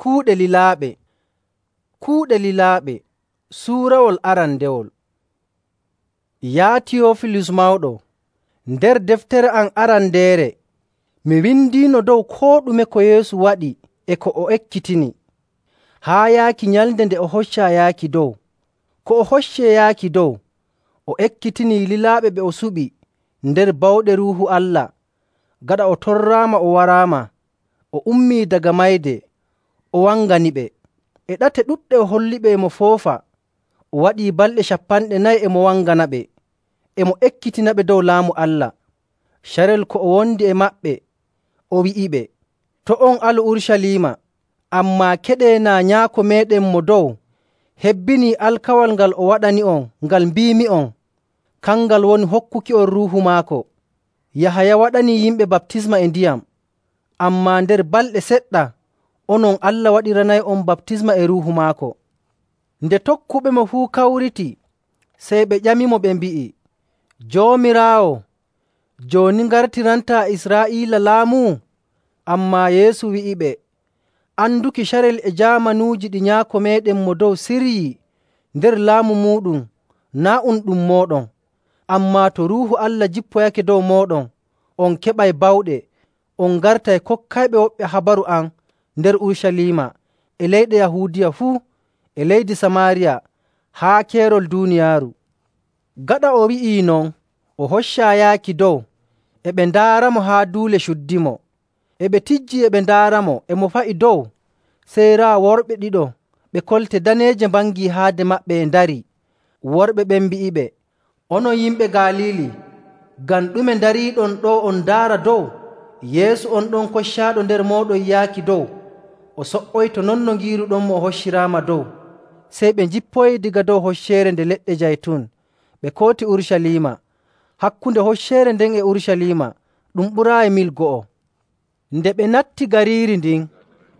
Kuuɗe lilaaɓe. Kuuɗe lilaaɓe suurawol arandewol. Yaa Tiyofilus mawɗo, nder deftere am arandeere mi windiino dow koo ɗume ko Yeesu waɗi e ko o ekkitini, haa yaaki nyalnde nde o hoccaa yaaki dow. Ko o hoccee yaaki dow, o ekkitinii lilaaɓe ɓe o suɓi nder bawɗe Ruuhu Allah. Gaɗa o torraama o waraama, o ummii daga mayde, o wanganiɓe. E ɗate ɗuɗɗe o holliɓe e mo foofa. O waɗii balɗe 40 e mo wanganaɓe, e mo ekkitinaɓe dow Laamu Allah. Carel ko o wondi e maɓɓe, o wi'iɓe, “To' on alu Urucaliima, ammaa keɗee naa Nyaako meeɗen Mo Dow hebbinii alkawal ngal o waɗani'on ngal mbiimi'on, kangal woni hokkuki'on Ruuhu maako. Yahaya waɗanii yimɓe baptisma e ndiyam, ammaa nder balɗe seɗɗa onon Allah waɗiranay'on baptisma e Ruuhu maako.” Nde tokkuɓemo fuu kawriti, sey ɓe ƴamimo ɓe mbi'i, “Joomiraawo, jooni ngartirantaa Israa'iila laamu?” Ammaa Yeesu wi'iɓe, “Anduki carel e jaamanuuji ɗi Nyaako meeɗen Mo Dow siryii nder laamu muuɗum naa' ɗum mooɗon. Ammaa to Ruuhu Allah jippoyake dow mooɗon, on keɓay bawɗe, on ngartay kokkayɓe woɓɓe habaru am nder Urucaliima, e leyɗe Yahuudiya fuu, e leydi Samaariya, haa keerol duuniyaaru.” Gaɗa o wi'ii non, o hoccaa yaaki dow, e ɓe ndaaramo haa duule cuddimo. E ɓe tijjii e ɓe ndaaramo e mo fa'i dow, sey raa worɓe ɗiɗo ɓe kolte daneeje mbangii haade maɓɓe e ndarii. Worɓe ɓen mbi'iɓe, “Onon yimɓe Galiili, ngam ɗume ndariiɗon ɗo on ndaara dow? Yeesu on ɗon koccaaɗo nder mooɗon yaaki dow, o so''oyto non no ngiiruɗonmo o hocciraama dow.” Sey ɓe njippoyi daga dow hocceere nde leɗɗe jaytun, ɓe kooti Urucaliima. Hakkunde hocceere nden e Urucaliima ɗum ɓuraayi mil 2. Nde ɓe natti gariiri ndin,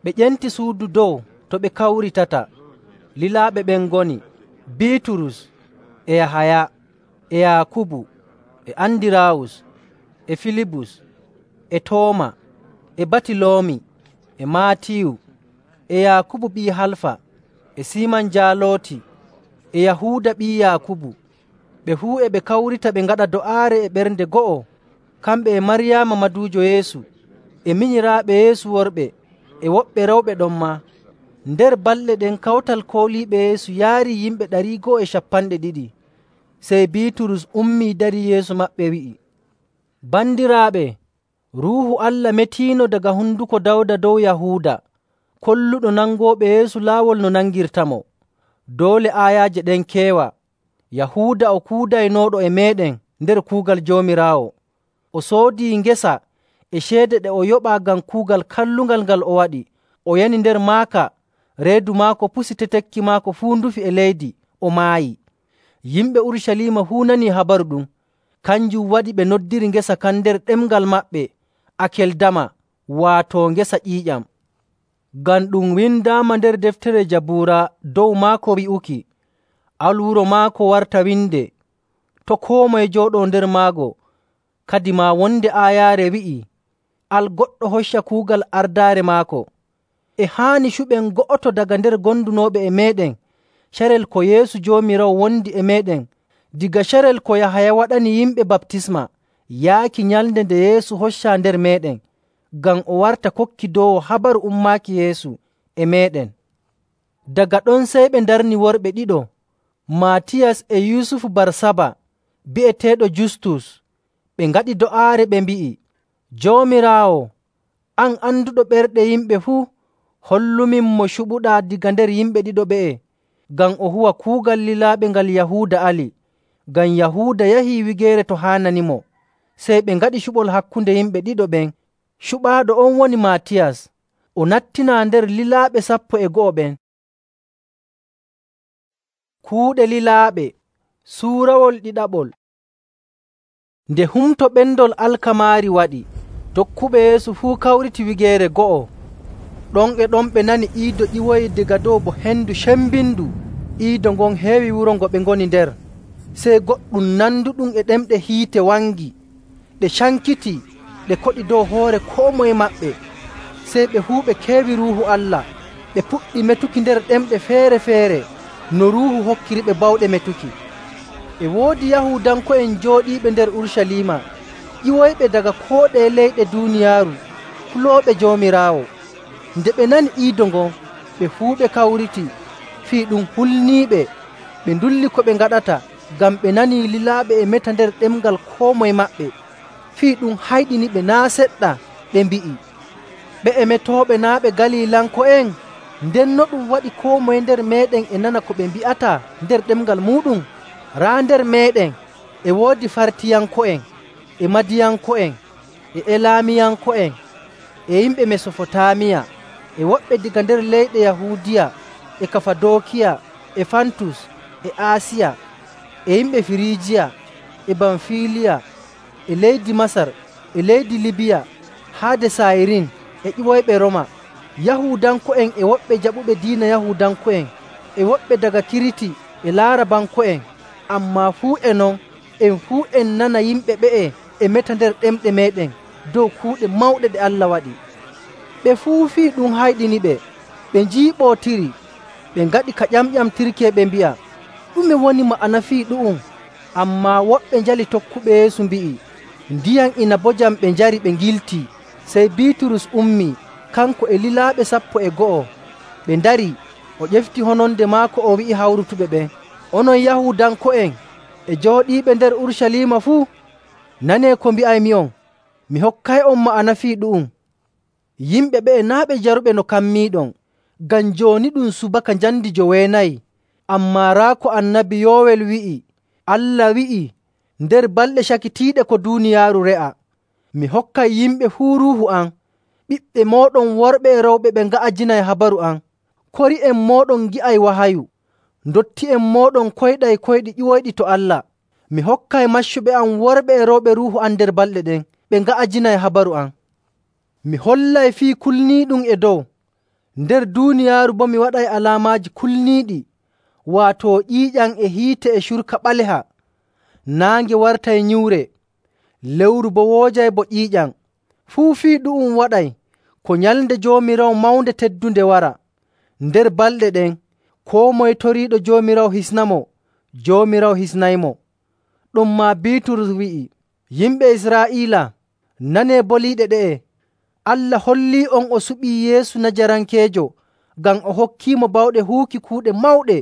ɓe ƴenti suudu dow to ɓe kawritata. Lilaaɓe ɓen ngoni Biiturus, e Yahaya, e Yaakubu, e Andiraawus, e Filibus, e Tooma, e Batiloomi, e Maatiyu, e Yaakubu ɓii Halfa, e Siiman Jaalooti, e Yahuuda ɓii Yaakubu. Ɓe fuu e ɓe kawrita ɓe ngaɗa do'aare e ɓernde go'o, kamɓe e Maryaama maduujo Yeesu, e minyiraaɓe Yeesu worɓe, e woɓɓe rewɓe ɗon maa. Nder balɗe ɗen kawtal kooliiɓe Yeesu yaarii yimɓe 250. Sey Biiturus ummii darii yeeso maɓɓe wi'i, “Bandiraaɓe, Ruuhu Allah metiino daga honduko Dawda dow Yahuuda, kolluɗo nangooɓe Yeesu laawol no nangirtamo. Doole aayaaje ɗen keewa. Yahuuda o kuudaynooɗo e meeɗen nder kuugal Joomiraawo. O soodii ngesa e ceede ɗe o yoɓaa ngam kuugal kallungal ngal o waɗi. O yani nder maaka, reedu maako pusi, tetekki maako fuu ndufi e leydi, o maayi. Yimɓe Urucaliima fuu nanii habaru ɗum. Kanjum waɗi ɓe noddiri ngesa kan nder ɗemngal maɓɓe Akeldama, waato ngesa ƴiiƴam. Ngam ɗum windaama nder deftere Jabuura dow maako wi'uki, “Al wuro maako warta winde, to' koo moye jooɗoo nder maago.” Kadi maa wonde aayaare wi'ii, “Al goɗɗo hocca kuugal ardaare maako.” E haani cuɓen go'oto daga nder gondunooɓe e meeɗen carel ko Yeesu Joomiraawo wondi e meeɗen diga carel ko Yahaya waɗani yimɓe baptisma yaaki nyalnde nde Yeesu hoccaa nder meeɗen, ngam o warta kokkidoowo habaru ummaaki Yeesu e meeɗen. Daga ɗon sey ɓe ndarni worɓe ɗiɗo, Maatiyas e Yusufu Barsaba bi'eteeɗo Justus. Ɓe ngaɗi do'aare ɓe mbi'i, “Joomiraawo, an anduɗo ɓerɗe yimɓe fuu, hollumin mo cuɓuɗaa diga nder yimɓe ɗiɗo ɓe'e, ngam o huwa kuugal lilaaɓe ngal Yahuuda ali.” Ngam Yahuuda yahii wigeere to haananimo. Sey ɓe ngaɗi cuɓol hakkunde yimɓe ɗiɗo ɓen. Cuɓaaɗo on woni Maatiyas. O nattinaa nder lilaaɓe 12 ɓen. Kuuɗe lilaaɓe suurawol ɗiɗaɓol. Nde humto ɓendol alkamaari waɗi, tokkuɓe Yeesu fuu kawriti wigeere go'o. Ɗon e ɗon ɓe nani iido ƴiwoyi daga dow bo hendu cembindu. Iido ngon heewi wuro ngo ɓe ngoni nder. Sey goɗɗum nanduɗum e ɗemɗe hiite wangi, ɗe cankiti, ɗe koɗi dow hoore koo moye maɓɓe. Sey ɓe fuu ɓe keewi Ruuhu Allah, ɓe puɗɗi metuki nder ɗemɗe feere‑feere no Ruuhu hokkiriɓe bawɗe metuki. E woodi Yahuudanko'en jooɗiiɓe nder Urucaliima, ƴiwoyɓe daga koo ɗeye leyɗe duuniyaaru, kulooɓe Joomiraawo. Nde ɓe nani iido ngon, ɓe fuu ɓe kawriti, fii ɗum hulniiɓe. Ɓe ndulli ko ɓe ngaɗata, ngam ɓe nanii lilaaɓe e meta nder ɗemngal koo moye maɓɓe. Fii ɗum hayɗiniɓe naa' seɗɗa, ɓe mbi'i, “Ɓe'e metooɓe naa' ɓe Galiilanko'en? Ndenno ɗum waɗi koo moye nder meeɗen e nana ko ɓe mbi'ata nder ɗemngal muuɗum? Raa nder meeɗen e woodi Fartiyanko'en, e Madiyanko'en, e Elaamiyanko'en, e yimɓe Mesofotaamiya, e woɓɓe daga nder leyɗe Yahuudiya, e Kafadookiya, e Fantus, e Aasiya, e yimɓe Firiijiya, e Bamfiliya, e leydi Masar, e leydi Libiya, haa de Sayrin, e ƴiwoyɓe Rooma, Yahuudanko'en e woɓɓe jaɓuɓe diina Yahuudanko'en, e woɓɓe daga Kiriti e Laarabanko'en. Ammaa fuu e non, en fuu en nana yimɓe ɓe'e e meta nder ɗemɗe meeɗen dow kuuɗe mawɗe ɗe Allah waɗi.” Ɓe fuu fii ɗum hayɗiniɓe, ɓe njiiɓootiri, ɓe ngaɗi ka ƴamƴamtirki e ɓe mbi'a, “Ɗume woni ma'ana fii ɗu'um?” Ammaa woɓɓe njali tokkuɓe Yeesu mbi'i, “Ndiyam inabojam ɓe njari ɓe ngiltii.” Sey Biiturus ummii, kanko e lilaaɓe 12. Ɓe ndarii, o ƴefti hononde maako o wi'i hawrutuɓe ɓen, “Onon Yahuudanko'en e jooɗiiɓe nder Urucaliima fuu, nanee ko mbi'aymi'on. Mi hokkay'on ma'ana fii ɗu'um. Yimɓe ɓe'e naa' ɓe jaruɓe no kammiiɗon, ngam jooni ɗum subaka njamndi 9. Ammaa raa ko Annabi Yoowel wi'i, Allah wi'ii, nder balɗe cakitiiɗe ko duuniyaaru re'a, mi hokkay yimɓe fuu Ruuhu am. Ɓiɓɓe mooɗon worɓe e rewɓe ɓe nga'ajinay habaru am. Kori'en mooɗon ngi'ay wahayu. Ndotti'en mooɗon koyɗay koyɗi ƴiwoyɗi to Allah. Mi hokkay maccuɓe am worɓe e rewɓe Ruuhu am nder balɗe ɗen, ɓe nga'ajinay habaru am. Mi hollay fii kulniiɗum e dow. Nder duuniyaaru boo mi waɗay alaamaaji kulniiɗi, waato ƴiiƴam e hiite e curka ɓaleha. Naange wartay nyiwre, lewru boo woojay bo ƴiiƴam. Fuu fii ɗu'um waɗay ko nyalnde Joomiraawo mawnde teddunde wara. Nder balɗe ɗen, koo moye toriiɗo Joomiraawo hisnamo, Joomiraawo hisnaymo.” Ɗonmaa Biiturus wi'i, “Yimɓe Israa'iila, nanee boliiɗe ɗe'e. Allah hollii'on o suɓii Yeesu Najarankeejo ngam o hokkiimo bawɗe huuki kuuɗe mawɗe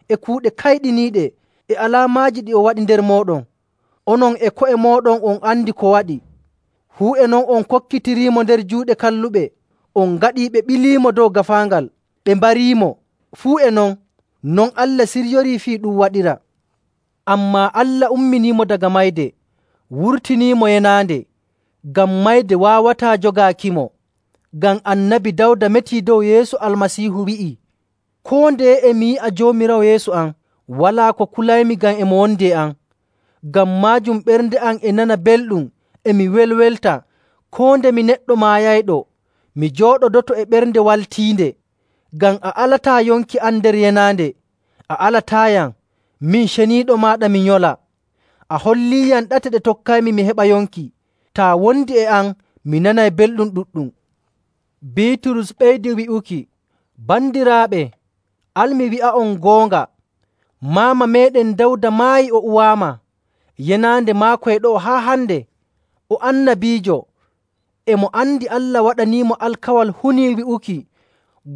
e kuuɗe kayɗiniiɗe e alaamaaji ɗi o waɗi nder mooɗon. Onon e ko'e mooɗon on andi ko waɗi. Fuu e non on kokkitiriimo nder juuɗe kalluɓe, on ngaɗii ɓe ɓiliimo dow gaafaangal, ɓe mbariimo. Fuu e non Allah siryorii fii ɗum waɗira. Ammaa Allah umminiimo daga mayde, wurtiniimo yenaande, ngam mayde waawataa jogaakimo. Ngam Annabi Dawda metii dow Yeesu Almasiihu wi'ii, “Koo ndeye e mi yi'a Joomiraawo Yeesu am, walaa ko kulaymi ngam e mo wondi e am. Ngam maajum ɓernde am e nana belɗum e mi welwelta koo nde mi neɗɗo maayayɗo, mi jooɗodoto e ɓernde waltiinde. Ngam a alataa yonki am nder yenaande, a alataayam, min ceniiɗo maaɗa mi nyola. A holliiyam ɗate ɗe tokkaymi mi heɓa yonki. Taa wondi e am, mi nanay belɗum ɗuɗɗum.” Biiturus ɓeydi wi'uki, “Bandiraaɓe, al mi wi'a'on goonga, maama meeɗen Dawda maayi o uwaama. Yenaande maako e ɗo'o haa hande. O annabiijo, e mo andi Allah waɗaniimo alkawal hunii wi'uki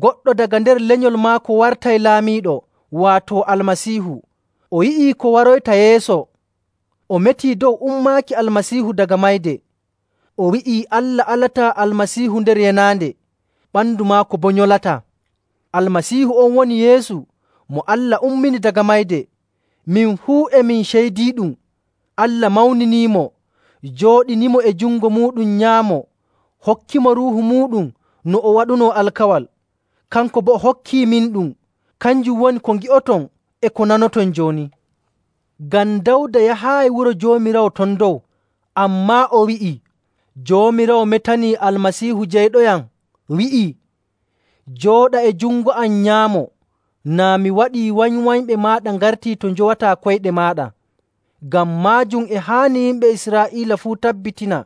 goɗɗo daga nder lenyol maako wartay laamiiɗo, waato Almasiihu. O yi'ii ko waroyta yeeso. O metii dow ummaaki Almasiihu daga mayde. O wi'ii Allah alataa Almasiihu nder yenaande, ɓandu maako boo nyolataa. Almasiihu on woni Yeesu mo Allah ummini daga mayde. Min fuu e min ceydiiɗum. Allah mawniniimo, jooɗinimo e jungo muuɗum nyaamo, hokkimo Ruuhu muuɗum no o waɗunoo alkawal. Kanko boo o hokkii min ɗum. Kanjum woni ko ngi'oton e ko nanoton jooni. Ngam Dawda yahaayi wuro Joomiraawo ton dow, ammaa o wi'ii, ‘Joomiraawo metanii Almasiihu jeyɗoyam, wi'ii, “Jooɗa e jungo am nyaamo, naa mi waɗii wanywanyɓe maaɗa ngartii to njowataa koyɗe maaɗa.” Ngam maajum e haani yimɓe Israa'iila fuu tabbitina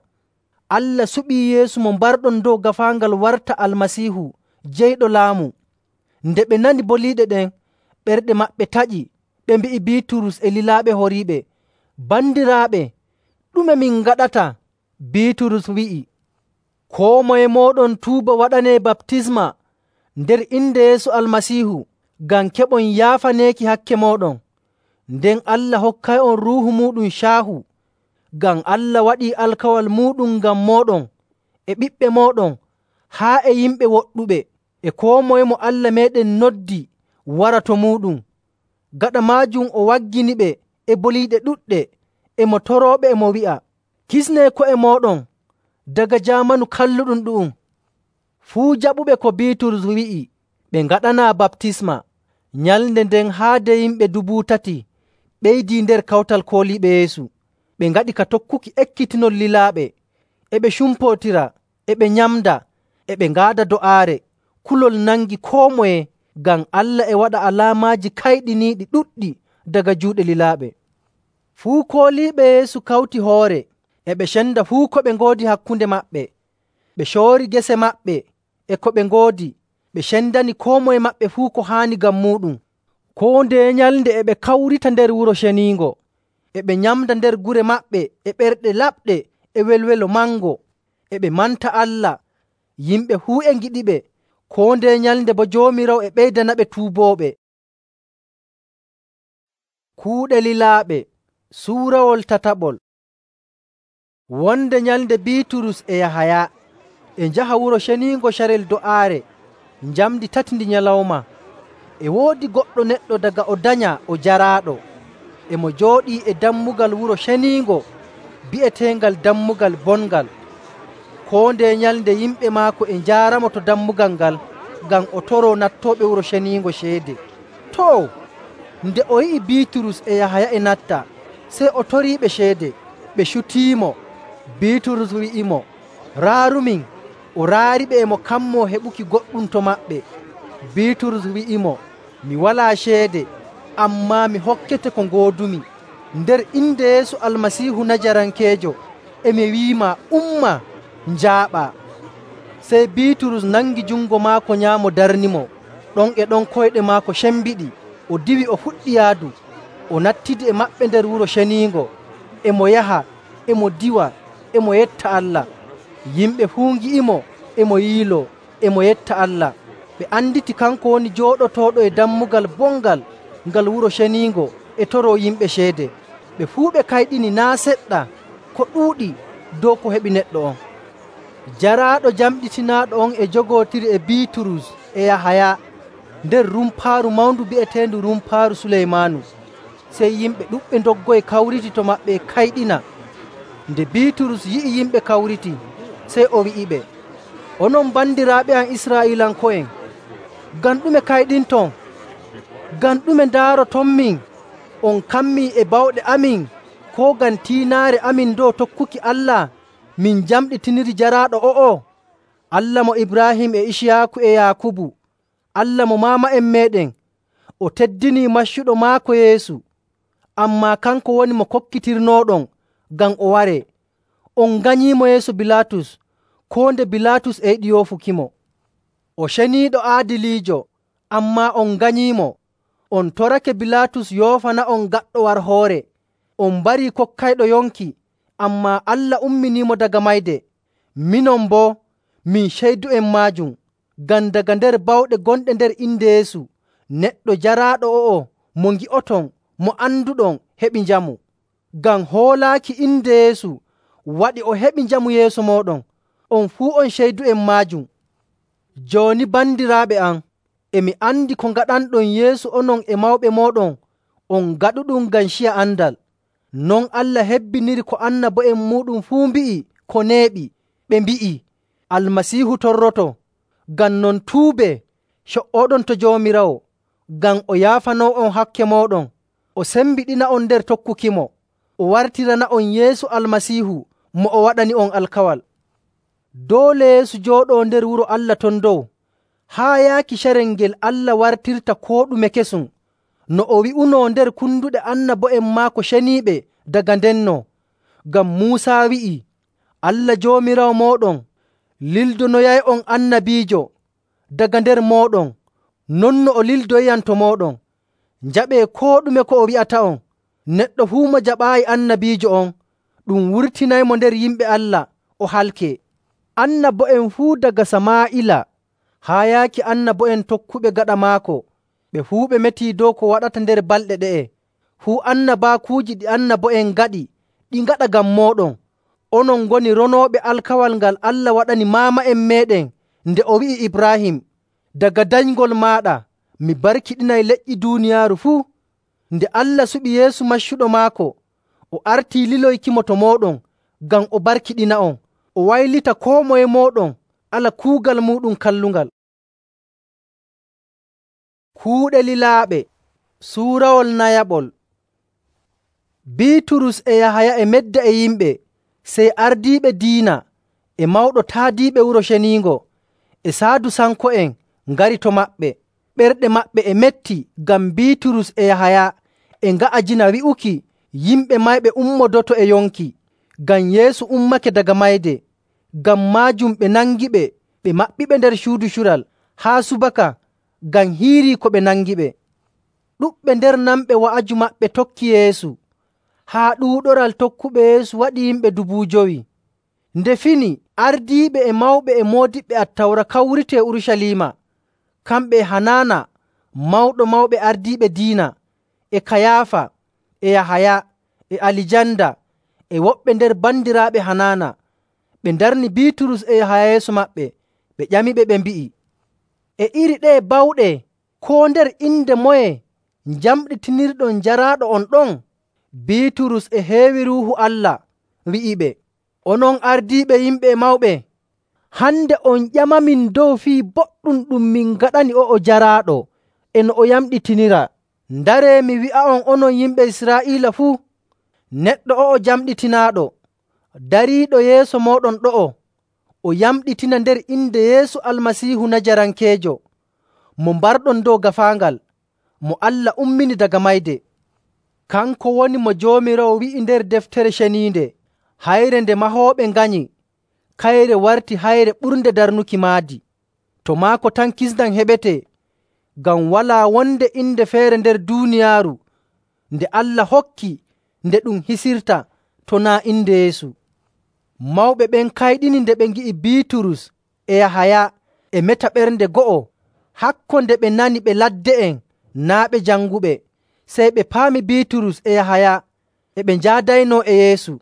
Allah suɓii Yeesu mo mbarɗon dow gaafaangal warta Almasiihu, jeyɗo laamu. Nde ɓe nani boliiɗe ɗen, ɓerɗe maɓɓe taƴi. Ɓe mbi'i Biiturus e lilaaɓe horiiɓe, “Bandiraaɓe, ɗume min ngaɗata?” Biiturus wi'i, “Koo moye mooɗon tuuba waɗanee baptisma nder inde Yeesu Almasiihu ngam keɓon yaafaneeki hakke mooɗon. Nden Allah hokkay'on Ruuhu muuɗum caahu, ngam Allah waɗii alkawal muuɗum ngam mooɗon e ɓiɓɓe mooɗon haa e yimɓe woɗɗuɓe e koo moye mo Allah meeɗen noddi wara to muuɗum.” Gaɗa maajum o wagginiɓe e boliiɗe ɗuɗɗe, e mo torooɓe e mo wi'a, “Kisnee ko'e mooɗon daga jaamanu kalluɗum ɗu'um.” Fuu jaɓuɓe ko Biiturus wi'i ɓe ngaɗanaa baptisma. Nyalnde nden haade yimɓe 3,000 ɓeydii nder kawtal kooliiɓe Yeesu. Ɓe ngaɗi ka tokkuki ekkitinol lilaaɓe, e ɓe cumpootira, e ɓe nyamda, e ɓe ngaada do'aare. Kulol nangi koo moye ngam Allah e waɗa alaamaaji kayɗiniiɗi ɗuɗɗi daga juuɗe lilaaɓe. Fuu kooliiɓe Yeesu kawti hoore, e ɓe cenda fuu ko ɓe ngoodi hakkunde maɓɓe. Ɓe coori gese maɓɓe e ko ɓe ngoodi, ɓe cendani koo moye maɓɓe fuu ko haani ngam muuɗum. Koo ndeye nyalnde e ɓe kawrita nder Wuro Ceniingo, e ɓe nyamda nder gure maɓɓe e ɓerɗe laɓɗe e welwelo mango, e ɓe manta Allah. Yimɓe fuu e ngiɗiɓe, koo ndeye nyalnde boo Joomiraawo e ɓeydanaɓe tuubooɓe. Kuuɗe lilaaɓe suurawol tataɓol. Wonde nyalnde Biiturus e Yahaya e njaha Wuro Ceniingo carel do'aare njamndi 3 ndi nyalawma. E woodi goɗɗo neɗɗo daga o danya o jaraaɗo, e mo jooɗii e dammugal Wuro Ceniingo bi'eteengal Dammugal Bongal. Koo ndeye nyalnde yimɓe maako e njaaramo to dammugal ngal ngam o toroo nattooɓe Wuro Ceniingo ceede. Too, nde o yi'i Biiturus e Yahaya e natta, sey o toriiɓe ceede. Ɓe cutiimo. Biiturus wi'imo, “Raarumin.” O raariɓe e mo kammoo heɓuki goɗɗum to maɓɓe. Biiturus wi'imo, “Mi walaa ceede, ammaa mi hokkete ko ngoodumi. Nder inde Yeesu Almasiihu Najarankeejo, e mi wi'imaa, umma, njaaɓaa.” Sey Biiturus nangi jungo maako nyaamo darnimo. Ɗon e ɗon koyɗe maako cembiɗi. O diwi o fuɗɗi yaadu. O nattidi e maɓɓe nder Wuro Ceniingo. E mo yaha, e mo diwa, e mo yetta Allah. Yimɓe fuu ngi'imo e mo yiiloo, e mo yetta Allah. Ɓe anditi kanko woni jooɗotooɗo e dammugal bongal ngal Wuro Ceniingo e toroo yimɓe ceede. Ɓe fuu ɓe kayɗini naa' seɗɗa ko ɗuuɗi dow ko heɓi neɗɗo on. Jaraaɗo jamɗitinaaɗo on e jogootiri e Biiturus e Yahaya nder rumpaaru mawndu bi'eteendu Rumpaaru Suleymaanu. Sey yimɓe ɗuɗɓe ndoggoyi kawriti to maɓɓe kayɗina. Nde Biiturus yi'i yimɓe kawriti, sey o wi'iɓe, “Onon bandiraaɓe am Israa'iilanko'en, ngam ɗume kayɗinton? Ngam ɗume ndaarotonmin on kammii e bawɗe amin, koo ngam tiinaare amin dow tokkuki Allah min jamɗitiniri jaraaɗo o'o? Allah mo Ibraahim e Iciyaaku e Yaakubu, Allah mo maama'en meeɗen, o teddinii maccuɗo maako Yeesu. Ammaa kanko woni mo kokkitirnooɗon ngam o waree. On nganyiimo yeeso Bilaatus, koo nde Bilaatus e yiɗi yoofukimo. O ceniiɗo aadiliijo, ammaa on nganyiimo. On torake Bilaatus yoofana'on gaɗɗo war hoore. On mbarii kokkayɗo yonki, ammaa Allah umminiimo daga mayde. Minon boo, min ceydu'en maajum, ngam daga nder bawɗe gonɗe nder inde Yeesu, neɗɗo jaraaɗo o'o mo ngi'oton, mo anduɗon heɓi njamu. Ngam hoolaaki inde Yeesu waɗi o heɓi njamu yeeso mooɗon. On fuu on ceydu'en maajum. Jooni bandiraaɓe am, e mi andi ko ngaɗanɗon yeeso onon e mawɓe mooɗon on ngaɗuɗum ngam ciya andal. Non Allah hebbiniri ko annabo'en muuɗum fuu mbi'i ko neeɓi, ɓe mbi'i, “Almasiihu torroto.” Ngam non tuubee, co''oɗon to Joomiraawo, ngam o yaafanoo'on hakke mooɗon, o sembiɗina'on nder tokkukimo, o wartirana'on Yeesu Almasiihu mo o waɗani'on alkawal. Doole Yeesu jooɗoo nder wuro Allah ton dow, haa yaaki carel ngel Allah wartirta koo ɗume kesum, no o wi'unoo nder kunduɗe annabo'en maako ceniiɓe daga ndenno. Ngam Muusaa wi'i, “Allah Joomiraawo mooɗon lildonoyay'on annabiijo daga nder mooɗon, Non no o lildoyiyam to mooɗon, njaɓee koo ɗume ko o wi'ata'on. Neɗɗo fuu mo jaɓaayi annabiijo on, ɗum wurtinaymo nder yimɓe Allah o halkee. Annabo'en fuu daga Samaa'ila haa yaaki annabo'en tokkuɓe gaɗa maako, ɓe fuu ɓe metii dow ko waɗata nder balɗe ɗe'e. Fuu annabaakuuji ɗi annabo'en ngaɗi, ɗi ngaɗa ngam mooɗon. Onon ngoni ronooɓe alkawal ngal Allah waɗani maama'en meeɗen nde o wi'i Ibraahim, ‘Daga danyngol maaɗa mi barkiɗinay leƴƴi duuniyaaru fuu.’ Nde Allah suɓi Yeesu maccuɗo maako, o artii liloykimo to mooɗon ngam o barkiɗina'on, o waylita koo moye mooɗon ala kuugal muuɗum kallungal.” Kuuɗe lilaaɓe suurawol nayaɓol. Biiturus e Yahaya e medda e yimɓe, sey ardiiɓe diina e mawɗo taadiiɓe Wuro Ceniingo e Saadusanko'en ngari to maɓɓe. Ɓerɗe maɓɓe e metti ngam Biiturus e Yahaya e nga'ajina wi'uki yimɓe mayɓe ummodoto e yonki, ngam Yeesu ummake daga mayde. Ngam maajum ɓe nangiɓe, ɓe maɓɓiɓe nder cuudu cural haa subaka ngam hiirii ko ɓe nangiɓe. Ɗuɗɓe nder nanɓe wa'aju maɓɓe tokki Yeesu, haa ɗuuɗoral tokkuɓe Yeesu waɗi yimɓe 5,000. Nde fini, ardiiɓe e mawɓe e moodiɓɓe Attawra kawriti e Urucaliima, kamɓe e Hanaana mawɗo mawɓe ardiiɓe diina, e Kayaafa, e Yahaya, e Alijanda, e woɓɓe nder bandiraaɓe Hanaana. Ɓe ndarni Biiturus e Yahaya yeeso maɓɓe, ɓe ƴamiɓe ɓe mbi'i, “E iri ɗeye bawɗe, koo nder inde moye njamɗitinirɗon jaraaɗo on ɗon?” Biiturus e heewi Ruuhu Allah wi'iɓe, “Onon ardiiɓe yimɓe e mawɓe, hande on ƴamamin dow fii boɗɗum ɗum min ngaɗani o'o jaraaɗo e no o yamɗitinira. Ndaree mi wi'a'on onon yimɓe Israa'iila fuu, neɗɗo o'o jamɗitinaaɗo dariiɗo yeeso mooɗon ɗo'o, o yamɗitina nder inde Yeesu Almasiihu Najarankeejo, mo mbarɗon dow gaafaangal, mo Allah ummini daga mayde. Kanko woni mo Joomiraawo wi'i nder Deftere Ceniinde, hayre nde mahooɓe nganyi, kayre warti hayre ɓurnde darnuki maadi. To maako tan kisndam heɓetee, ngam walaa wonde inde feere nder duuniyaaru nde Allah hokki nde ɗum hisirta to naa' inde Yeesu.” Mawɓe ɓen kayɗini nde ɓe ngi'i Biiturus e Yahaya e meta ɓernde go'o, hakko nde ɓe nani ɓe ladde'en naa' ɓe janguɓe. Sey ɓe paami Biiturus e Yahaya e ɓe njaadaynoo e Yeesu.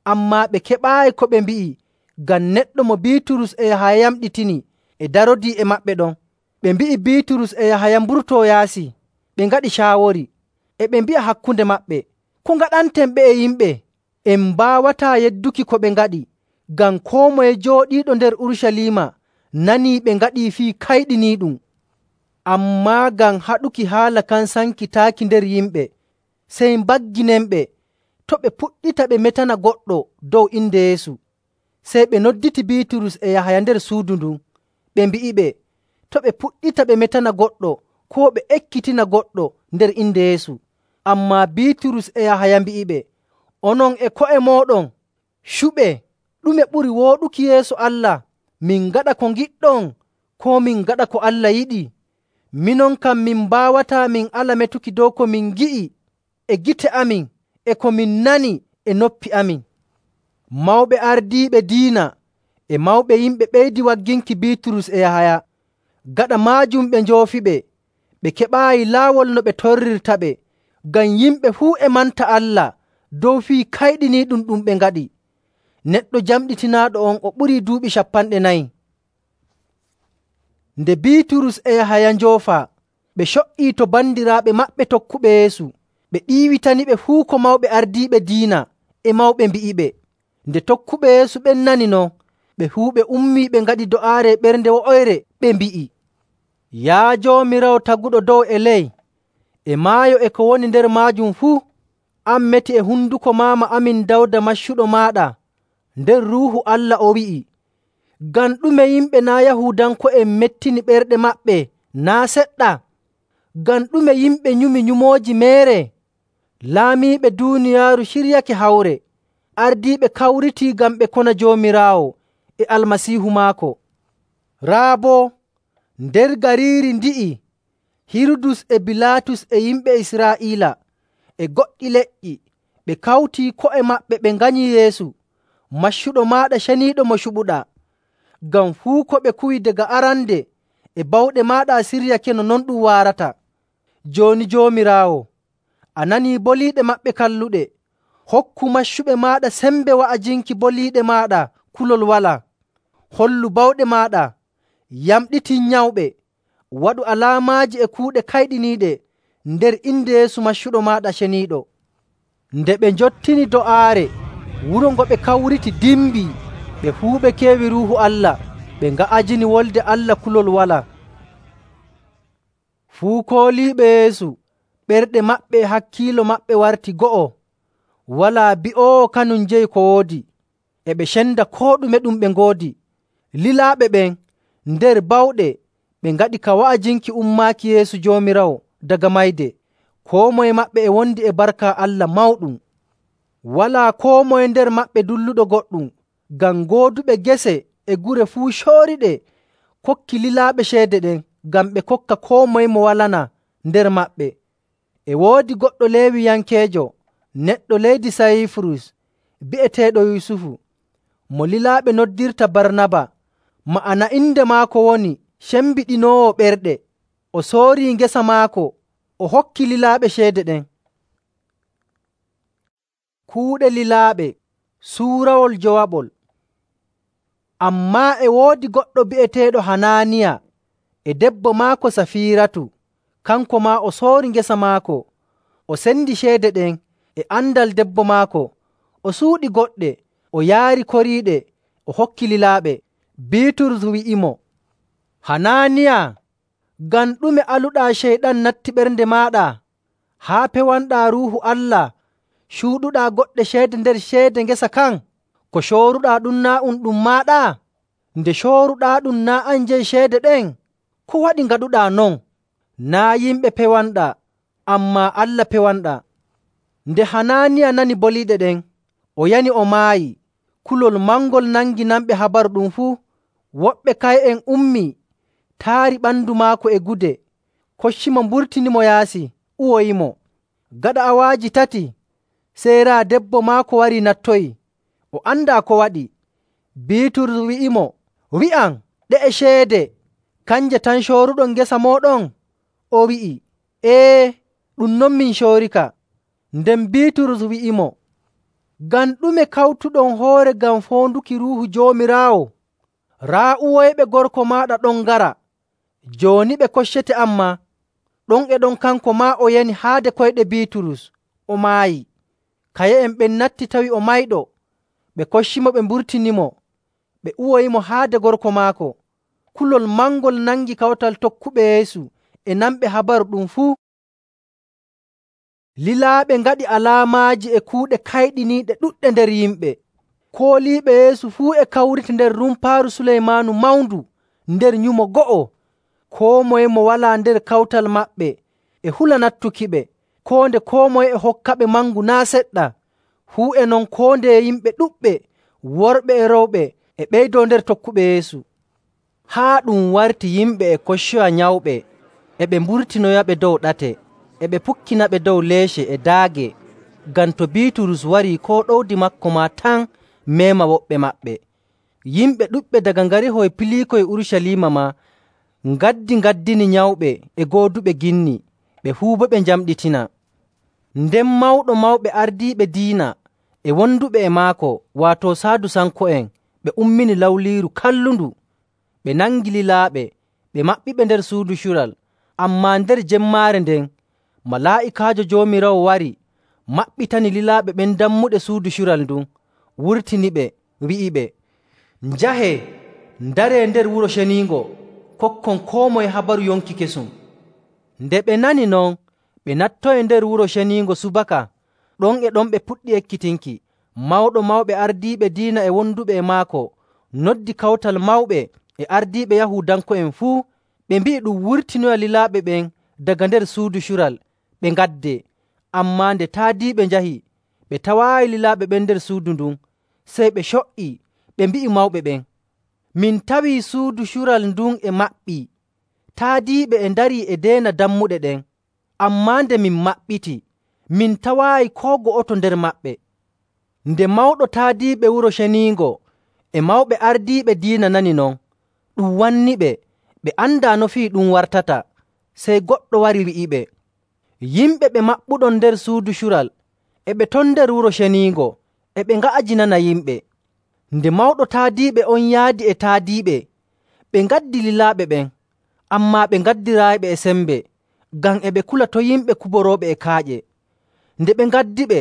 Ammaa ɓe keɓaayi ko ɓe mbi'i, ngam neɗɗo mo Biiturus e Yahaya yamɗitini e darodii e maɓɓe ɗon. Ɓe mbi'i Biiturus e Yahaya mburtoo yaasi. Ɓe ngaɗi caawori, e ɓe mbi'a hakkunde maɓɓe, “Ko ngaɗanten ɓe'e yimɓe? En mbaawataa yedduki ko ɓe ngaɗi, ngam koo moye jooɗiiɗo nder Urucaliima nanii ɓe ngaɗii fii kayɗiniiɗum.” Ammaa ngam haɗuki haala kan sankitaaki nder yimɓe, sey mbagginenɓe to' ɓe puɗɗita ɓe metana goɗɗo dow inde Yeesu. Sey ɓe nodditi Biiturus e Yahaya nder suudu ndun, ɓe mbi'iɓe to' ɓe puɗɗita ɓe metana goɗɗo koo ɓe ekkitina goɗɗo nder inde Yeesu. Ammaa Biiturus e Yahaya mbi'iɓe, “Onon e ko'e mooɗon cuɓe, ɗume ɓuri wooɗuki yeeso Allah, min ngaɗa ko ngiɗɗon, koo min ngaɗa ko Allah yiɗi? Minon kam min mbaawataa min ala metuki dow ko min ngi'i e gite amin e ko min nani e noppi amin.” Mawɓe ardiiɓe diina e mawɓe yimɓe ɓeydi wagginki Biiturus e Yahaya. Gaɗa maajum ɓe njoofiɓe, ɓe keɓaayi laawol no ɓe torrirtaɓe, ngam yimɓe fuu e manta Allah dow fii kayɗiniiɗum ɗum ɓe ngaɗi. Neɗɗo jamɗitinaaɗo on o ɓurii duuɓi 40. Nde Biiturus e Yahaya njoofaa, ɓe co''ii to bandiraaɓe maɓɓe tokkuɓe Yeesu. Ɓe ɗiiwitaniɓe fuu ko mawɓe ardiiɓe diina e mawɓe mbi'iɓe. Nde tokkuɓe Yeesu ɓen nani non, ɓe fuu ɓe ummii ɓe ngaɗi do'aare ɓernde wo'oyre, ɓe mbi'i, “Yaa Joomiraawo taguɗo dow e ley, e maayo e ko woni nder maajum fuu, an meti e hunduko maama amin Dawda maccuɗo maaɗa, nder Ruuhu Allah o wi'i, ‘Ngam ɗume yimɓe naa' Yahuudanko'en mettini ɓerɗe maɓɓe naa' seɗɗa? Ngam ɗume yimɓe nyumi nyumooji meere? Laamiiɓe duuniyaaru ciryake hawre, ardiiɓe kawritii ngam ɓe kona Joomiraawo e Almasiihu maako. Raa boo, nder gariiri ndi'i Hirudus e Bilaatus e yimɓe Israa'iila e goɗɗi leƴƴi ɓe kawtii ko'e maɓɓe ɓe nganyi Yeesu, maccuɗo maaɗa ceniiɗo mo cuɓuɗaa. Ngam fuu ko ɓe kuwi daga arande e bawɗe maaɗa a siryake no non ɗum waarata. Jooni Joomiraawo, a nanii boliiɗe maɓɓe kalluɗe. Hokku maccuɓe maaɗa sembe wa'ajinki boliiɗe maaɗa kulol walaa. Hollu bawɗe maaɗa, yamɗitin nyawɓe, waɗu alaamaaji e kuuɗe kayɗiniiɗe nder inde Yeesu maccuɗo maaɗa ceniiɗo.” Nde ɓe njottini do'aare, wuro ngo ɓe kawriti dimbii. Ɓe fuu ɓe keewi Ruuhu Allah, ɓe nga'ajini Wolde Allah kulol walaa. Fuu kooliiɓe Yeesu, ɓerɗe maɓɓe e hakkiilo maɓɓe warti go'o. Walaa bi'oowo kanum jeyi ko woodi. E ɓe cenda koo ɗume ɗum ɓe ngoodi. Lilaaɓe ɓen nder bawɗe ɓe ngaɗi ka wa'ajinki ummaaki Yeesu Joomiraawo daga mayde. Koo moye maɓɓe e wondi e barka Allah mawɗum. Walaa koo moye nder maɓɓe dulluɗo goɗɗum, ngam gooduɓe gese e gure fuu cooriɗe kokki lilaaɓe ceede ɗen ngam ɓe kokka koo moye mo walanaa nder maɓɓe. E woodi goɗɗo Leewiyankeejo, neɗɗo leydi Sayiifurus, bi'eteeɗo Yusufu, mo lilaaɓe noddirta Barnaba. Ma'ana inde maako woni Cembiɗinoowo Ɓerɗe. O soorii ngesa maako, o hokki lilaaɓe ceede ɗen. Kuuɗe lilaaɓe suurawol jowaɓol. Ammaa e woodi goɗɗo bi'eteeɗo Hanaaniya e debbo maako Safiiratu. Kanko maa o soori ngesa maako, o sendi ceede ɗen e andal debbo maako. O suuɗi goɗɗe, o yaari koriiɗe, o hokki lilaaɓe. Biiturus wi'imo, “Hanaaniya, ngam ɗume aluɗaa Ceyɗan natti ɓernde maaɗa haa pewanɗaa Ruuhu Allah cuuɗuɗaa goɗɗe ceede nder ceede ngesa kan? Ko cooruɗaa ɗum naa' ɗum maaɗa? Nde cooruɗaaɗum naa' an jeyi ceede ɗen? Ko waɗi ngaɗuɗaa non? Naa' yimɓe pewanɗaa, ammaa Allah pewanɗaa.” Nde Hanaaniya nani boliiɗe ɗen, o yani o maayi. Kulol mangol nangi nanɓe habaru ɗum fuu. Woɓɓe kay'en ummii, taari ɓandu maako e gude, koccimo mburtinimo yaasi, uwoyimo. Gaɗa awaaji tati, sey raa debbo maako warii nattoyi. O andaa ko waɗi. Biiturus wi'imo, “Wi'am, ɗe'e ceede kanje tan cooruɗon ngesa mooɗon?” O wi'i, “Ee, ɗum non min coorika.” Nden Biiturus wi'imo, “Ngam ɗume kawtuɗon hoore ngam foonduki Ruuhu Joomiraawo? Raa uwoyɓe gorko maaɗa ɗon ngara. Jooni ɓe koccete ammaa.” Ɗon e ɗon kanko maa o yani haade koyɗe Biiturus, o maayi. Kaye'en ɓen natti tawi o mayɗo. Ɓe koccimo ɓe mburtinimo, ɓe uwoyimo haade gorko maako. Kulol mangol nangi kawtal tokkuɓe Yeesu e nanɓe habaru ɗum fuu. Lilaaɓe ngaɗi alaamaaji e kuuɗe kayɗiniiɗe ɗuɗɗe nder yimɓe. Kooliiɓe Yeesu fuu e kawriti nder rumpaaru Suleymaanu mawndu nder nyumo go'o. Koo moye mo walaa nder kawtal maɓɓe e hula nattukiɓe, koo moye e hokkaɓe mangu naa' seɗɗa. Fuu e non koo ndeye yimɓe ɗuɗɓe, worɓe e rewɓe, e ɓeydoo nder tokkuɓe Yeesu. Haa ɗum warti yimɓe e koccoya nyawɓe, e ɓe mburtinoyaɓe dow ɗate, e ɓe pukkinaɓe dow leece e daage, ngam to Biiturus warii koo ɗowdi maako maa tan meema woɓɓe maɓɓe. Yimɓe ɗuɗɓe daga ngarihoy piliikoy Urucaliima maa ngaddini nyawɓe e gooduɓe ginni, ɓe fuu boo ɓe njamɗitina. Nden mawɗo mawɓe ardiiɓe diina e wonduɓe e maako, waato Saadusanko'en, ɓe ummini lawliiru kallundu. Ɓe nangi lilaaɓe, ɓe maɓɓiɓe nder suudu cural. Ammaa nder jemmaare nden, malaa'ikaajo Joomiraawo wari, maɓɓitani lilaaɓe ɓen dammuɗe suudu cural ndun, wurtiniɓe, wi'iɓe, “Njahee, ndaree nder Wuro Ceniingo, kokkon koo moye habaru yonki kesum.” Nde ɓe nani non, ɓe nattoyi nder Wuro Ceniingo subaka. Ɗon e ɗon ɓe puɗɗi ekkitinki. Mawɗo mawɓe ardiiɓe diina e wonduɓe e maako noddi kawtal mawɓe e ardiiɓe Yahuudanko'en fuu, ɓe mbi'i ɗum wurtinoya lilaaɓe ɓen daga nder suudu cural, ɓe ngaddee. Ammaa nde taadiiɓe njahi, ɓe tawaayi lilaaɓe ɓen nder suudu ndun. Sey ɓe co''ii, ɓe mbi'i mawɓe ɓen, “Min tawii suudu cural ndun e maɓɓii, taadiiɓe e ndarii e deena dammuɗe ɗen, ammaa nde min maɓɓiti, min tawaayi koo go'oto nder maɓɓe. Nde mawɗo taadiiɓe Wuro Ceniingo e mawɓe ardiiɓe diina nani non, ɗum wanniɓe ɓe andaa no fii ɗum wartata. Sey goɗɗo wari wi'iɓe, “Yimɓe ɓe maɓɓuɗon nder suudu cural e ɓe ton nder Wuro Ceniingo e ɓe nga'ajinana yimɓe.” Nde mawɗo taadiiɓe on yaadi e taadiiɓe, ɓe ngaddi lilaaɓe ɓen, ammaa ɓe ngaddiraayiɓe e sembe, ngam e ɓe kula to yimɓe kuborooɓe e kaaƴe. Nde ɓe ngaddiɓe,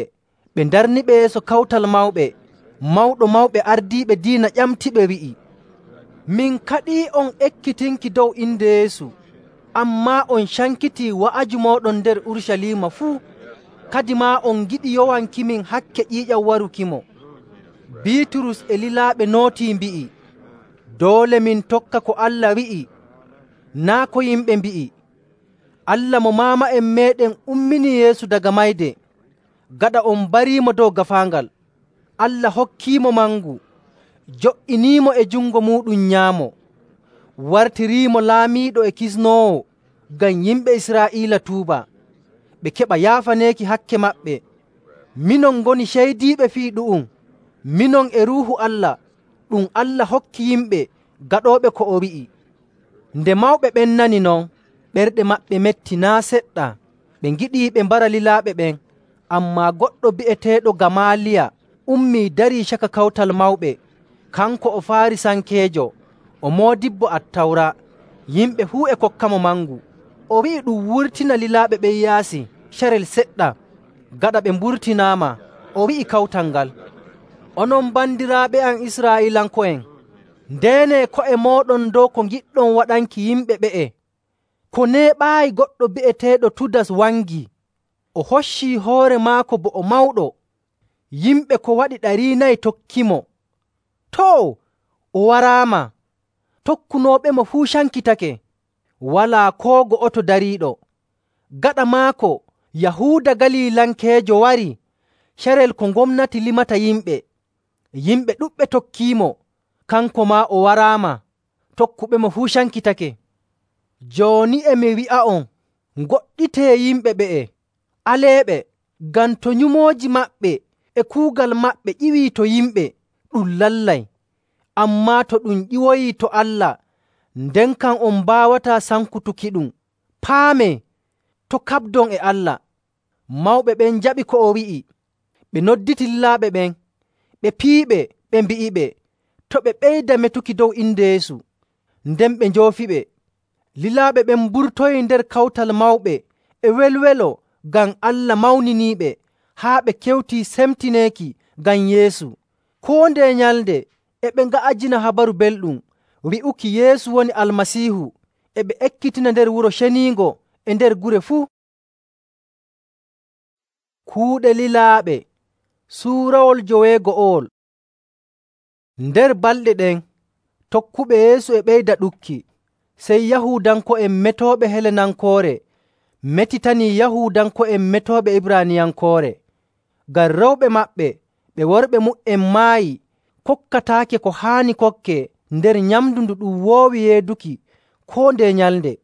ɓe ndarniɓe yeeso Kawtal Mawɓe. Mawɗo Mawɓe Ardiiɓe Diina ƴamtiɓe wi'i, “Min kaɗii'on ekkitinki dow inde Yeesu, ammaa on cankitii wa'aju mooɗon nder Urucaliima fuu. Kadimaa on ngiɗi yowankimin hakke ƴiiƴam warukimo.” Biiturus e lilaaɓe nootii mbi'i, “Doole min tokka ko Allah wi'i, naa' ko yimɓe mbi'i. Allah mo maama'en meeɗen umminii Yeesu daga mayde, gaɗa on mbariimo dow gaafaangal. Allah hokkiimo mangu, jo'iniimo e jungo muuɗum nyaamo, wartiriimo laamiiɗo e kisnoowo ngam yimɓe Israa'iila tuuba, ɓe keɓa yaafaneeki hakke maɓɓe. Minon ngoni ceydiiɓe fii ɗu'um, minon e Ruuhu Allah ɗum Allah hokki yimɓe gaɗooɓe ko o wi'i.” Nde mawɓe ɓen nani non, ɓerɗe maɓɓe metti naa' seɗɗa. Ɓe ngiɗii ɓe mbara lilaaɓe ɓen, ammaa goɗɗo bi'eteeɗo Gamaaliya ummii darii caka Kawtal Mawɓe. Kanko o Faarisankeejo, o moodibbo Attawra. Yimɓe fuu e kokkamo mangu. O wi'i ɗum wurtina lilaaɓe ɓen yaasi carel seɗɗa. Gaɗa ɓe mburtinaama, o wi'i kawtal ngal, “Onon bandiraaɓe am Israa'iilanko'en, ndeenee ko'e mooɗon dow ko ngiɗɗon waɗanki yimɓe ɓe'e. Ko neeɓaayi goɗɗo bi'eteeɗo Tudas wangii. O hoccii hoore maako bo o mawɗo. Yimɓe ko waɗi 400 tokkimo. Too, o waraama, tokkunooɓemo fuu cankitake, walaa koo go'oto dariiɗo. Gaɗa maako Yahuuda Galiilankeejo warii, carel ko gomnati limata yimɓe. Yimɓe ɗuɗɓe tokkiimo, kanko maa o waraama, tokkuɓemo fuu cankitake. Jooni e mi wi'a'on, ngoɗɗitee yimɓe ɓe'e, aleeɓe, ngam to nyumooji maɓɓe e kuugal maɓɓe ƴiwii to yimɓe, ɗum lallay. Ammaa to ɗum ƴiwoyii to Allah, nden kam on mbaawataa sankutukiɗum. Paamee, to' kaɓdon e Allah.” Mawɓe ɓen njaɓi ko o wi'i. Ɓe nodditi lilaaɓe ɓen, ɓe piiɓe, ɓe mbi'iɓe to ɓe ɓeyda metuki dow inde Yeesu. Nden ɓe njoofiɓe. Lilaaɓe ɓen mburtoyii nder Kawtal Mawɓe e welwelo ngam Allah mawniniiɓe, haa ɓe kewtii semtineeki ngam Yeesu. Koo ndeye nyalnde e ɓe nga'ajina Habaru Belɗum wi'uki Yeesu woni Almasiihu, e ɓe ekkitina nder Wuro Ceniingo e nder gure fuu. Kuuɗe lilaaɓe suurawol 50. Nder balɗe ɗen, tokkuɓe Yeesu e ɓeyda ɗukki. Sey Yahuudanko'en metooɓe Helenankoore metitanii Yahuudanko'en metooɓe Ibraaniyankoore. Ngam rewɓe maɓɓe ɓe worɓe mu''en maayi kokkataake ko haani kokkee nder nyamndu ndu ɗum woowi yeeduki koo ndeye nyalnde.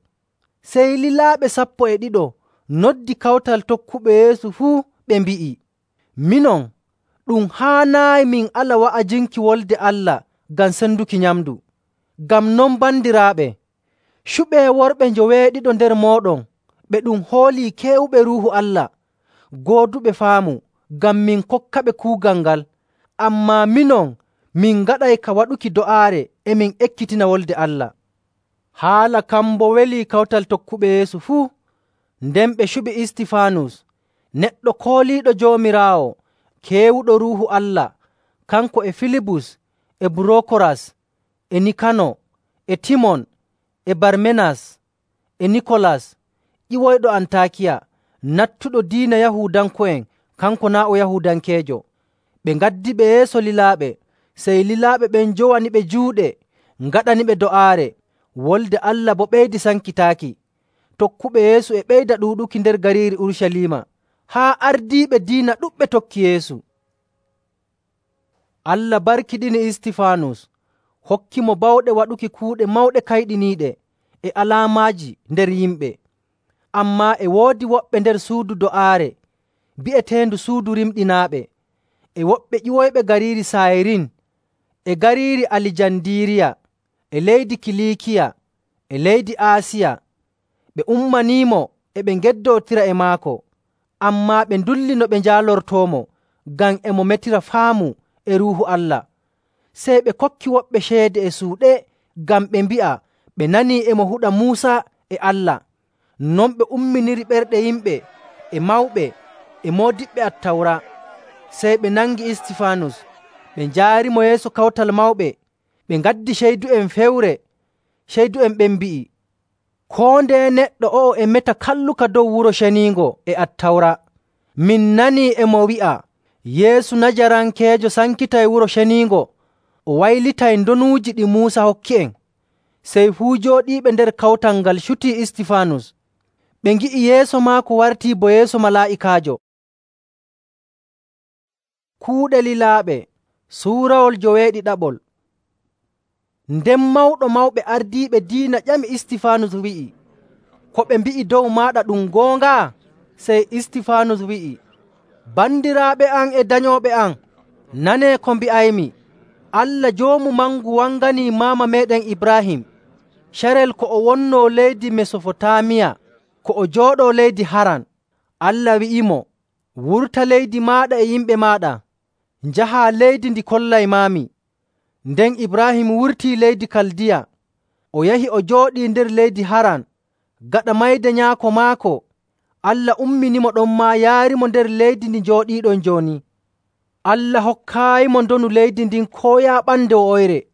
Sey lilaaɓe 12 noddi kawtal tokkuɓe Yeesu fuu ɓe mbi'i, “Minon, ɗum haanaayi min ala wa'ajinki Wolde Allah ngam senduki nyamndu. Ngam non bandiraaɓe, cuɓee worɓe 90 nder mooɗon ɓe ɗum hoolii keewuɓe Ruuhu Allah, gooduɓe faamu, ngam min kokkaɓe kuugal ngal. Ammaa minon, min ngaɗay ka waɗuki do'aare e min ekkitina Wolde Allah.” Haala kan boo welii kawtal tokkuɓe Yeesu fuu. Nden ɓe cuɓi Istifaanus, neɗɗo kooliiɗo Joomiraawo, keewuɗo Ruuhu Allah, kanko e Filibus e Burookoras e Nikano e Timon e Barmenas e Nikolas ƴiwoyɗo Antaakiya, nattuɗo diina Yahuudanko'en, kanko naa' o Yahuudankeejo. Ɓe ngaddiɓe yeeso lilaaɓe, sey lilaaɓe ɓen njowaniɓe juuɗe ngaɗaniɓe do'aare. Wolde Allah boo ɓeydi sankitaaki. Tokkuɓe Yeesu e ɓeyda ɗuuɗuki nder gariiri Urucaliima, haa ardiiɓe diina ɗuɗɓe tokki Yeesu. Allah barkiɗini Istifaanus, hokki mo bawɗe waɗuki kuuɗe mawɗe kayɗiniiɗe e alaamaaji nder yimɓe. Ammaa e woodi woɓɓe nder suudu do'aare bi'eteendu suudu rimɗinaaɓe, e woɓɓe ƴiwoyɓe gariiri Sayirin e gariiri Alijandiiriya e leydi Kiliikiya e leydi Aasiya. Ɓe ummaniimo e ɓe ngeddootira e maako, ammaa ɓe ndulli no ɓe njaalortoomo ngam e mo metira faamu e Ruuhu Allah. Sey ɓe kokki woɓɓe ceede e suuɗe ngam ɓe mbi'a ɓe nanii e mo huɗa Muusa e Allah. Non ɓe umminiri ɓerɗe yimɓe e mawɓe e moodiɓɓe Attawra. Sey ɓe nangi Istifaanus, ɓe njaarimo yeeso Kawtal Mawɓe. Ɓe ngaddi ceydu'en fewre. Ceydu'en ɓen mbi'i, “Koo ndeye neɗɗo o'o e meta kalluka dow Wuro Ceniingo e Attawra. Min nanii e mo wi'a, Yeesu Najarankeejo sankitay Wuro Ceniingo, o waylitay ndonuuji ɗi Muusa hokki'en.” Sey fuu jooɗiiɓe nder kawtal ngal cutii Istifaanus. Ɓe ngi'i yeeso maako wartii bo yeeso malaa'ikaajo. Kuuɗe lilaaɓe suurawol 14. Nden mawɗo mawɓe ardiiɓe diina ƴami Istifaanus wi'i, “Ko ɓe mbi'i dow maaɗa ɗum goonga?” Sey Istifaanus wi'i, “Bandiraaɓe am e danyooɓe am, nanee ko mbi'aymi. Allah Joomu Mangu wanganii maama meeɗen Ibraahim carel ko o wonnoo leydi Mesofotaamiya, ko o jooɗoo leydi Haran. Allah wi'imo, ‘Wurta leydi maaɗa e yimɓe maaɗa, njahaa leydi ndi kollaymaami.’ Nden Ibraahim wurtii leydi Kaldiya, o yahi o jooɗii nder leydi Haran. Gaɗa mayde nyaako maako, Allah umminimo ɗonmaa yaarimo nder leydi ndi njooɗiiɗon jooni. Allah hokkaayimo ndonu leydi ndin koo yaaɓande woyre,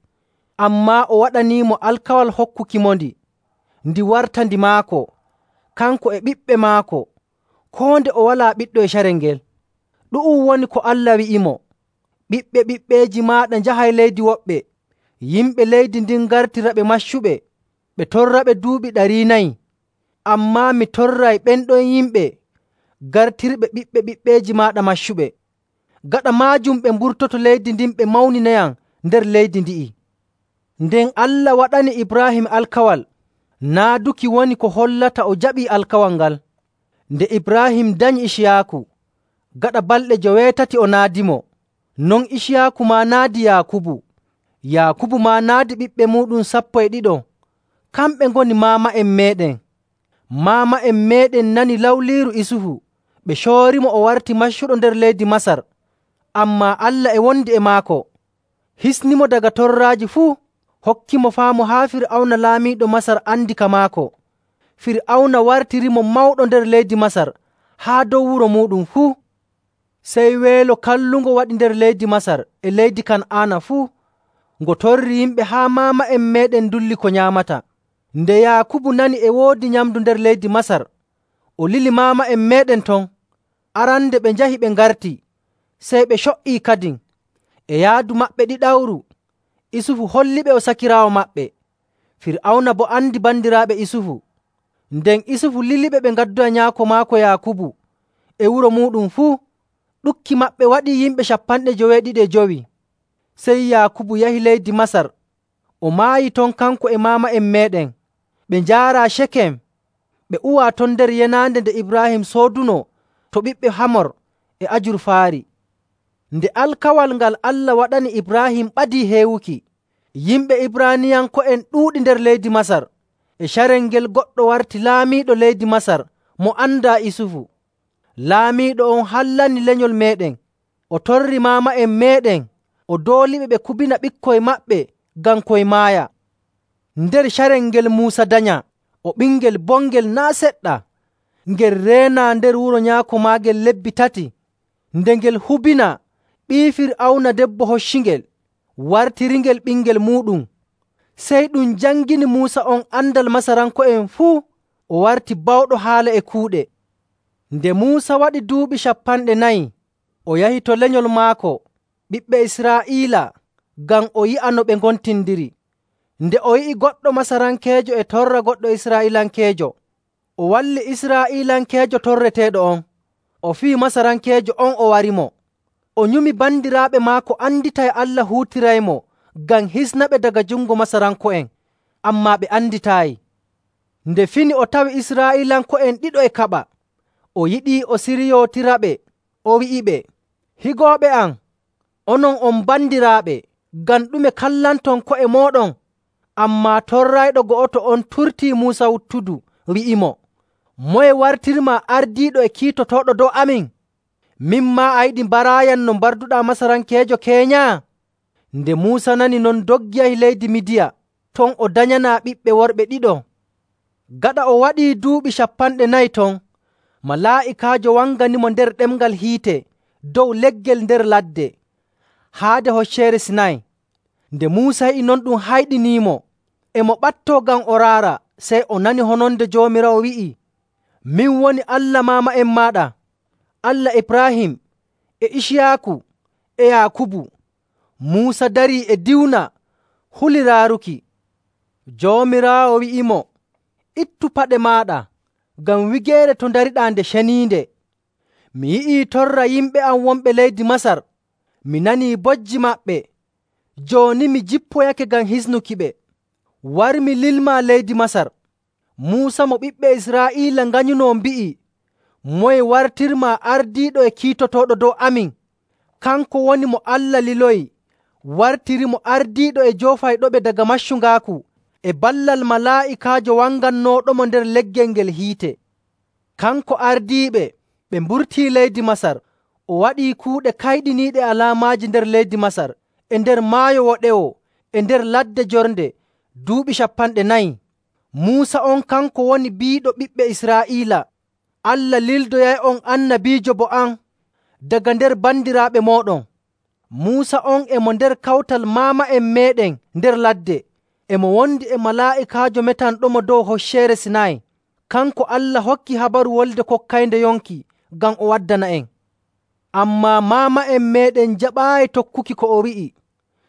ammaa o waɗaniimo alkawal hokkukimondi, ndi warta ndi maako, kanko e ɓiɓɓe maako, koo nde o walaa ɓiɗɗo e carel ngel. Ɗu'um woni ko Allah wi'imo, ‘Ɓiɓɓe ɓiɓɓeeji maaɗa njahay leydi woɓɓe.’ Yimɓe leydi ndin ngartiraɓe maccuɓe, ɓe torraɓe duuɓi 400. Ammaa mi torray ɓen ɗon yimɓe gartirɓe ɓiɓɓe ɓiɓɓeeji maaɗa maccuɓe. Gaɗa maajum ɓe mburtoto leydi ndin ɓe mawninayam nder leydi ndi'i.” Nden Allah waɗani Ibraahim alkawal, naaduki woni ko hollata o jaɓii alkawal ngal. Nde Ibraahim danyi Iciyaaku, gaɗa balɗe 80 o naadimo. Non Iciyaaku maa naadi Yaakubu. Yaakubu maa naadi ɓiɓɓe muuɗum 12. Kamɓe ngoni maama'en meeɗen. Maama'en meeɗen nani lawliiru Isufu, ɓe coorimo o warti maccuɗo nder leydi Masar. Ammaa Allah e wondi e maako, hisnimo daga torraaji fuu, hokkimo faamu haa Fir'awna laamiiɗo Masar andi ka maako. Fir'awna wartirimo mawɗo nder leydi Masar haa dow wuro muuɗum fuu. Sey weelo kallungo waɗi nder leydi Masar e leydi Kan'aana fuu, ngo torri yimɓe haa maama'en meeɗen ndulli ko nyaamata. Nde Yaakubu nani e woodi nyamndu nder leydi Masar, o lili maama'en meeɗen ton. Arande ɓe njahi ɓe ngarti, sey ɓe co''ii kadin. E yaadu maɓɓe ɗiɗawru, Isufu holliɓe o sakiraawo maɓɓe. Fir'awna boo andi bandiraaɓe Isufu. Nden Isufu liliɓe ɓe ngaddoya nyaako maako Yaakubu e wuro muuɗum fuu. Ɗukki maɓɓe waɗii yimɓe 75. Sey Yaakubu yahi leydi Masar, o maayi ton kanko e maama'en meeɗen. Ɓe njaaraa Cekem, ɓe uwaa ton nder yenaande nde Ibraahim sooduno to ɓiɓɓe Hamor e ajurfaari. Nde alkawal ngal Allah waɗani Ibraahim ɓadii heewuki, yimɓe Ibraaniyanko'en ɗuuɗi nder leydi Masar. E carel ngel goɗɗo warti laamiiɗo leydi Masar mo andaa Isufu. Laamiiɗo on hallani lenyol meeɗen, o torri maama'en meeɗen, o dooliɓe ɓe kubina ɓikkoy maɓɓe ngam koy maaya. Nder carel ngel Muusa danya, o ɓingel bongel naa' seɗɗa, ngel reenaa nder wuro nyaako maagel lebbi 3. Nde ngel hubina, ɓii Fir'awna debbo hoccingel, wartiringel ɓingel muuɗum. Sey ɗum jangini Muusa on andal Masaranko'en fuu, o warti bawɗo haala e kuuɗe. Nde Muusa waɗi duuɓi 40, o yahi to lenyol maako, ɓiɓɓe Israa'iila, ngam o yi'a no ɓe ngontindiri. Nde o yi'i goɗɗo Masarankeejo e torra goɗɗo Israa'iilankeejo, o walli Israa'iilankeejo torreteeɗo on, o fii Masarankeejo on o warimo. O nyumi bandiraaɓe maako anditay Allah huutiraymo ngam hisnaɓe daga jungo Masaranko'en, ammaa ɓe anditaayi. Nde fini o tawi Israa'iilanko'en ɗiɗo e kaɓa, o yiɗi o siryootiraɓe. O wi'iɓe, “Higooɓe am, onon on bandiraaɓe, ngam ɗume kallanton ko'e mooɗon?” Ammaa torrayɗo go'oto on turtii Muusa wuttudu, wi'imo, “Moye wartirmaa ardiiɗo e kiitotooɗo dow amin? Min maa a yiɗi mbaraayam no mbarduɗaa Masarankeejo keeñaa?” Nde Muusa nani non, doggi yahi leydi Midiya, ton o danyanaa ɓiɓɓe worɓe ɗiɗo. Gaɗa o waɗii duuɓi 40 ton, malaa'ikaajo wanganimo nder ɗemngal hiite dow leggel nder ladde, haade Hocceere Sinay. Nde Muusa yi'i non ɗum hayɗiniimo, e mo ɓattoo ngam o raara, sey o nani hononde Joomiraawo wi'i, “Min woni Allah maama'en maaɗa, Allah Ibraahim, e Iciyaaku, e Yaakubu.” Muusa darii e diwna, huli raaruki. Joomiraawo wi'imo, “Ittu paɗe maaɗa, ngam wigeere to ndariɗaa nde ceniinde. Mi yi'ii torra yimɓe am wonɓe leydi Masar, mi nanii bojji maɓɓe. Jooni mi jippoyake ngam hisnukiɓe. War mi lilmaa leydi Masar.” Muusa mo ɓiɓɓe Israa'iila nganyunoo mbi'i, “Moye wartirmaa ardiiɗo e kiitotooɗo dow amin?” Kanko woni mo Allah liloyi, wartirimo ardiiɗo e joofayɗoɓe daga maccungaaku e ballal malaa'ikaajo wangannooɗomo nder leggel ngel hiite. Kanko ardiiɓe ɓe mburtii leydi Masar, o waɗii kuuɗe kayɗiniiɗe alaamaaji nder leydi Masar, e nder Maayo Woɗewo, e nder ladde jornde, duuɓi 40. Muusa on kanko woni biiɗo ɓiɓɓe Israa'iila. Allah lildoyay'on annabiijo bo am daga nder bandiraaɓe mooɗon. Muusa on e mo nder kawtal maama'en meeɗen nder ladde, e mo wondi e malaa'ikaajo metanɗomo dow Hocceere Sinay. Kanko Allah hokki habaru wolde kokkaynde yonki ngam o waddana'en. Ammaa maama'en meeɗen jaɓaayi tokkuki ko o wi'i.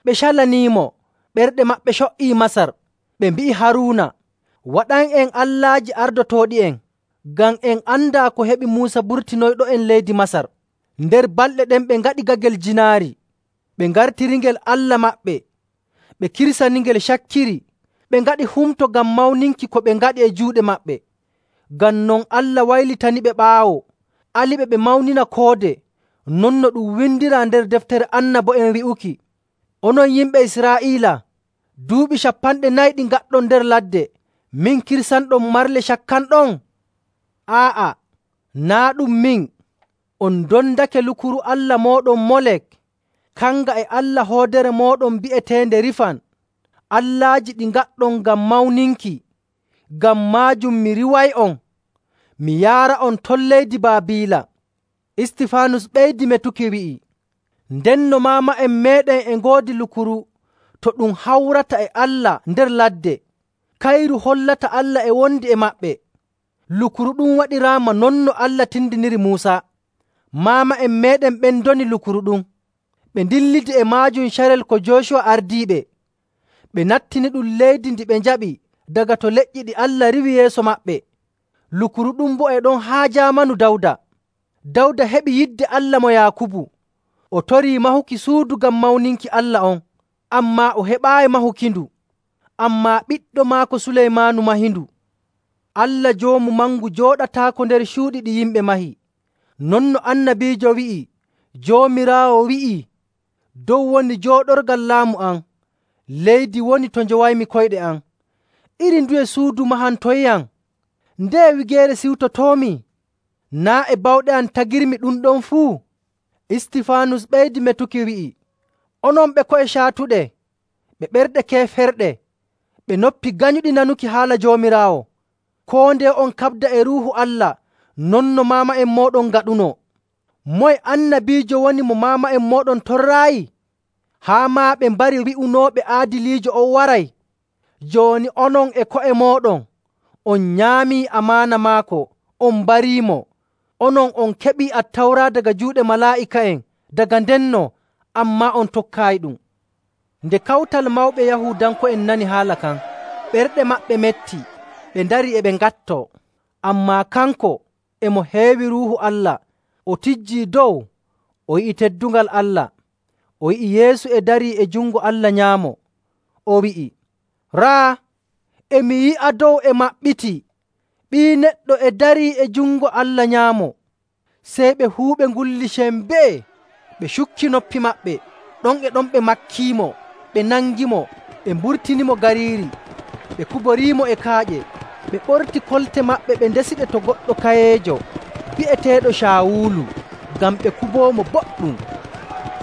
Ɓe calaniimo, ɓerɗe maɓɓe co''ii Masar. Ɓe mbi'i Haruuna, “Waɗan'en allaaji ardotooɗi'en, ngam en andaa ko heɓi Muusa burtinoyɗo'en leydi Masar.” Nder balɗe ɗen ɓe ngaɗi gagel jiinaari, ɓe ngartiringel allah maɓɓe, ɓe kirsaningel cakkiri, ɓe ngaɗi humto ngam mawninki ko ɓe ngaɗi e juuɗe maɓɓe. Ngam non Allah waylitaniɓe ɓaawo, aliɓe ɓe mawnina koode, non no ɗum windiraa nder deftere annabo'en wi'uki, “Onon yimɓe Israa'iila, duuɓi 40 ɗi ngaɗɗon nder ladde, min kirsanɗon marle cakkanɗon? Aa'a, naa' ɗum min. On ndondake lukuru allah mooɗon Molek, kanga e allah hoodere mooɗon bi'eteende Rifan, allaaji ɗi ngaɗɗon ngam mawninki. Ngam maajum mi riway'on, mi yaara'on ton leydi Baabiila.” Istifaanus ɓeydi metuki wi'i, “Ndenno maama'en meeɗen e ngoodi lukuru to ɗum hawrata e Allah nder ladde, kayru hollata Allah e wondi e maɓɓe. Lukuru ɗum waɗiraama non no Allah tindiniri Muusa. Maama'en meeɗen ɓen ndoni lukuru ɗum. Ɓe ndillidi e maajum carel ko Jooshuwa ardiiɓe. Ɓe nattini ɗum leydi ndi ɓe njaɓi daga to leƴƴi ɗi Allah riwi yeeso maɓɓe. Lukuru ɗum boo e ɗon haa jaamanu Dawda. Dawda heɓi yidde Allah mo Yaakubu. O torii mahuki suudu ngam mawninki Allah on, ammaa o heɓaayi mahukindu. Ammaa ɓiɗɗo maako Suleymaanu mahindu. Allah Joomu Mangu jooɗataako nder cuuɗi ɗi yimɓe mahi. Non no annabiijo wi'i, Joomiraawo wi'ii, “Dow woni jooɗorgal laamu am, leydi woni to njowaymi koyɗe am. Iri nduye suudu mahantoyam? Ndeye wigeere siwtotoomi? Naa' e bawɗe am tagirmi ɗum ɗon fuu?” Istifaanus ɓeydi metuki wi'i, “Onon ɓe ko'e caatuɗe, ɓe ɓerɗe keeferɗe, ɓe noppi ganyuɗi nanuki haala Joomiraawo, koo ndeye on kaɓda e Ruuhu Allah non no maama'en mooɗon ngaɗunoo. Moye annabiijo woni mo maama'en mooɗon torraayi? Haa maa ɓe mbari wi'unooɓe aadiliijo on waray. Jooni onon e ko'e mooɗon on nyaamii amaana maako, on mbariimo. Onon on keɓii Attawra daga juuɗe malaa'ika'en daga ndenno, ammaa on tokkaayiɗum.” Nde kawtal mawɓe Yahuudanko'en nani haala kan, ɓerɗe maɓɓe metti, ɓe ndarii e ɓe ngattoo. Ammaa kanko e mo heewi Ruuhu Allah, o tijjii dow, o yi'i teddungal Allah. O yi'i Yeesu e darii e jungo Allah nyaamo. O wi'i, “Raa, e mi yi'a dow e maɓɓiti, Ɓii Neɗɗo e darii e jungo Allah nyaamo. Sey ɓe fuu ɓe ngulli sembee, ɓe cukki noppi maɓɓe. Ɗon e ɗon ɓe makkiimo, ɓe nangimo, ɓe mburtinimo gariiri, ɓe kuboriimo e kaaƴe. Ɓe ɓorti kolte maɓɓe ɓe ndesiɗe to goɗɗo kayeejo bi'eteeɗo Caawulu, ngam ɓe kuboomo boɗɗum.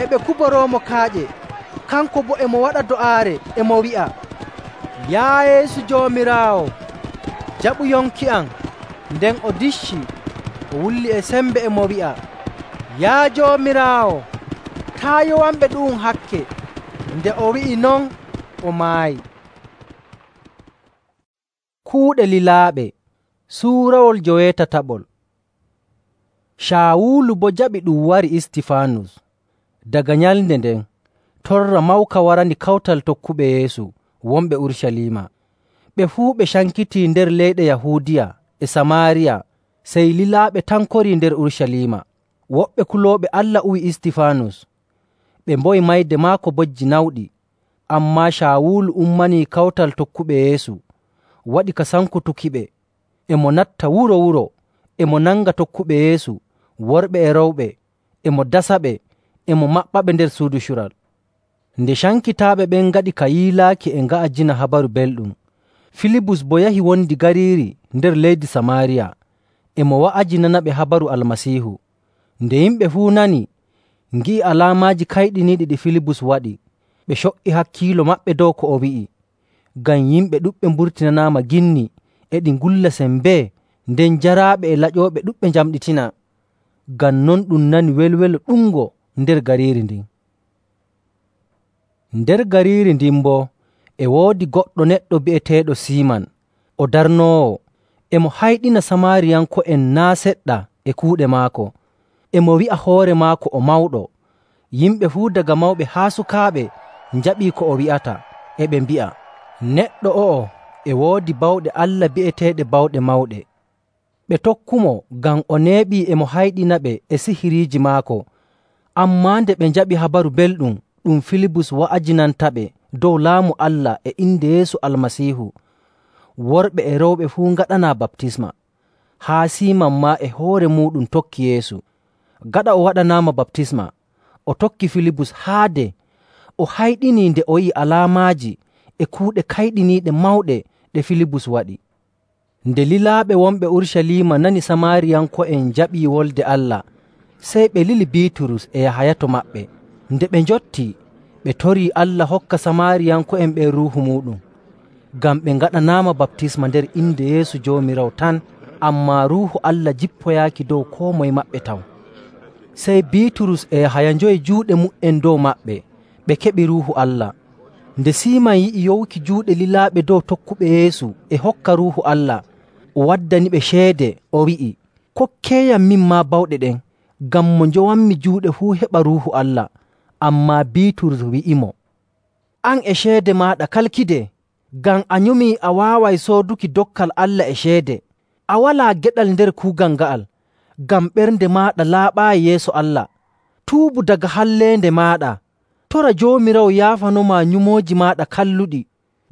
E ɓe kuboroomo kaaƴe, kanko boo e mo waɗa do'aare e mo wi'a, “Yaa Yeesu Joomiraawo, jaɓu yonki am.” Nden o diccii, o wulli e sembe e mo wi'a, “Yaa Joomiraawo, taa' yowanɓe ɗu'um hakke.” Nde o wi'i non, o maayi. Kuuɗe lilaaɓe suurawol 17. Caawulu boo jaɓi ɗum wari Istifaanus. Daga nyalnde nden, torra mawka warandi kawtal tokkuɓe Yeesu wonɓe Urucaliima. Ɓe fuu ɓe cankitii nder leyɗe Yahuudiya e Samaariya, sey lilaaɓe tan korii nder Urucaliima. Woɓɓe kulooɓe Allah uwi Istifaanus. Ɓe mboyi mayde maako bojji nawɗi. Ammaa Caawulu ummanii kawtal tokkuɓe Yeesu, waɗi ka sankutukiɓe. E mo natta wuro wuro, e mo nanga tokkuɓe Yeesu, worɓe e rewɓe, e mo dasaɓe, e mo maɓɓaɓe nder suudu cural. Nde cankitaaɓe ɓen ngaɗi ka yiilaaki e nga'ajina Habaru Belɗum, Filibus boo yahi wondi gariiri nder leydi Samaariya, e mo wa'ajinanaɓe habaru Almasiihu. Nde yimɓe fuu nani, ngi'i alaamaaji kayɗiniiɗi ɗi Filibus waɗi, ɓe co''i hakkiilo maɓɓe dow ko o wi'i. Ngam yimɓe ɗuɗɓe mburtinanaama ginni e ɗi ngulla sembee, nden jaraaɓe e laƴooɓe ɗuɗɓe njamɗitina. Ngam non ɗum nani welwelo ɗuɗngo nder gariiri ndin. Nder gariiri ndin boo e woodi goɗɗo neɗɗo bi'eteeɗo Siiman, o darnoowo. E mo hayɗina Samaariyanko'en naa' seɗɗa e kuuɗe maako. E mo wi'a hoore maako o mawɗo. Yimɓe fuu daga mawɓe haa sukaaɓe njaɓii ko o wi'ata, e ɓe mbi'a, “Neɗɗo o'o e woodi bawɗe Allah bi'eteeɗe bawɗe mawɗe.” Ɓe tokkumo ngam o neeɓii e mo hayɗinaɓe e sihiriiji maako. Ammaa nde ɓe njaɓi Habaru Belɗum ɗum Filibus wa'ajinantaɓe dow Laamu Allah e inde Yeesu Almasiihu, worɓe e rewɓe fuu ngaɗanaa baptisma. Haa Siiman maa e hoore muuɗum tokki Yeesu. Gaɗa o waɗanaama baptisma, o tokki Filibus haade o hayɗinii nde o yi'i alaamaaji e kuuɗe kayɗiniiɗe mawɗe ɗe Filibus waɗi. Nde lilaaɓe wonɓe Urucaliima nani Samaariyanko'en njaɓii Wolde Allah, sey ɓe lili Biiturus e Yahaya to maɓɓe. Nde ɓe njottii, ɓe torii Allah hokka Samaariyanko'en ɓen Ruuhu muuɗum, ngam ɓe ngaɗanaama baptisma nder inde Yeesu Joomiraawo tan, ammaa Ruuhu Allah jippoyaaki dow koo moye maɓɓe taw. Sey Biiturus e Yahaya njoyi juuɗe mu''en dow maɓɓe, ɓe keɓi Ruuhu Allah. Nde Siiman yi'i yowki juuɗe lilaaɓe dow tokkuɓe Yeesu e hokka Ruuhu Allah, o waddaniɓe ceede, o wi'i, “Kokkeeyam min maa bawɗe ɗen, ngam mo njowanmi juuɗe fuu heɓa Ruuhu Allah.” Ammaa Biiturus wi'imo, “An e ceede maaɗa kalkide, ngam a nyumii a waaway sooduki dokkal Allah e ceede. A walaa geɗal nder kuugal nga'al, ngam ɓernde maaɗa laaɓaayi yeeso Allah. Tuubu daga halleende maaɗa. Tora Joomiraawo yaafanomaa nyumooji maaɗa kalluɗi,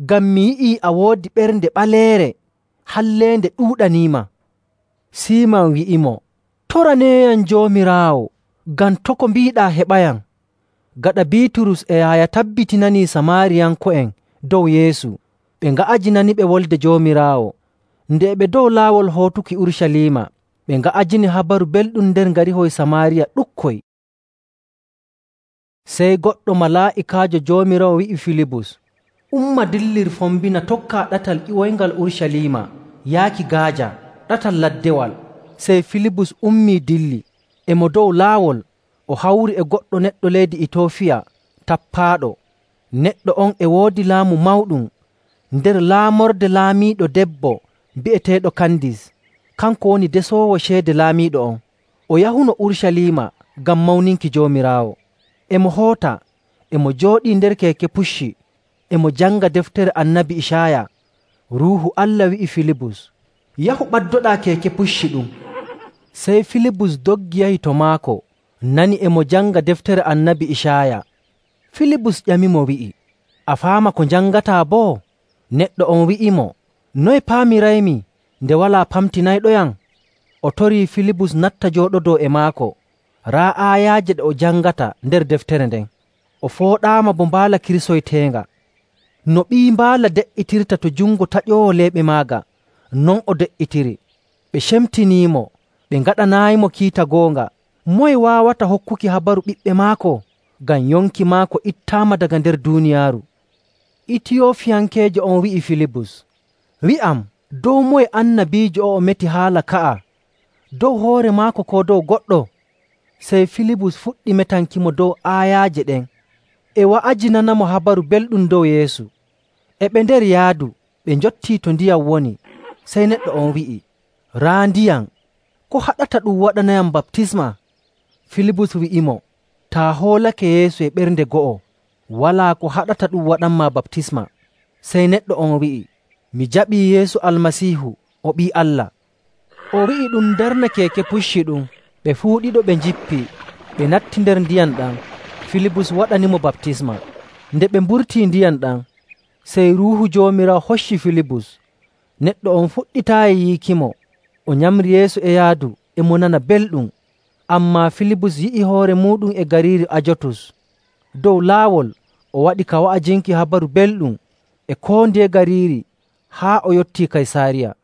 ngam mi yi'ii a woodi ɓernde ɓaleere, halleende ɗuuɗaniima.” Siiman wi'imo, “Toraneeyam Joomiraawo, ngam to' ko mbiiɗaa heɓayam.” Gaɗa Biiturus e Yahaya tabbitinanii Samaariyanko'en dow Yeesu, ɓe nga'ajinaniɓe Wolde Joomiraawo. Nde e ɓe dow laawol hootuki Urucaliima, ɓe nga'ajini Habaru Belɗum nder ngarihoy Samaariya ɗukkoy. Sey goɗɗo malaa'ikaajo Joomiraawo wi'i Filibus, “Umma dillir fombina tokkaa ɗatal ƴiwoyngal Urucaliima yaaki Gaaja, ɗatal laddewal.” Sey Filibus ummii dilli. E mo dow laawol, o hawri e goɗɗo neɗɗo leydi Itoofiya tappaaɗo. Neɗɗo on e woodi laamu mawɗum nder laamorde laamiiɗo debbo bi'eteeɗo Kandis. Kanko woni desoowo ceede laamiiɗo on. O yahuno Urucaliima ngam mawninki Joomiraawo. E mo hoota, e mo jooɗii nder keeke pucci, e mo janga deftere Annabi Icaaya. Ruuhu Allah wi'i Filibus, “Yahu ɓaddoɗaa keeke pucci ɗum.” Sey Filibus doggi yahi to maako, nani e mo janga deftere Annabi Icaaya. Filibus ƴamimo wi'i, “A faama ko njangataa boo?” Neɗɗo on wi'imo, “Noye paamiraymi?” Nde walaa pamtinayɗoyam, o torii Filibus natta jooɗodoo e maako raa aayaaje ɗe o jangata nder deftere nden. O fooɗaama bo mbaala kirsoyteenga. No ɓii mbaala de''itirta to jungo taƴoowo leeɓe maaga, non o de''itiri. Ɓe cemtiniimo, ɓe ngaɗanaayimo kiita goonga. Moye waawata hokkuki habaru ɓiɓɓe maako? Ngam yonki maako ittaama daga nder duuniyaaru. Itiyoofiyankeejo on wi'i Filibus, “Wi'am, dow moye annabiijo o'o meti haala ka'a? Dow hoore maako koo dow goɗɗo?” Sey Filibus fuɗɗi metankimo dow aayaaje ɗen, e wa'ajinanamo habaru belɗum dow Yeesu. E ɓe nder yaadu, ɓe njottii to ndiyam woni. Sey neɗɗo on wi'i, “Raa ndiyam, ko haɗata ɗum waɗanayam baptisma?” Filibus wi'imo, “Taa hoolake Yeesu e ɓernde go'o, walaa ko haɗata ɗum waɗanmaa baptisma.” Sey neɗɗo on wi'i, “Mi jaɓii Yeesu Almasiihu, o Ɓii Allah.” O wi'i ɗum darna keeke pucci ɗum. Ɓe fuu ɗiɗo ɓe njippii, ɓe natti nder ndiyam ɗam. Filibus waɗanimo baptisma. Nde ɓe mburtii ndiyam ɗam, sey Ruuhu Joomiraawo hocci Filibus. Neɗɗo on fuɗɗitaayi yiikimo. O nyamri yeeso e yaadu, e mo nana belɗum. Ammaa Filibus yi'i hoore muuɗum e gariiri Ajotus. Dow laawol o waɗi ka wa'ajinki habaru belɗum e koo ndiye gariiri haa o yottii Kaysaariya.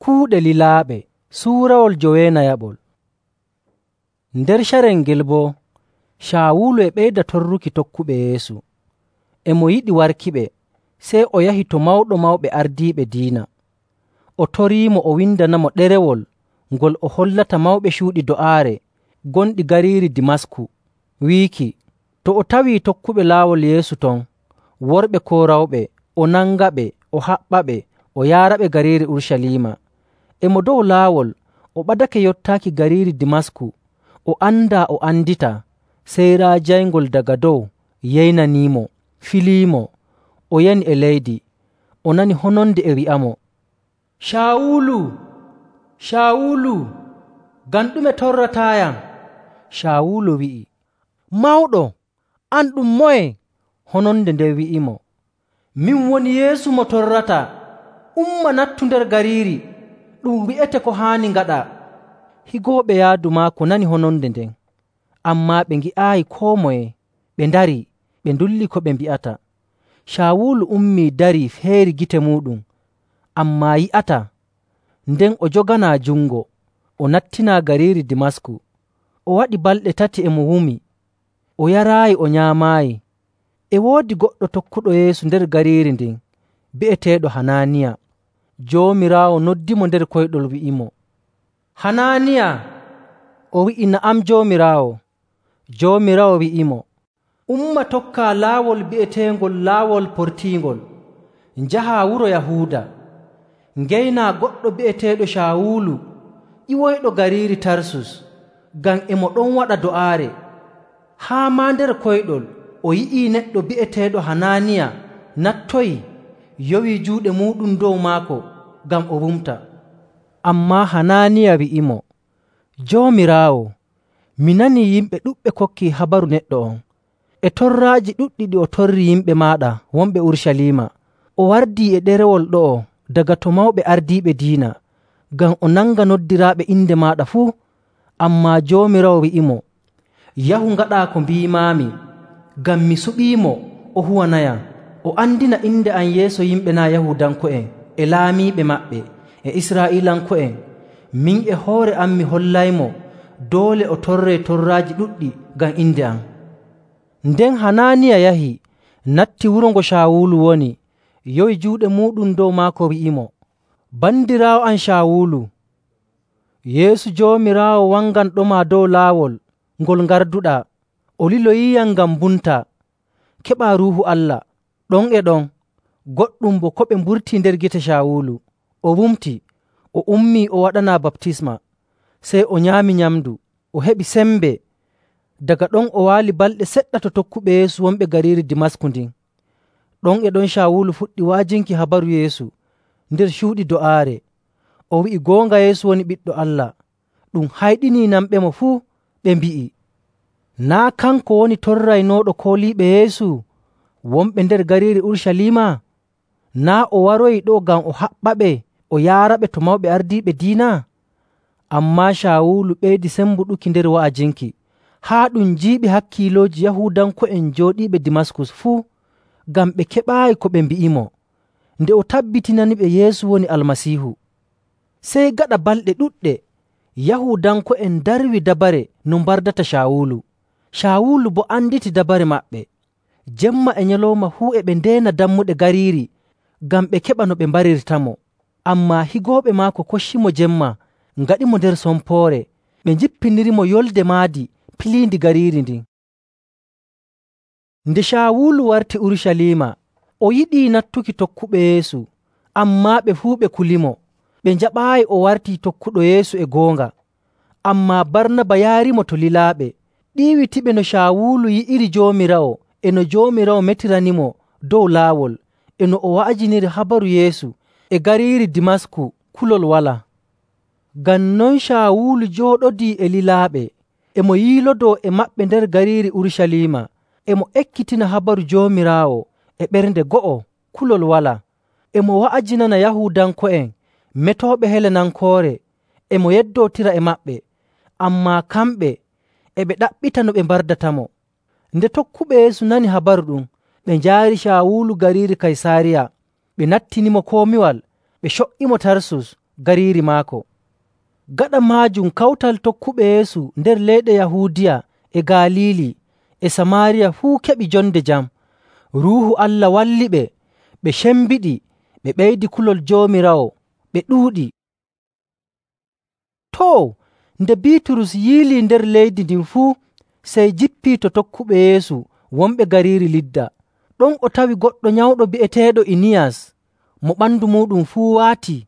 Kuuɗe lilaaɓe suurawol 9. Nder carel ngel boo, Caawulu e ɓeyda torruki tokkuɓe Yeesu. E mo yiɗi warkiɓe, sey o yahi to mawɗo mawɓe ardiiɓe diina. O toriimo o windanamo ɗerewol ngol o hollata mawɓe cuuɗi do'aare gonɗi gariiri Dimasku, wiiki, to o tawii tokkuɓe laawol Yeesu ton, worɓe koo rawɓe, o nangaɓe, o haɓɓaɓe, o yaaraɓe gariiri Urucaliima. E mo dow laawol, o ɓadake yottaaki gariiri Dimasku, o andaa o andita, sey raa jayngol daga dow yeynaniimo, filiimo. O yani e leydi. O nani hononde e wi'amo, “Caawulu, Caawulu, ngam ɗume torrataayam?” Caawulu wi'i, “Mawɗo, an ɗum moye?” Hononde nden wi'imo, “Min woni Yeesu mo torrata. Umma nattu nder gariiri, ɗum wi'ete ko haani ngaɗaa.” Higooɓe yaadu maako nani hononde nden, ammaa ɓe ngi'aayi koo moye. Ɓe ndarii, ɓe ndulli ko ɓe mbi'ata. Caawulu ummii darii feeri gite muuɗum, ammaa yi'ataa. Nden o joganaa jungo, o nattinaa gariiri Dimasku. O waɗi balɗe 3 e mo wumi. O yaraayi, o nyaamaayi. E woodi goɗɗo tokkuɗo Yeesu nder gariiri ndin, bi'eteeɗo Hanaaniya. Joomiraawo noddimo nder koyɗol wi'imo, “Hanaaniya!” O wi'i, “Na'am, Joomiraawo.” Joomiraawo wi'imo, “Umma tokkaa laawol bi'eteengol Laawol Portiingol, njahaa wuro Yahuuda. Ngeynaa goɗɗo bi'eteeɗo Caawulu, ƴiwoyɗo gariiri Tarsus, ngam e mo ɗon waɗa do'aare. Haa maa nder koyɗol o yi'ii neɗɗo bi'eteeɗo Hanaaniya nattoyi, yowii juuɗe muuɗum dow maako ngam o wumta.” Ammaa Hanaaniya wi'imo, “Joomiraawo, mi nanii yimɓe ɗuɗɓe kokkii habaru neɗɗo on, e torraaji ɗuɗɗi ɗi o torri yimɓe maaɗa wonɓe Urucaliima. O wardii e ɗerewol ɗo'o daga to mawɓe ardiiɓe diina, ngam o nanga noddiraaɓe inde maaɗa fuu. Ammaa Joomiraawo wi'imo, yahu ngaɗaa ko mbiimaami, ngam mi suɓiimo o huwanayam, o andina inde am yeeso yimɓe naa' Yahuudanko'en e laamiiɓe maɓɓe e Israa'iilanko'en. Min e hoore am mi hollaymo doole o torree torraaji ɗuɗɗi ngam inde am.” Nden Hanaaniya yahi, natti wuro ngo Caawulu woni, yowi juuɗe muuɗum dow maako wi'imo, “Bandiraawo am Caawulu, Yeesu Joomiraawo wanganɗoma dow laawol ngol ngarduɗaa. O liloyiiyam ngam mbumtaa. Keɓaa Ruuhu Allah.” Ɗon e ɗon, goɗɗum bo ko ɓe mburtii nder gite Caawulu. O wumti, o ummii o waɗanaa baptisma. Sey o nyaami nyamndu, o heɓi sembe. Daga ɗon o waali balɗe seɗɗa to tokkuɓe Yeesu wonɓe gariiri Dimasku ndin. Ɗon e ɗon Caawulu fuɗɗi wa'ajinki habaru Yeesu nder cuuɗi do'aare. O wi'i goonga Yeesu woni Ɓiɗɗo Allah. Ɗum hayɗinii nanɓemo fuu. Ɓe mbi'i, “Naa' kanko woni torraynooɗo kooliiɓe Yeesu wonɓe nder gariiri Urucaliima?” Naa' o waroyi ɗo ngam o haɓɓaɓe o yaaraɓe to mawɓe ardiiɓe diina?” Ammaa Caawulu ɓeydi sembuɗuki nder wa'ajinki, haa ɗum jiiɓi hakkiilooji Yahuudanko'en jooɗiiɓe Dimaskus fuu, ngam ɓe keɓaayi ko ɓe mbi'imo, nde o tabbitinaniɓe Yeesu woni Almasiihu. Sey gaɗa balɗe ɗuɗɗe, Yahuudanko'en ndarwi dabare no mbardata Caawulu. Caawulu boo anditi dabare maɓɓe. Jemma e nyalawma fuu e ɓe ndeena dammuɗe gariiri ngam ɓe keɓa no ɓe mbarirtamo. Ammaa higooɓe maako koccimo jemma ngaɗimo nder sompoore, ɓe njippinirimo yolde maadi piliindi gariiri ndin. Nde Caawulu warti Urucaliima, o yiɗii nattuki tokkuɓe Yeesu, ammaa ɓe fuu ɓe kulimo. Ɓe njaɓaayi o wartii tokkuɗo Yeesu e goonga. Ammaa Barnaba yaarimo to lilaaɓe, ɗiiwitiɓe no Caawulu yi'iri Joomiraawo e no Joomiraawo metiranimo dow laawol, e no o wa'ajiniri habaru Yeesu e gariiri Dimasku kulol walaa. Ngam non Caawulu jooɗodii e lilaaɓe, e mo yiilodoo e maɓɓe nder gariiri Urucaliima, e mo ekkitina habaru Joomiraawo e ɓernde go'o kulol walaa, e mo wa'ajinana Yahuudanko'en metooɓe Helenankoore, e mo yeddootira e maɓɓe. Ammaa kamɓe e ɓe ɗaɓɓita no ɓe mbardatamo. Nde tokkuɓe Yeesu nani habaru ɗum, ɓe njaari Caawulu gariiri Kaysaariya. Ɓe nattinimo komiwal, ɓe co''imo Tarsus, gariiri maako. Gaɗa maajum kawtal tokkuɓe Yeesu nder leyɗe Yahuudiya e Galiili e Samaariya fuu keɓi jonde jam. Ruuhu Allah walliɓe, ɓe cembiɗi, ɓe ɓeydi kulol Joomiraawo, ɓe ɗuuɗi. Too, nde Biiturus yiilii nder leydi ndin fuu, sey jippii to tokkuɓe Yeesu wonɓe gariiri Lidda. Ɗon o tawi goɗɗo nyawɗo bi'eteeɗo Iniyas, mo ɓandu muuɗum fuu waatii.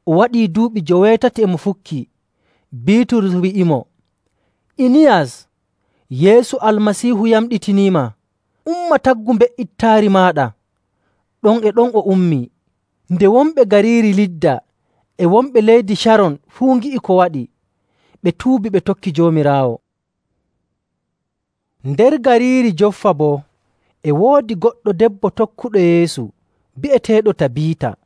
O waɗii duuɓi 80 e mo fukkii. Biiturus wi'imo, “Iniyas, Yeesu Almasiihu yamɗitiniima. Umma taggu mbe'ittaari maaɗa.” Ɗon e ɗon o ummii. Nde wonɓe gariiri Lidda e wonɓe leydi Caron fuu ngi'i ko waɗi, ɓe tuubi ɓe tokki Joomiraawo. Nder gariiri Joffa boo, e woodi goɗɗo debbo tokkuɗo Yeesu bi'eteeɗo Tabiita.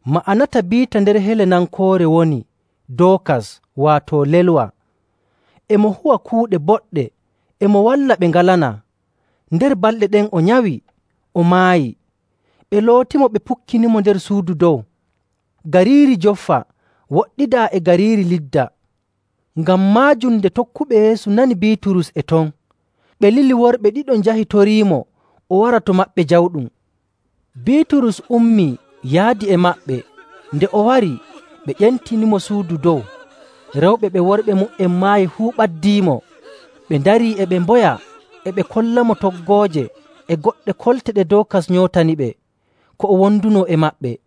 Ma'ana Tabiita nder Helenankoore woni Dookas, waato lelwa. E mo huwa kuuɗe boɗɗe, e mo walla ɓe ngalanaa. Nder balɗe ɗen o nyawi, o maayi. Ɓe lootimo ɓe pukkinimo nder suudu dow. Gariiri Joffa woɗɗidaa e gariiri Lidda. Ngam maajum nde tokkuɓe Yeesu nani Biiturus e ton, ɓe lili worɓe ɗiɗo njahi toriimo o wara to maɓɓe jawɗum. Biiturus ummii yaadi e maɓɓe. Nde o wari, ɓe ƴentinimo suudu dow. Rewɓe ɓe worɓe mum maayi fuu ɓaddiimo. Ɓe ndarii e ɓe mboya, e ɓe kollamo toggooje e goɗɗe kolte ɗe Dookas nyootaniɓe, ko o wondunoo e maɓɓe.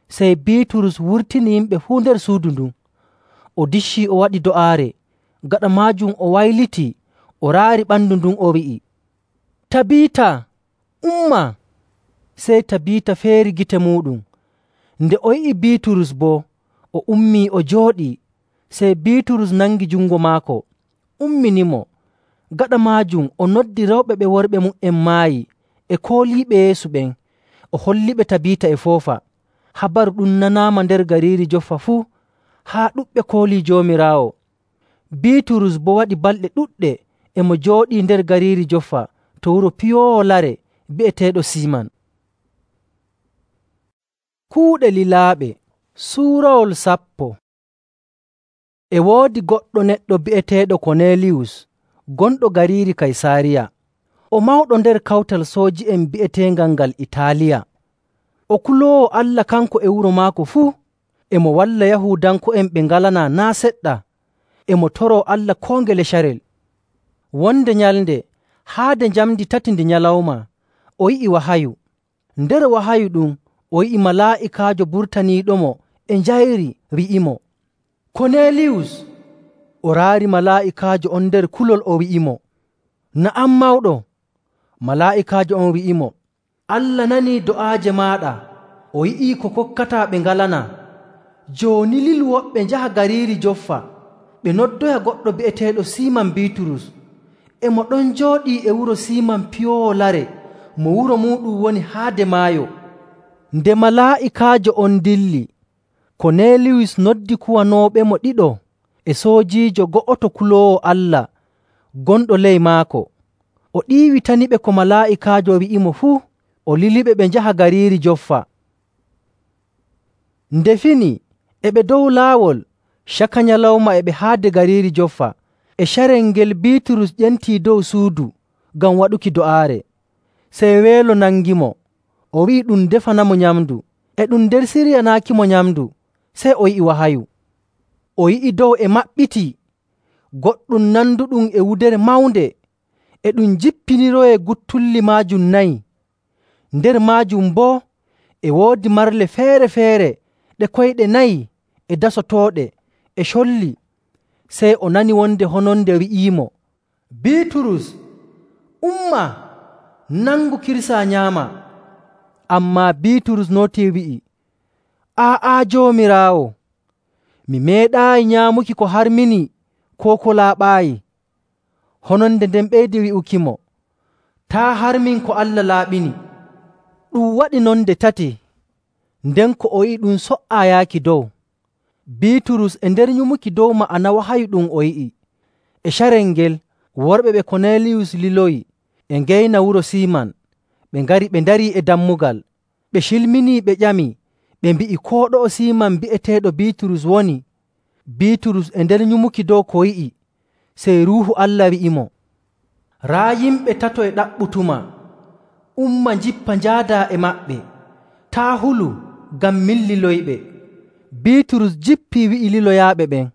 Sey Biiturus wurtini yimɓe fuu nder suudu ndun. O diccii o waɗi do'aare. Gaɗa maajum o waylitii, o raari ɓandu ndun o wi'i, “Tabiita, umma!” Sey Tabiita feeri gite muuɗum. Nde o yi'i Biiturus boo, o ummii o jooɗii. Sey Biiturus nangi jungo maako, umminimo. Gaɗa maajum o noddi rewɓe ɓe worɓe mum maayi e kooliiɓe Yeesu ɓen, o holliɓe Tabiita e foofa. Habaru ɗum nanaama nder gariiri Joffa fuu, haa ɗuɗɓe koolii Joomiraawo. Biiturus boo waɗi balɗe ɗuɗɗe e mo jooɗii nder gariiri Joffa to wuro piyoowo lare bi'eteeɗo Siiman. Kuuɗe lilaaɓe suurawol 10. E woodi goɗɗo neɗɗo bi'eteeɗo Koneeliyus, gonɗo gariiri Kaysaariya. O mawɗo nder kawtal sooji'en bi'eteengal ngal Itaaliya. O kuloowo Allah kanko e wuro maako fuu. E mo walla Yahuudanko'en ɓe ngalanaa naa' seɗɗa. E mo toroo Allah koo ngele carel. Wonde nyalnde, haade njamndi 3 ndi nyalawma, o yi'i wahayu. Nder wahayu ɗum o yi'i malaa'ikaajo burtaniiɗomo e njayri wi'imo, “Koneeliyus!” O raari malaa'ikaajo on nder kulol o wi'imo, “Na'am, mawɗo.” Malaa'ikaajo on wi'imo, “Allah nanii do'aaje maaɗa, o yi'ii ko kokkataa ɓe ngalanaa. Jooni lilu woɓɓe njaha gariiri Joffa, ɓe noddoya goɗɗo bi'eteeɗo Siiman Biiturus. E mo ɗon jooɗii e wuro Siiman piyoowo lare mo wuro muuɗum woni haade maayo.” Nde malaa'ikaajo on dilli, Koneeliyus noddi kuwanooɓemo ɗiɗo e soojiijo go'oto kuloowo Allah gonɗo ley maako. O ɗiiwitaniɓe ko malaa'ikaajo wi'imo fuu, o liliɓe ɓe njaha gariiri Joffa. Nde fini e ɓe dow laawol caka nyalawma e ɓe haade gariiri Joffa. E carel ngel Biiturus ƴentii dow suudu ngam waɗuki do'aare. Sey weelo nangimo, o wi'i ɗum defanamo nyamndu. E ɗum nder siryanaakimo nyamndu, sey o yi'i wahayu. O yi'i dow e maɓɓitii, goɗɗum nanduɗum e wudere mawnde, e ɗum jippiniroyee guttulli maajum nayi. Nder maajum boo e woodi marle feere‑feere ɗe koyɗe nayi e dasotooɗe e colli. Sey o nani wonde hononde wi'iimo, “Biiturus, umma, nangu kirsaa nyaama.” Ammaa Biiturus nootii wi'i, “Aa'a, Joomiraawo, mi meeɗaayi nyaamuki ko harminii koo ko laaɓaayi.” Hononde nden ɓeydi wi'ukimo, “Taa' harmin ko Allah laaɓini.” Ɗum waɗi non nde tati, nden ko o yi'i ɗum so''aa yaaki dow. Biiturus e nder nyumuki dow ma'ana wahayu ɗum o yi'i. E carel ngel worɓe ɓe Koneeliyus liloyi e ngeyna wuro Siiman. Ɓe ngari ɓe ndarii e dammugal. Ɓe cilminii ɓe ƴami, ɓe mbi'i koo ɗo'o Siiman bi'eteeɗo Biiturus woni. Biiturus e nder nyumuki dow ko yi'i, sey Ruuhu Allah wi'imo, “Raa yimɓe tato e ɗaɓɓutuma. Umma njippa njaadaa e maɓɓe. Taa' hulu, ngam min liloyɓe.” Biiturus jippii wi'i liloyaaɓe ɓen,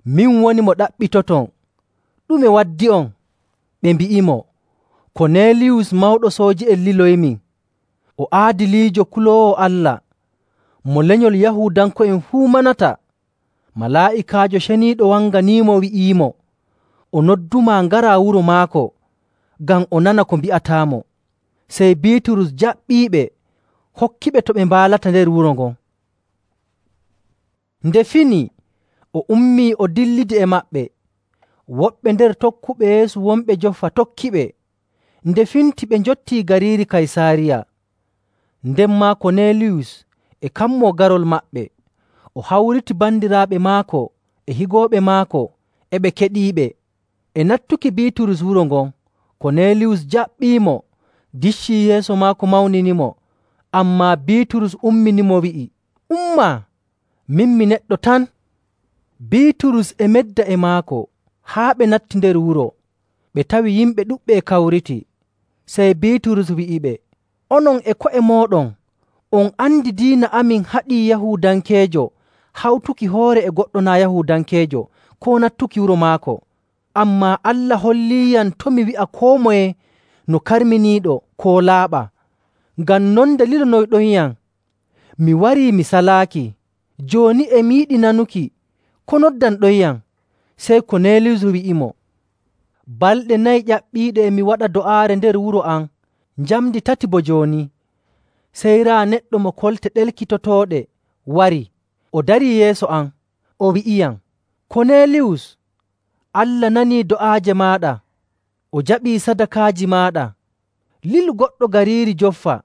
“Min woni mo ɗaɓɓitoton. Ɗume waddi'on?” Ɓe mbi'imo, “Koneeliyus mawɗo sooji'en liloyimin. O aadiliijo kuloowo Allah, mo lenyol Yahuudanko'en fuu manata. Malaa'ikaajo ceniiɗo wanganiimo wi'iimo o noddumaa ngaraa wuro maako ngam o nana ko mbi'ataamo.” Sey Biiturus jaɓɓiiɓe, hokkiɓe to ɓe mbaalata nder wuro ngon. Nde fini, o ummii o dillidi e maɓɓe. Woɓɓe nder tokkuɓe Yeesu wonɓe Joffa tokkiɓe. Nde finti ɓe njottii gariiri Kaysaariya. Nden maa Koneeliyus e kammoo garol maɓɓe. O hawriti bandiraaɓe maako e higooɓe maako, e ɓe keɗiiɓe. E nattuki Biiturus wuro ngon, Koneeliyus jaɓɓiimo, diccii yeeso maako mawninimo. Ammaa Biiturus umminimo wi'i, “Umma, min mi neɗɗo tan.” Biiturus e medda e maako haa ɓe natti nder wuro. Ɓe tawi yimɓe ɗuɗɓe e kawriti. Sey Biiturus wi'iɓe, “Onon e ko'e mooɗon, on andi diina amin haɗii Yahuudankeejo hawtuki hoore e goɗɗo naa' Yahuudankeejo koo nattuki wuro maako. Ammaa Allah holliiyam to' mi wi'a koo moye no karminiiɗo koo laaɓa. Ngam non nde lilonoyɗonyam, mi warii mi salaaki. Jooni e mi yiɗi nanuki ko noddanɗonyam.” Sey Koneeliyus wi'imo, “Balɗe 4 ƴaɓɓiiɗe e mi waɗa do'aare nder wuro am, njamndi 3 bo jooni.” Sey raa neɗɗo mo kolte ɗelkitotooɗe wari, o darii yeeso am, o wi'iyam, “Koneeliyus, Allah nanii do'aaje maaɗa, o jaɓii sadakaaji maaɗa. Lilu goɗɗo gariiri Joffa.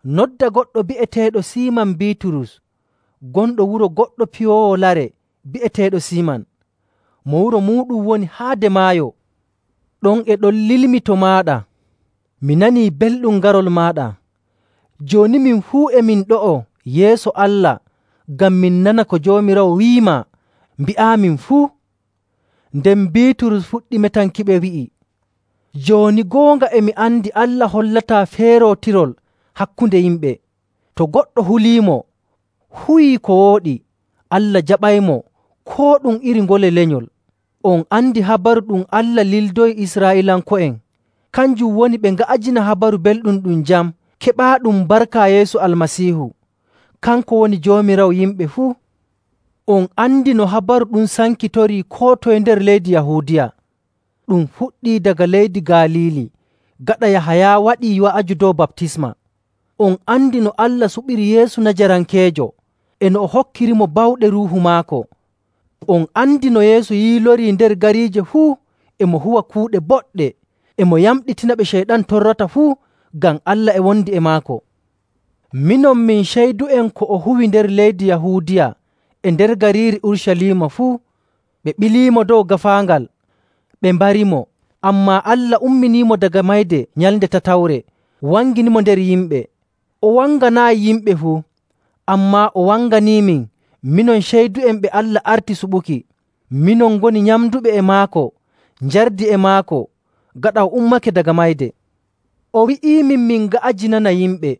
Nodda goɗɗo bi'eteeɗo Siiman Biiturus, gonɗo wuro goɗɗo piyoowo lare bi'eteeɗo Siiman. Mo wuro muuɗum woni haade maayo. Ɗon e ɗon lilmi to maaɗa. Mi nanii belɗum garol maaɗa. Jooni min fuu e min ɗo'o yeeso Allah ngam min nana ko Joomiraawo wi'imaa mbi'aamin fuu.” Nden Biiturus fuɗɗi metankiɓe wi'i, “Jooni goonga e mi andi Allah hollataa feerootirol hakkunde yimɓe. To goɗɗo huliimo, huwii ko wooɗi, Allah jaɓaymo koo ɗum iri ngole lenyol. On andi habaru ɗum Allah lildoyi Israa'iilanko'en, kanjum woni ɓe nga'ajina habaru belɗum ɗum jam keɓaaɗum barka Yeesu Almasiihu. Kanko woni Joomiraawo yimɓe fuu. On andi no habaru ɗum sankitorii koo toye nder leydi Yahuudiya. Ɗum fuɗɗii daga leydi Galiili, gaɗa Yahaya waɗii wa'aju dow baptisma. On andi no Allah suɓiri Yeesu Najarankeejo, e no o hokkirimo bawɗe Ruuhu maako. On andi no Yeesu yiilorii nder gariije fuu, e mo huwa kuuɗe boɗɗe, e mo yamɗitina ɓe Ceyɗan torrata fuu, ngam Allah e wondi e maako. Minon min ceydu'en ko o huwi nder leydi Yahuudiya e nder gariiri Urucaliima fuu. Ɓe ɓiliimo dow gaafaangal, ɓe mbarimo. Ammaa Allah umminiimo daga mayde nyalnde tatawre, wanginimo nder yimɓe. O wanganaayi yimɓe fuu, ammaa o wanganiimin, minon ceydu'en ɓe Allah arti suɓuki. Minon ngoni nyamduɓe e maako, njardi e maako, gaɗa o ummake daga mayde. O wi'iimin min nga'ajinana yimɓe,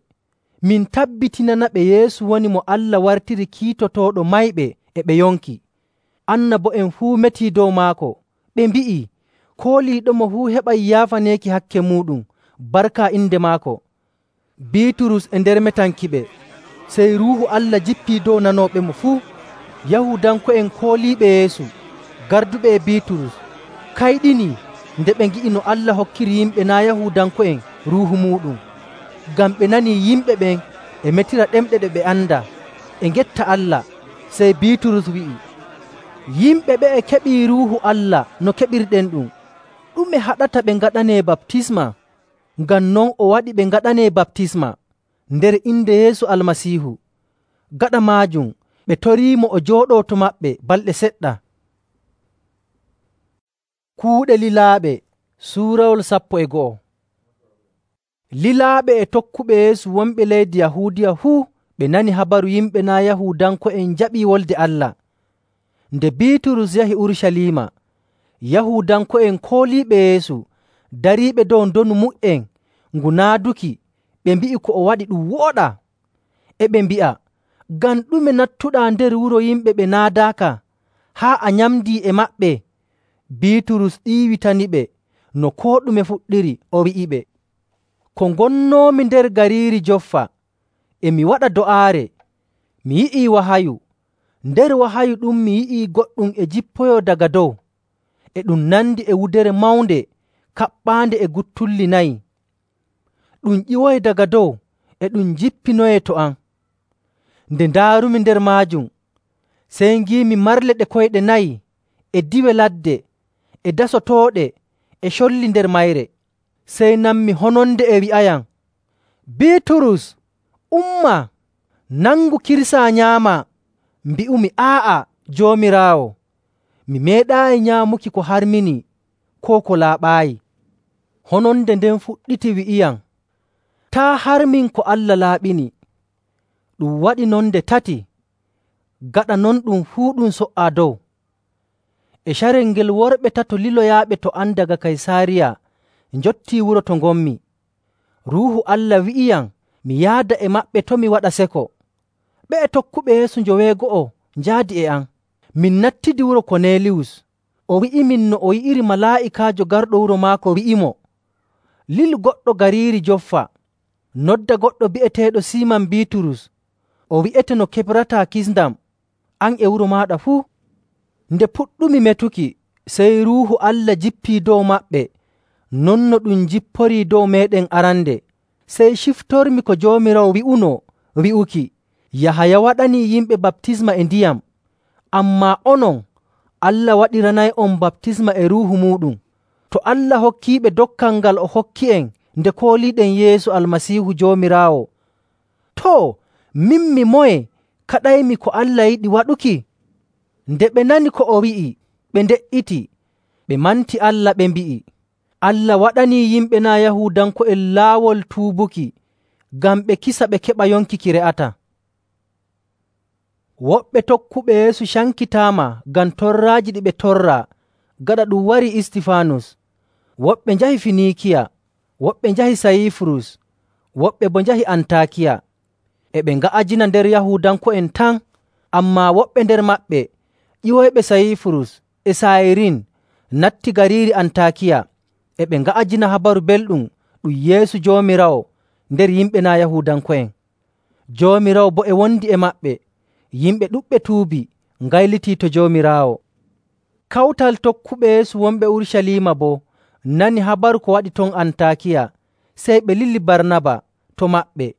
min tabbitinanaɓe Yeesu woni mo Allah wartiri kiitotooɗo mayɓe e ɓe yonki. Annabo'en fuu metii dow maako. Ɓe mbi'i, kooliiɗomo fuu heɓay yaafaneeki hakke muuɗum barka inde maako. Biiturus e nder metankiɓe, sey Ruuhu Allah jippii dow nanooɓemo fuu. Yahuudanko'en kooliiɓe Yeesu, garduɓe e Biiturus, kayɗinii nde ɓe ngi'i no Allah hokkiri yimɓe naa' Yahuudanko'en Ruuhu muuɗum. Ngam ɓe nanii yimɓe ɓen e metira ɗemɗe ɗe ɓe andaa, e ngetta Allah. Sey Biiturus wi'i, “Yimɓe ɓe'e keɓii Ruuhu Allah no keɓirɗen ɗum. Ɗume haɗata ɓe ngaɗanee baptisma?” Ngam non o waɗi ɓe ngaɗanee baptisma nder inde Yeesu Almasiihu. Gaɗa maajum ɓe toriimo o jooɗoo to maɓɓe balɗe seɗɗa. Kuuɗe lilaaɓe suurawol 12. Lilaaɓe e tokkuɓe Yeesu wonɓe leydi Yahuudiya fuu ɓe nani habaru yimɓe naa' Yahuudanko'en njaɓii Wolde Allah. Nde Biiturus yahi Urucaliima, Yahuudanko'en kooliiɓe Yeesu dariiɓe dow ndonu mu''en ngu naaduki, ɓe mbi'i ko o waɗi ɗum wooɗaa. E ɓe mbi'a, “Ngam ɗume nattuɗaa nder wuro yimɓe ɓe naadaaka haa a nyamdii e maɓɓe?” Biiturus ɗiiwitaniɓe no koo ɗume fuɗɗiri, o wi'iɓe, “Ko ngonnoomi nder gariiri Joffa, e mi waɗa do'aare, mi yi'ii wahayu. Nder wahayu ɗum mi yi'ii goɗɗum e jippoyoo daga dow, e ɗum nandi e wudere mawnde kaɓɓaande e guttulli 4. Ɗum ƴiwoyi daga dow e ɗum jippinoyee to am. Nde ndaarumi nder maajum, sey ngiimi marle ɗe koyɗe 4 e diwe ladde e dasotooɗe e colli nder mayre. Sey nanmi hononde e wi'ayam, ‘Biiturus, umma, nangu kirsaa nyaamaa.’ Mbi'umi, ‘Aa'a, Joomiraawo, mi meeɗaayi nyaamuki ko harminii koo ko laaɓaayi.’ Hononde nden fuɗɗiti wi'iyam, ‘Taa' harmin ko Allah laaɓini.’ Ɗum waɗi non nde 3. Gaɗa non ɗum fuu ɗum so''aa dow. E carel ngel worɓe 3 liloyaaɓe to am daga Kaysaariya njottii wuro to ngonmi. Ruuhu Allah wi'iyam mi yaada e maɓɓe to mi waɗa seko. Ɓe'e tokkuɓe Yeesu 9 njaadi e am. Min nattidi wuro Koneeliyus. O wi'imin no o yi'iri malaa'ikaajo garɗo wuro maako wi'imo, ‘Lilu goɗɗo gariiri Joffa, nodda goɗɗo bi'eteeɗo Siiman Biiturus. O wi'ete no keɓrataa kisndam, an e wuro maaɗa fuu.’ Nde puɗɗumi metuki, sey Ruuhu Allah jippii dow maɓɓe non no ɗum jipporii dow meeɗen arande. Sey ciftormi ko Joomiraawo wi'unoo wi'uki, ‘Yahaya waɗanii yimɓe baptisma e ndiyam, ammaa onon Allah waɗiranay'on baptisma e Ruuhu muuɗum.’ To Allah hokkiiɓe dokkal ngal o hokki'en nde kooliiɗen Yeesu Almasiihu Joomiraawo, too, min mi moye kaɗaymi ko Allah yiɗi waɗuki?” Nde ɓe nani ko o wi'i, ɓe nde''iti, ɓe manti Allah, ɓe mbi'i, “Allah waɗanii yimɓe naa' Yahuudanko'en laawol tuubuki ngam ɓe kisa ɓe keɓa yonki ki re'ataa.” Woɓɓe tokkuɓe Yeesu cankitaama ngam torraaji ɗi ɓe torraa gaɗa ɗum warii Istifaanus. Woɓɓe njahi Finiikiya, woɓɓe njahi Sayifurus, woɓɓe boo njahi Antaakiya. E ɓe nga'ajina nder Yahuudanko'en tan, ammaa woɓɓe nder maɓɓe ƴiwoyɓe Sayifurus e Sayirin natti gariiri Antaakiya, e ɓe nga'ajina Habaru Belɗum ɗum Yeesu Joomiraawo nder yimɓe naa' Yahuudanko'en. Joomiraawo boo e wondi e maɓɓe. Yimɓe ɗuɗɓe tuubi, ngaylitii to Joomiraawo. Kawtal tokkuɓe Yeesu wonɓe Urucaliima boo nani habaru ko waɗi ton Antaakiya, sey ɓe lili Barnaba to maɓɓe.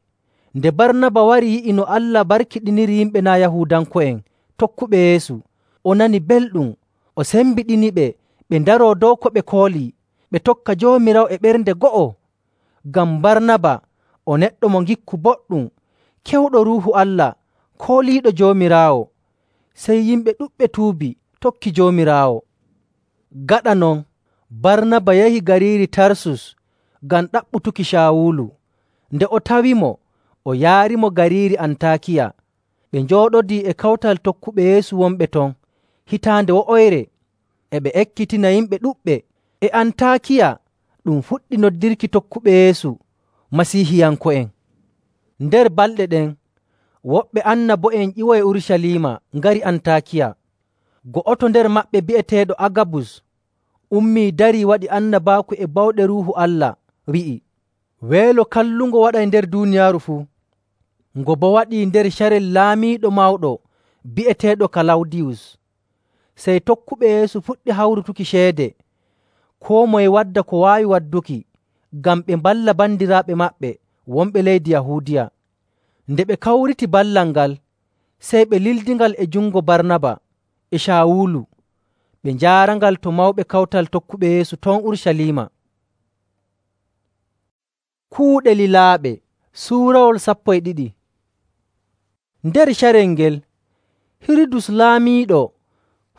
Nde Barnaba wari yi'i no Allah barkiɗiniri yimɓe naa' Yahuudanko'en tokkuɓe Yeesu, o nani belɗum, o sembiɗiniɓe ɓe ndaroo dow ko ɓe koolii, ɓe tokka Joomiraawo e ɓernde go'o. Ngam Barnaba o neɗɗo mo ngikku boɗɗum, kewɗo Ruuhu Allah, kooliiɗo Joomiraawo. Sey yimɓe ɗuɗɓe tuubi tokki Joomiraawo. Gaɗa non, Barnaba yahi gariiri Tarsus ngam ɗaɓɓutuki Caawulu. Nde o tawimo, o yaarimo gariiri Antaakiya. Ɓe njooɗodii e kawtal tokkuɓe Yeesu wonɓe ton hitaande wo'oyre, e ɓe ekkitina yimɓe ɗuɗɓe. E Antaakiya ɗum fuɗɗi noddirki tokkuɓe Yeesu Masiihiyanko'en. Nder balɗe ɗen, woɓɓe annabo'en ƴiwoye Urucaliima ngari Antaakiya. Go'oto nder maɓɓe bi'eteeɗo Agabus ummii darii waɗi annabaaku e bawɗe Ruuhu Allah, wi'i, “Weelo kallungo waɗay nder duuniyaaru fuu.” Ngo boo waɗii nder carel laamiiɗo mawɗo bi'eteeɗo Kalawdiyus. Sey tokkuɓe Yeesu puɗɗi hawrutuki ceede, koo moye wadda ko waawi wadduki, ngam ɓe mballa bandiraaɓe maɓɓe wonɓe leydi Yahuudiya. Nde ɓe kawriti ballal ngal, sey ɓe lildingal e jungo Barnaba e Caawulu, ɓe njaarangal to mawɓe kawtal tokkuɓe Yeesu ton Urucaliima. Kuuɗe lilaaɓe suurawol 12. Nder carel ngel, Hirudus laamiiɗo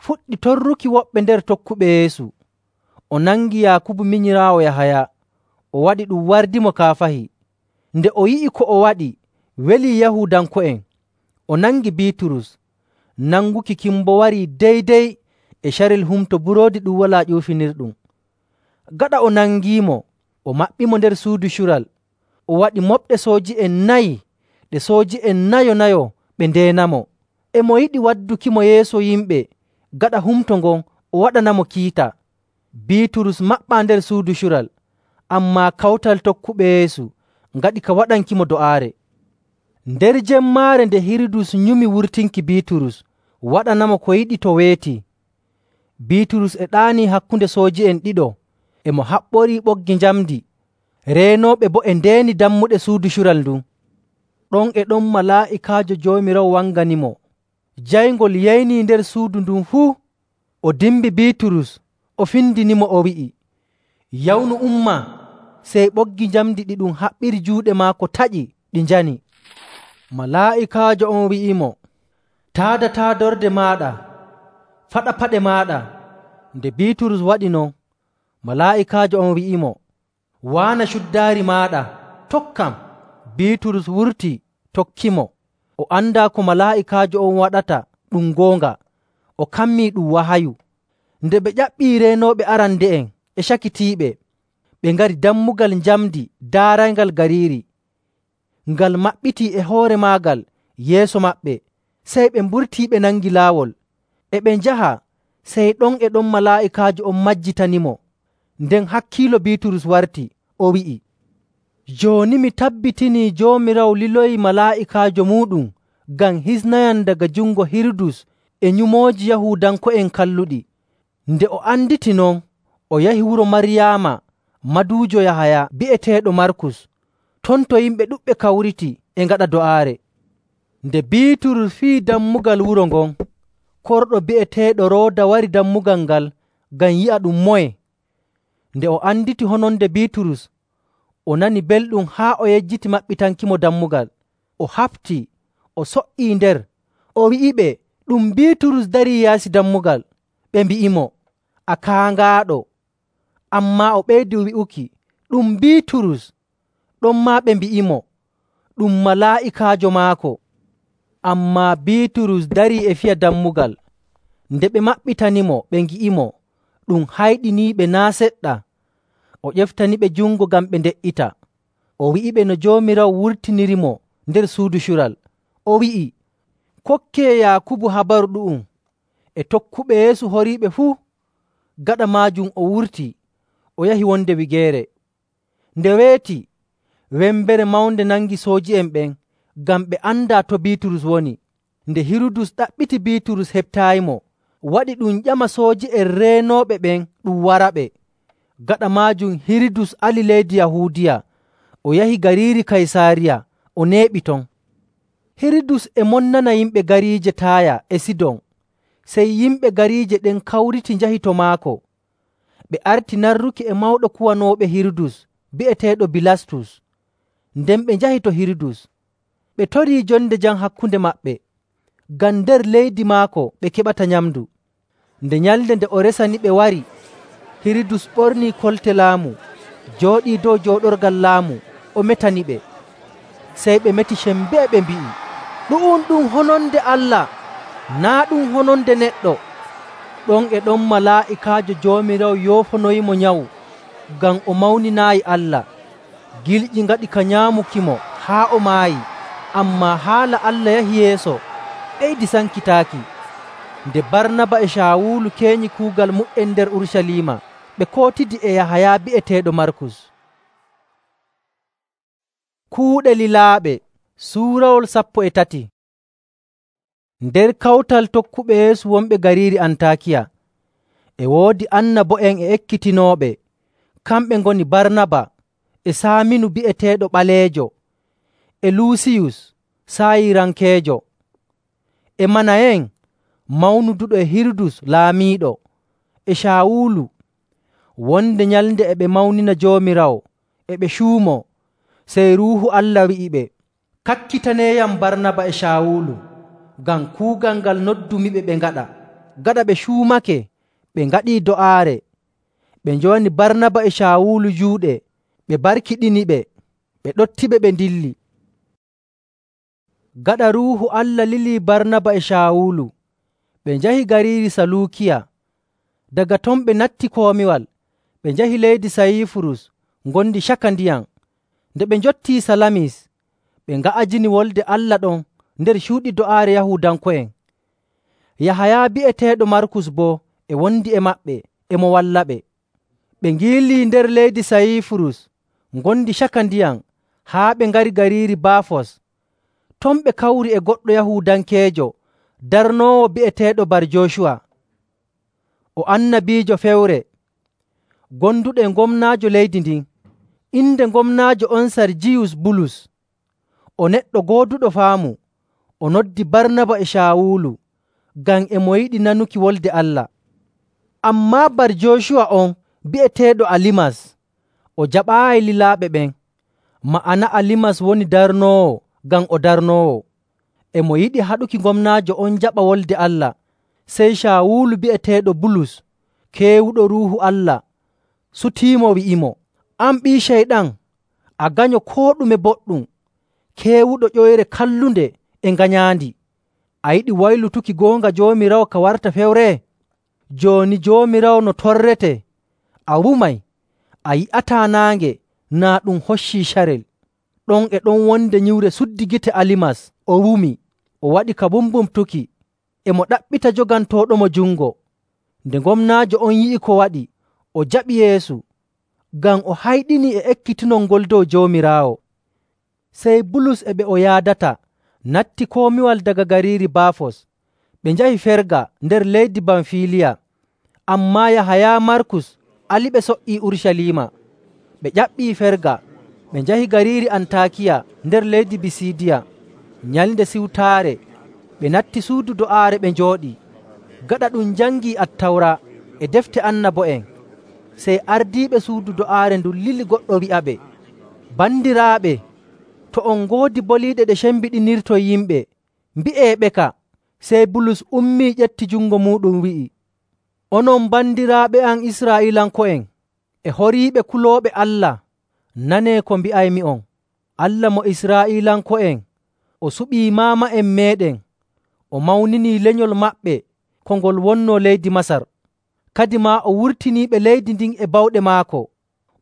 fuɗɗi torruki woɓɓe nder tokkuɓe Yeesu. O nangi Yaakubu minyiraawo Yahaya, o waɗi ɗum wardimo kaafahi. Nde o yi'i ko o waɗi welii Yahuudanko'en, o nangi Biiturus. Nanguki kin boo warii deydey e carel Humto Buroodi Ɗum Walaa Ƴuufinirɗum. Gaɗa o nangiimo, o maɓɓimo nder suudu cural, o waɗi moɓɗe sooji'en 4 ɗe sooji'en nayo ɓe ndeenamo. E mo yiɗi waddukimo yeeso yimɓe gaɗa humto ngon o waɗanamo kiita. Biiturus maɓɓaa nder suudu cural, ammaa kawtal tokkuɓe Yeesu ngaɗi ka waɗankimo do'aare. Nder jemmaare nde Hirudus nyumi wurtinki Biiturus waɗanamo ko yiɗi to weeti, Biiturus e ɗaanii hakkunde sooji'en ɗiɗo, e mo haɓɓorii ɓoggi njamndi. Reenooɓe boo e ndeeni dammuɗe suudu cural ndun. Ɗon e ɗon malaa'ikaajo Joomiraawo wanganimo. Jayngol yaynii nder suudu ndun fuu. O dimbi Biiturus, o findinimo, o wi'i, “Yawnu umma!” Sey ɓoggi njamndi ɗi ɗum haɓɓiri juuɗe maako taƴi, ɗi njani. Malaa'ikaajo on wi'imo, “Taada taadorde maaɗa, faɗa paɗe maaɗa.” Nde Biiturus waɗi non, malaa'ikaajo on wi'imo, “Waana cuddaari maaɗa, tokkam.” Biiturus wurti tokkimo. O andaa ko malaa'ikaajo on waɗata ɗum goonga, o kammii ɗum wahayu. Nde ɓe ƴaɓɓii reenooɓe arande'en e cakitiiɓe, ɓe ngari dammugal njamndi daarayngal gariiri. Ngal maɓɓitii e hoore maagal yeeso maɓɓe. Sey ɓe mburtii ɓe nangi laawol. E ɓe njaha, sey ɗon e ɗon malaa'ikaajo on majjitanimo. Nden hakkiilo Biiturus warti, o wi'i, “Jooni mi tabbitinii Joomiraawo liloyi malaa'ikaajo muuɗum ngam hisnayam daga jungo Hirudus e nyumooji Yahuudanko'en kalluɗi.” Nde o anditi non, o yahi wuro Maryaama, maduujo Yahaya bi'eteeɗo Markus. Ton to yimɓe ɗuɗɓe kawriti e ngaɗa do'aare. Nde Biiturus fii dammugal wuro ngon, korɗo bi'eteeɗo Rooda wari dammugal ngal ngam yi'a ɗum moye. Nde o anditi hononde Biiturus, o nani belɗum haa o yejjiti maɓɓitankimo dammugal. O hafti, o so''ii nder, o wi'iɓe ɗum Biiturus darii yaasi dammugal. Ɓe mbi'imo, “A kaangaaɗo.” Ammaa o ɓeydi wi'uki, “Ɗum Biiturus.” Ɗonmaa ɓe mbi'imo, “Ɗum malaa'ikaajo maako.” Ammaa Biiturus darii e fiya dammugal. Nde ɓe maɓɓitanimo, ɓe ngi'imo, ɗum hayɗiniiɓe naa' seɗɗa. O ƴeftaniɓe jungo ngam ɓe nde''ita. O wi'iɓe no Joomiraawo wurtinirimo nder suudu cural. O wi'i, “Kokkee Yaakubu habaru ɗu'um e tokkuɓe Yeesu horiiɓe fuu.” Gaɗa maajum o wurti, o yahi wonde wigeere. Nde weeti, wembere mawnde nangi sooji'en ɓen ngam ɓe andaa to Biiturus woni. Nde Hirudus ɗaɓɓiti Biiturus heɓtaayimo, waɗi ɗum ƴama sooji'en reenooɓe ɓen ɗum waraɓe. Gaɗa maajum Hirudus ali leydi Yahuudiya, o yahi gariiri Kaysaariya, o neeɓi ton. Hirudus e monnana yimɓe gariije Taaya e Sidon. Sey yimɓe gariije ɗen kawriti njahi to maako. Ɓe arti narruki e mawɗo kuwanooɓe Hirudus bi'eteeɗo Bilastus. Nden ɓe njahi to Hirudus. ɓe torii jonde jam hakkunde maɓɓe, ngam nder leydi maako ɓe keɓata nyamndu. Nde nyalnde nde o resaniɓe wari, Hirudus ɓornii kolte laamu, jooɗii dow jooɗorgal laamu, o metaniɓe. Sey ɓe meti sembee ɓe mbi'i, “Ɗu'um ɗum hononde Allah, naa' ɗum hononde neɗɗo.” Ɗon e ɗon malaa'ikaajo Joomiraawo yoofonoyimo nyawu, ngam o mawninaayi Allah. Gilƴi ngaɗi ka nyaamukimo haa o maayi, ammaa haala Allah yahi yeeso, ɓeydi sankitaaki. Nde Barnaba e Caawulu keenyi kuugal mu''en nder Urucaliima, ɓe kootidi e Yahaya bi'eteeɗo Markus. Kuuɗe lilaaɓe suurawol 13. Nder kawtal tokkuɓe Yeesu wonɓe gariiri Antaakiya, e woodi annabo'en e ekkitinooɓe. Kamɓe ngoni Barnaba e Saaminu bi'eteeɗo Ɓaleejo, e Luusiyus Saayirankeejo, e Manayen mawnuduɗo e Hirudus laamiiɗo, e Caawulu. Wonde nyalnde e ɓe mawnina Joomiraawo, e ɓe cuumoo, sey Ruuhu Allah wi'iɓe, “Kakkitaneeyam Barnaba e Caawulu, ngam kuugal ngal noddumiɓe ɓe ngaɗa.” Gaɗa ɓe cuumake, ɓe ngaɗii do'aare. Ɓe njowani Barnaba e Caawulu juuɗe, ɓe barkiɗiniɓe, ɓe ɗottiɓe ɓe ndilli. Gaɗa Ruuhu Allah lilii Barnaba e Caawulu, ɓe njahi gariiri Saluukiya. Daga ton ɓe natti komiwal, ɓe njahi leydi Sayifurus ngondi caka ndiyam. Nde ɓe njottii Salamis, ɓe nga'ajini Wolde Allah ɗon nder cuuɗi do'aare Yahuudanko'en. Yahaya bi'eteeɗo Markus boo e wondi e maɓɓe, e mo wallaɓe. Ɓe ngiilii nder leydi Sayifurus ngondi caka ndiyam haa ɓe ngari gariiri Baafos. Ton ɓe kawri e goɗɗo Yahuudankeejo darnoowo bi'eteeɗo Bar-Jocuwa, o annabiijo fewre, gonduɗo e gomnaajo leydi ndin. Inde gomnaajo on Sarjiyus Bulus. O neɗɗo gooduɗo faamu. O noddi Barnaba e Caawulu ngam e mo yiɗi nanuki wolde Allah. Ammaa Bar-Jocuwa on bi'eteeɗo Alimas, o jaɓaayi lilaaɓe ɓen. Ma'ana Alimas woni darnoowo, ngam o darnoowo. E mo yiɗi haɗuki gomnaajo on jaɓa wolde Allah. Sey Caawulu bi'eteeɗo Bulus, keewuɗo Ruuhu Allah, sutiimo wi'imo, “An ɓii Ceyɗan, a ganyo koo ɗume boɗɗum, keewuɗo ƴoyre kallunde e nganyaandi. A yiɗi waylutuki goonga Joomiraawo ka warta fewre? Jooni Joomiraawo no torrete, a wumay, a yi'ataa naange naa ɗum hoccii carel.” Ɗon e ɗon wonde nyiwre suddi gite Alimas, o wumi, o waɗi ka bumbumtuki, e mo ɗaɓɓita jogantooɗomo jungo. Nde gomnaajo on yi'i ko waɗi, o jaɓi Yeesu, ngam o hayɗini e ekkitinol ngol dow Joomiraawo. Sey Bulus e ɓe o yaadata natti komiwal daga gariiri Baafos. Ɓe njahi Ferga nder leydi Bamfiliya. Ammaa Yahaya Markus aliɓe so''ii Urucaliima. Ɓe ƴaɓɓii Ferga, ɓe njahi gariiri Antaakiya nder leydi Bisiidiya. Nyalnde Siwtaare ɓe natti suudu do'aare ɓe njooɗii. Gaɗa ɗum njangii Attawra e defte annabo'en, sey ardiiɓe suudu do'aare ndun lili goɗɗo wi'aɓe, “Bandiraaɓe, to on ngoodi boliiɗe ɗe cembiɗinirton yimɓe, mbi'eeɓeka.” Sey Bulus ummii ƴetti jungo muuɗum wi'i, “Onon bandiraaɓe am Israa'iilanko'en e horiiɓe kulooɓe Allah, nanee ko mbi'aymi'on. Allah mo Israa'iilanko'en o suɓii maama'en meeɗen, o mawninii lenyol maɓɓe ko ngol wonnoo leydi Masar. Kadimaa o wurtiniiɓe leydi ndin e bawɗe maako.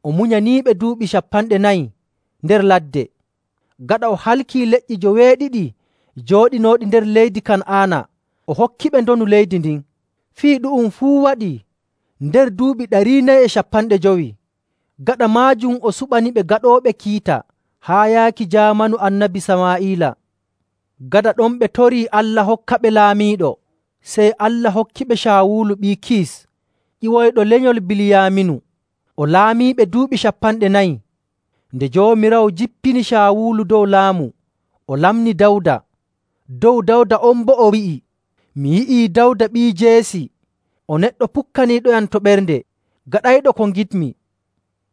O munyaniiɓe duuɓi 40 nder ladde. Gaɗa o halkii leƴƴi 70 jooɗinooɗi nder leydi Kan'aana, o hokkiɓe ndonu leydi ndin. Fii ɗu'um fuu waɗii nder duuɓi 450. Gaɗa maajum o suɓaniɓe gaɗooɓe kiita haa yaaki jaamanu Annabi Samaa'ila. Gaɗa ɗon ɓe torii Allah hokkaɓe laamiiɗo, sey Allah hokkiɓe Caawulu ɓii Kiis, ƴiwoyɗo lenyol Biliyaaminu. O laamiiɓe duuɓi 40. Nde Joomiraawo jippini Caawulu dow laamu, o lamni Dawda. Dow Dawda on boo o wi'i, “Mi yi'ii Dawda ɓii Jeesi, o neɗɗo pukkaniiɗoyam to ɓernde, gaɗayɗo ko ngidmi.”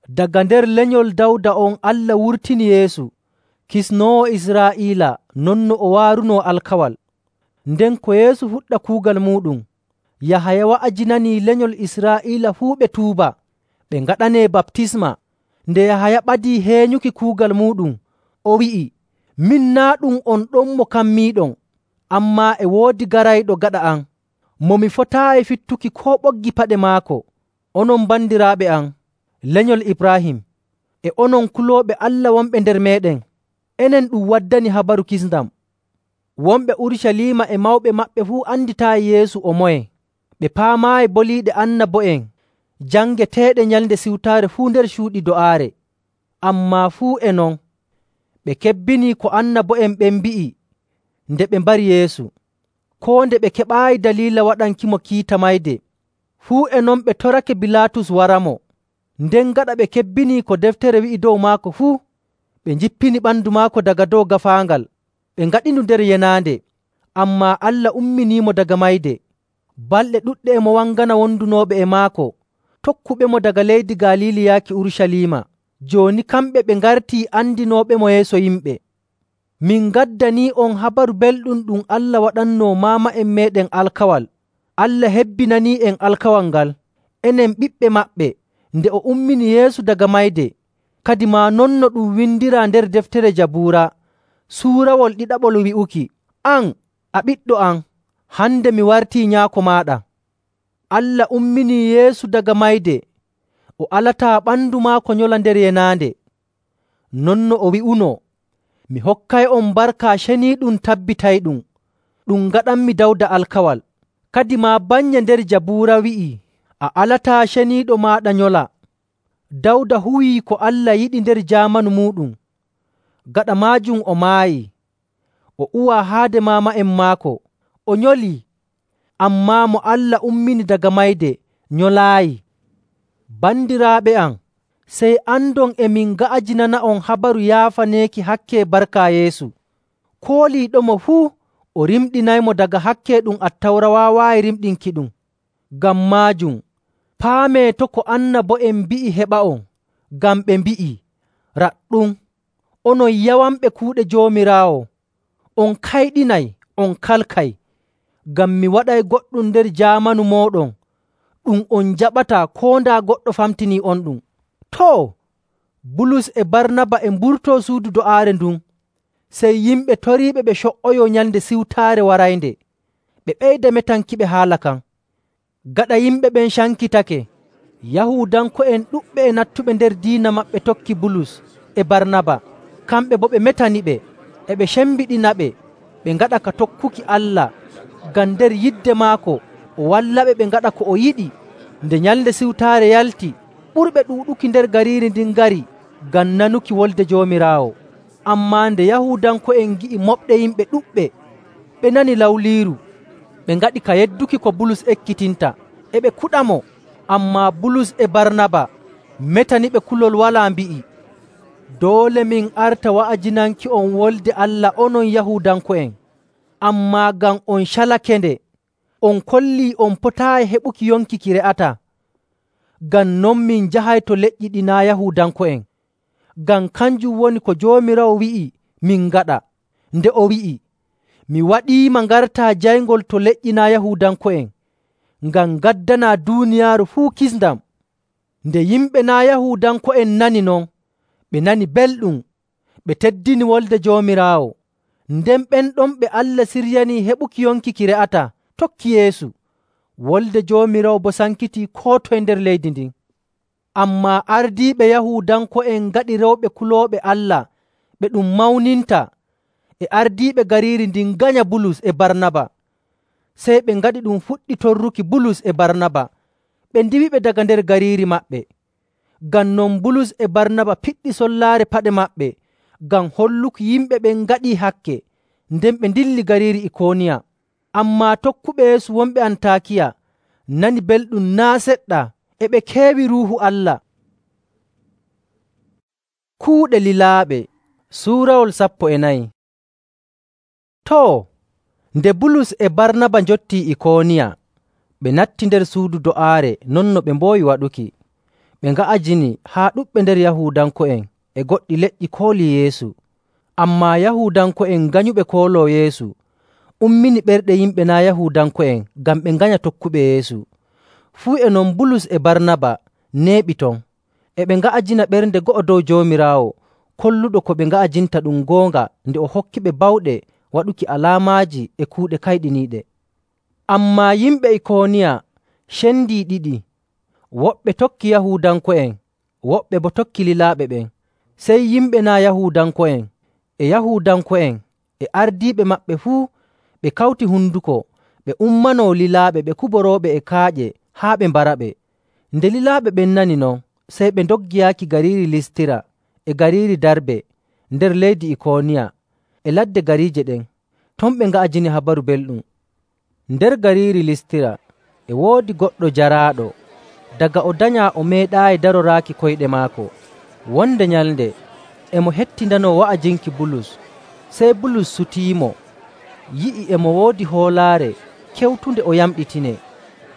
Daga nder lenyol Dawda on Allah wurtini Yeesu, Kisnoowo Israa'iila non no o waarunoo alkawal. Nden ko Yeesu fuɗɗa kuugal muuɗum, Yahaya wa'ajinanii lenyol Israa'iila fuu ɓe tuuba, ɓe ngaɗanee baptisma. Nde Yahaya ɓadii heenyuki kuugal muuɗum, o wi'i, “Min naa' ɗum on ɗon mo kammiiɗon, ammaa e woodi garayɗo gaɗa am, mo mi fotaayi fittuki koo ɓoggi paɗe maako. Onon bandiraaɓe am, lenyol Ibraahim, e onon kulooɓe Allah wonɓe nder meeɗen, enen ɗum waddani habaru kisndam.” Wonɓe Urucaliima e mawɓe maɓɓe fuu anditaayi Yeesu o moye. Ɓe paamaayi boliiɗe annabo'en jangeteeɗe Nyalnde Siwtaare fuu nder cuuɗi do'aare. Ammaa fuu e non, ɓe kebbinii ko annabo'en ɓen mbi'i nde ɓe mbari Yeesu, koo nde ɓe keɓaayi daliila waɗankimo kiita mayde. Fuu e non ɓe torake Bilaatus waramo. Nden gaɗa ɓe kebbinii ko deftere wi'i dow maako fuu, ɓe njippini ɓandu maako daga dow gaafaangal, ɓe ngaɗindu nder yenaande. Ammaa Allah umminiimo daga mayde. Balɗe ɗuɗɗe e mo wangana wondunooɓe e maako, tokkuɓemo daga leydi Galiili yaaki Urucaliima. Jooni kamɓe ɓe ngartii andinooɓemo yeeso yimɓe. Min ngaddanii'on habaru belɗum ɗum Allah waɗannoo maama'en meeɗen alkawal. Allah hebbinanii'en alkawal ngal, enen ɓiɓɓe maɓɓe, nde o ummini Yeesu daga mayde. Kadi maa non no ɗum windiraa nder deftere Jabuura, suurawol ɗiɗaɓol wi'uki, “An, a ɓiɗɗo am, hande mi wartii nyaako maaɗa.” Allah umminii Yeesu daga mayde, o alataa ɓandu maako nyola nder yenaande. Non no o wi'unoo, “Mi hokkay'on barka ceniiɗum tabbitayɗum, ɗum ngaɗanmi Dawda alkawal.” Kadi maa bannye nder Jabuura wi'ii, “A alataa ceniiɗo maaɗa nyola.” Dawda huwii ko Allah yiɗi nder jaamanu muuɗum. Gaɗa maajum o maayii, o uwaa haade maama'en maako, o nyolii. Ammaa mo Allah ummini daga mayde nyolaayi. Bandiraaɓe am, sey andon e min nga'ajinana'on habaru yaafaneeki hakke barka Yeesu. Kooliiɗomo fuu o rimɗinaymo daga hakke ɗum Attawra waawaayi rimɗinkiɗum. Ngam maajum, paamee to' ko annabo'en mbi'i heɓa'on, ngam ɓe mbi'ii, “Raɗɗum, onon yawanɓe kuuɗe Joomiraawo, on kayɗinay, on kalkay.” Ngam mi waɗay goɗɗum nder jaamanu mooɗon ɗum on jaɓataa koo ndaa goɗɗo famtinii on ɗum. Too, Bulus e Barnaba e mburtoo suudu do'aare ndun, sey yimɓe toriiɓe ɓe co''oyoo Nyalnde Siwtaare waraynde. Ɓe ɓeyda metankiɓe haala kan. Gaɗa yimɓe ɓen cankitake, Yahuudanko'en ɗuɗɓe e nattuɓe nder diina maɓɓe tokki Bulus e Barnaba. Kamɓe boo ɓe metaniɓe, e ɓe cembiɗinaɓe ɓe ngaɗa ka tokkuki Allah, ngam nder yidde maako o wallaɓe ɓe ngaɗa ko o yiɗi. Nde Nyalnde Siwtaare yalti, ɓurɓe ɗuuɗuki nder gariiri ndin ngari ngam nanuki wolde Joomiraawo. Ammaa nde Yahuudanko'en ngi'i moɓɗe yimɓe ɗuɗɓe, ɓe nani lawliiru. Ɓe ngaɗi ka yedduki ko Bulus ekkitinta, e ɓe kuɗamo. Ammaa Bulus e Barnaba metaniɓe kulol walaa, mbi'i, “Doole min arta wa'ajinanki'on wolde Allah onon Yahuudanko'en, ammaa ngam on calake-nde, on kollii on potaayi heɓuki yonki ki re'ataa. Ngam non min njahay to leƴƴi ɗi naa' Yahuudanko'en, ngam kanjum woni ko Joomiraawo wi'i min ngaɗa, nde o wi'i, ‘Mi waɗiima ngartaa jayngol to leƴƴi naa' Yahuudanko'en, ngam ngaddanaa duuniyaaru fuu kisndam.’ Nde yimɓe naa' Yahuudanko'en nani non, ɓe nani belɗum, ɓe teddini wolde Joomiraawo. Nden ɓen ɗon ɓe Allah siryanii heɓuki yonki ki re'ataa tokki Yeesu. Wolde Joomiraawo boo sankitii koo toye nder leydi ndin. Ammaa ardiiɓe Yahuudanko'en ngaɗi rewɓe kulooɓe Allah ɓe ɗum mawninta, e ardiiɓe gariiri ndin nganya Bulus e Barnaba. Sey ɓe ngaɗi ɗum fuɗɗi torruki Bulus e Barnaba, ɓe ndiwiɓe daga nder gariiri maɓɓe. Ngam non Bulus e Barnaba piɗɗi sollaare paɗe maɓɓe ngam holluki yimɓe ɓen ngaɗii hakke, nden ɓe ndilli gariiri Ikooniya. Ammaa tokkuɓe Yeesu wonɓe Antaakiya nani belɗum naa' seɗɗa, e ɓe keewi Ruuhu Allah. Kuuɗe lilaaɓe suurawol 14. Too, nde Bulus e Barnaba njottii Ikooniya, ɓe natti nder suudu do'aare non no ɓe mboowi waɗuki. Ɓe nga'ajini haa ɗuɗɓe nder Yahuudanko'en e goɗɗi leƴƴi koolii Yeesu. Ammaa Yahuudanko'en nganyuɓe kooloo Yeesu ummini ɓerɗe yimɓe naa' Yahuudanko'en ngam ɓe nganya tokkuɓe Yeesu. Fuu e non Bulus e Barnaba neeɓi ton, e ɓe nga'ajina ɓernde go'o dow Joomiraawo, kolluɗo ko ɓe nga'ajinta ɗum goonga nde o hokkiɓe bawɗe waɗuki alaamaaji e kuuɗe kayɗiniiɗe. Ammaa yimɓe Ikooniya cendii ɗiɗi. Woɓɓe tokki Yahuudanko'en, woɓɓe boo tokki lilaaɓe ɓen. Sey yimɓe naa' Yahuudanko'en e Yahuudanko'en e ardiiɓe maɓɓe fuu ɓe kawti hunduko ɓe ummanoo lilaaɓe ɓe kuborooɓe e kaaƴe haa ɓe mbaraɓe. Nde lilaaɓe ɓen nani non, sey ɓe ndoggi yaaki gariiri Listira e gariiri Darbe nder leydi Ikooniya e ladde gariije ɗen. Ton ɓe nga'ajini Habaru Belɗum. Nder gariiri Listira e woodi goɗɗo jaraaɗo. Daga o danyaa o meeɗaayi daroraaki koyɗe maako. Wonde nyalnde e mo hettindanoo wa'ajinki Bulus. Sey Bulus sutiimo, yi'i e mo woodi hoolaare kewtunde o yamɗitinee.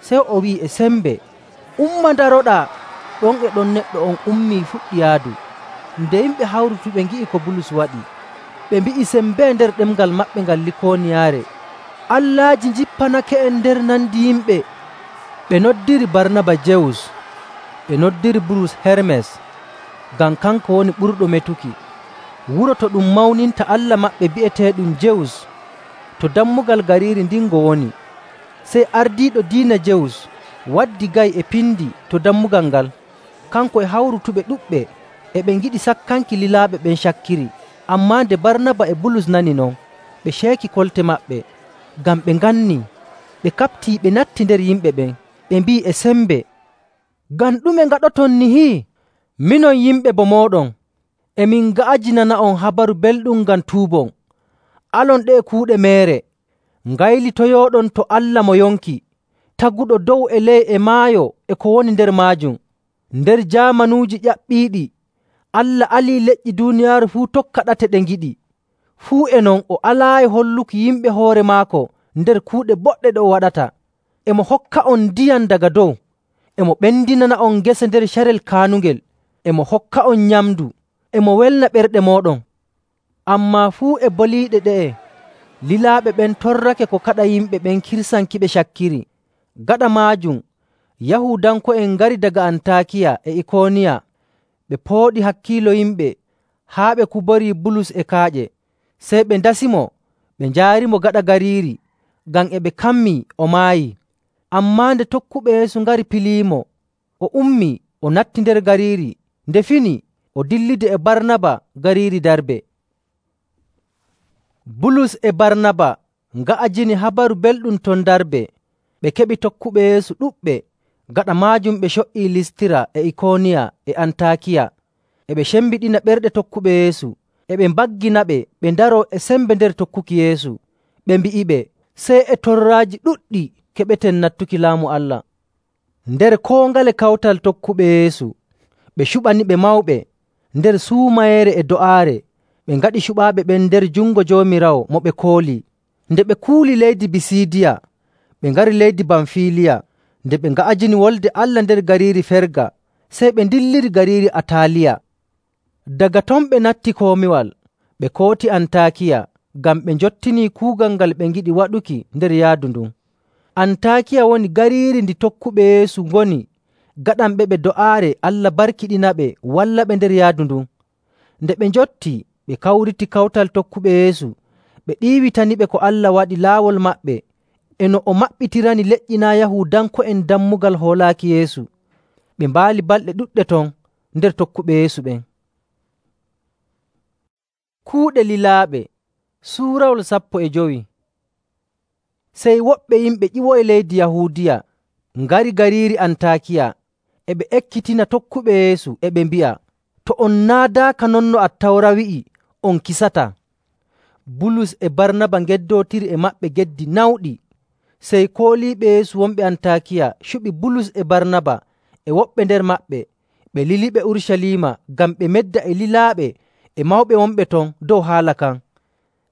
Sey o wi'i e sembe, “Umma ndaroɗaa!” Ɗon e ɗon neɗɗo on ummii fuɗɗi yaadu. Nde yimɓe hawrutuɓe ngi'i ko Bulus waɗi, ɓe mbi'i sembee nder ɗemngal maɓɓe ngal Likooniyaare, “Allaaji njippaneke'en nder nandi yimɓe!” Ɓe noddiri Barnaba Jewus, ɓe noddiri Bulus Hermes, ngam kanko woni ɓurɗo metuki. Wuro to ɗum mawninta allah maɓɓe bi'eteeɗum Jewus to dammugal gariiri ndin ngo woni. Sey ardiiɗo diina Jewus waddi ga'i e pindi to dammugal ngal. Kanko e hawrutuɓe ɗuɗɓe e ɓe ngiɗi sakkanki lilaaɓe ɓen cakkiri. Ammaa nde Barnaba e Bulus nani non, ɓe ceeki kolte maɓɓe, ngam ɓe ngannii. Ɓe kaɓtii ɓe natti nder yimɓe ɓen, ɓe mbi'i e sembe, “Ngam ɗume ngaɗoton nihi? Minon yimɓe bo mooɗon, emin nga'ajinana'on Habaru Belɗum ngam tuubon. Alon ɗe'e kuuɗe meere, ngaylitoyooɗon to Allah mo yonki, taguɗo dow e ley e maayo e ko woni nder maajum. Nder jaamanuuji ƴaɓɓiiɗi, Allah alii leƴƴi duuniyaaru fuu tokka ɗate ɗe ngiɗi. Fuu e non o alaayi holluki yimɓe hoore maako nder kuuɗe boɗɗe ɗe o waɗata. E mo hokka'on ndiyam daga dow, e mo ɓendinana'on ngese nder carel kaanungel, e mo hokka'on nyamndu, e mo welna ɓerɗe mooɗon.” Ammaa fuu e boliiɗe ɗe'e, lilaaɓe ɓen torrake ko kaɗa yimɓe ɓen kirsankiɓe cakkiri. Gaɗa maajum, Yahuudanko'en ngari daga Antaakiya e Ikooniya. Ɓe pooɗi hakkiilo yimɓe haa ɓe kuborii Bulus e kaaƴe. Sey ɓe ndasimo ɓe njaarimo gaɗa gariiri, ngam e ɓe kammii o maayii. Ammaa nde tokkuɓe Yeesu ngari piliimo, o ummii o natti nder gariiri. Nde fini, o dillidi e Barnaba gariiri Darbe. Bulus e Barnaba nga'ajini Habaru Belɗum ton Darbe. Ɓe keɓi tokkuɓe Yeesu ɗuɗɓe. Gaɗa maajum ɓe co''ii Listira e Ikooniya e Antaakiya. E ɓe cembiɗina ɓerɗe tokkuɓe Yeesu, e ɓe mbagginaɓe ɓe ndaroo e sembe nder tokkuki Yeesu. Ɓe mbi'iɓe, sey e torraaji ɗuɗɗi keɓeten nattuki Laamu Allah. Nder koo ngale kawtal tokkuɓe Yeesu, ɓe cuɓaniɓe mawɓe nder suumayeere e do'aare. Ɓe ngaɗi cuɓaaɓe ɓen nder jungo Joomiraawo mo ɓe koolii. Nde ɓe kuuli leydi Bisiidiya, ɓe ngari leydi Bamfiliya. Nde ɓe nga'ajini Wolde Allah nder gariiri Ferga, sey ɓe ndilliri gariiri Ataaliya. Daga ton ɓe natti komiwal, ɓe kooti Antaakiya, ngam ɓe njottinii kuugal ngal ɓe ngiɗi waɗuki nder yaadu ndun. Antaakiya woni gariiri ndi tokkuɓe Yeesu ngoni gaɗanɓe ɓe do'aare Allah barkiɗinaɓe wallaɓe nder yaadu ndun. Nde ɓe njottii, ɓe kawriti kawtal tokkuɓe Yeesu, ɓe ɗiiwitaniɓe ko Allah waɗi laawol maɓɓe e no o maɓɓitirani leƴƴi naa' Yahuudanko'en dammugal hoolaaki Yeesu. Ɓe mbaali balɗe ɗuɗɗe ton nder tokkuɓe Yeesu ɓen. Kuuɗe lilaaɓe Suurawol 15. Sey woɓɓe yimɓe ƴiwoyi leydi Yahuudiya ngari gariiri Antaakiya, e ɓe ekkitina tokkuɓe Yeesu, e ɓe mbi'a, “To on naadaaka non no Attawra wi'i, on kisataa.” Bulus e Barnaba ngeddootiri e maɓɓe geddi nawɗi. Sey kooliiɓe Yeesu wonɓe Antaakiya cuɓi Bulus e Barnaba e woɓɓe nder maɓɓe, ɓe liliɓe Urucaliima ngam ɓe medda e lilaaɓe e mawɓe wonɓe ton dow haala kan.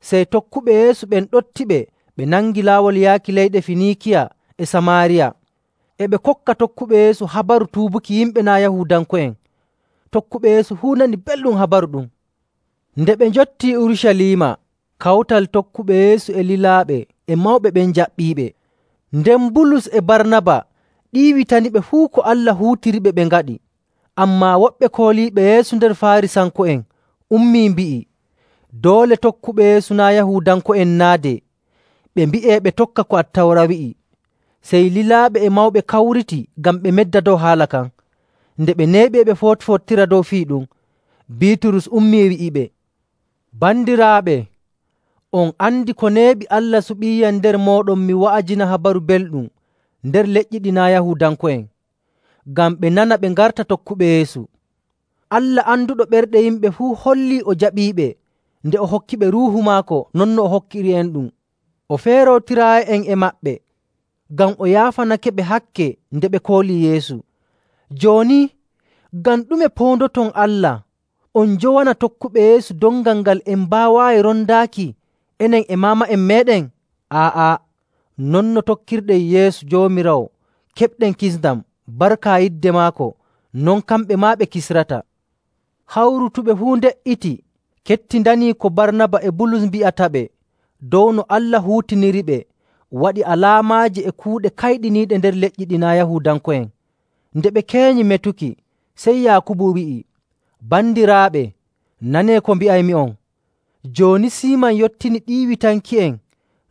Sey tokkuɓe Yeesu ɓen ɗottiɓe ɓe nangi laawol yaaki leyɗe Finiikiya e Samaariya. E ɓe kokka tokkuɓe Yeesu habaru tuubuki yimɓe naa' Yahuudanko'en. Tokkuɓe Yeesu fuu nani belɗum habaru ɗum. Nde ɓe njottii Urucaliima, kawtal tokkuɓe Yeesu e lilaaɓe e mawɓe ɓen njaɓɓiiɓe. Nden Bulus e Barnaba ɗiiwitaniɓe fuu ko Allah huutiriɓe ɓe ngaɗi. Ammaa woɓɓe kooliiɓe Yeesu nder Faarisanko'en ummii mbi'i, doole tokkuɓe Yeesu naa' Yahuudanko'en naadee, ɓe mbi'ee ɓe tokka ko Attawra wi'i. Sey lilaaɓe e mawɓe kawriti ngam ɓe medda dow haala kan. Nde ɓe neeɓi ɓe footi-fottira dow fii ɗum, Biiturus ummii wi'iɓe, “Bandiraaɓe, on andi ko neeɓi Allah suɓiiyam nder mooɗon mi wa'ajina Habaru Belɗum nder leƴƴi ɗi naa' Yahuudanko'en, ngam ɓe nana ɓe ngarta tokkuɓe Yeesu. Allah anduɗo ɓerɗe yimɓe fuu hollii o jaɓiiɓe nde o hokkiɓe Ruuhu maako non no o hokkiri'enɗum. O feerootiraayi'en e maɓɓe ngam o yaafanakeɓe hakke nde ɓe koolii Yeesu. Jooni, ngam ɗume poondoton Allah on njowana tokkuɓe Yeesu dongal ngal en mbaawaayi rondaaki enen e maama'en meeɗen? Aa'a, non no tokkirɗen Yeesu Joomiraawo keɓɗen kisndam barka yidde maako, non kamɓe maa ɓe kisrata.” Hawrutuɓe fuu nde''iti kettindanii ko Barnaba e Bulus mbi'ataɓe dow no Allah huutiniriɓe waɗi alaamaaji e kuuɗe kayɗiniiɗe nder leƴƴi ɗi naa' Yahuudanko'en. Nde ɓe keenyi metuki, sey Yaakubu wi'i, “Bandiraaɓe, nanee ko mbi'aymi'on. Jooni Siiman yottini ɗiiwitanki'en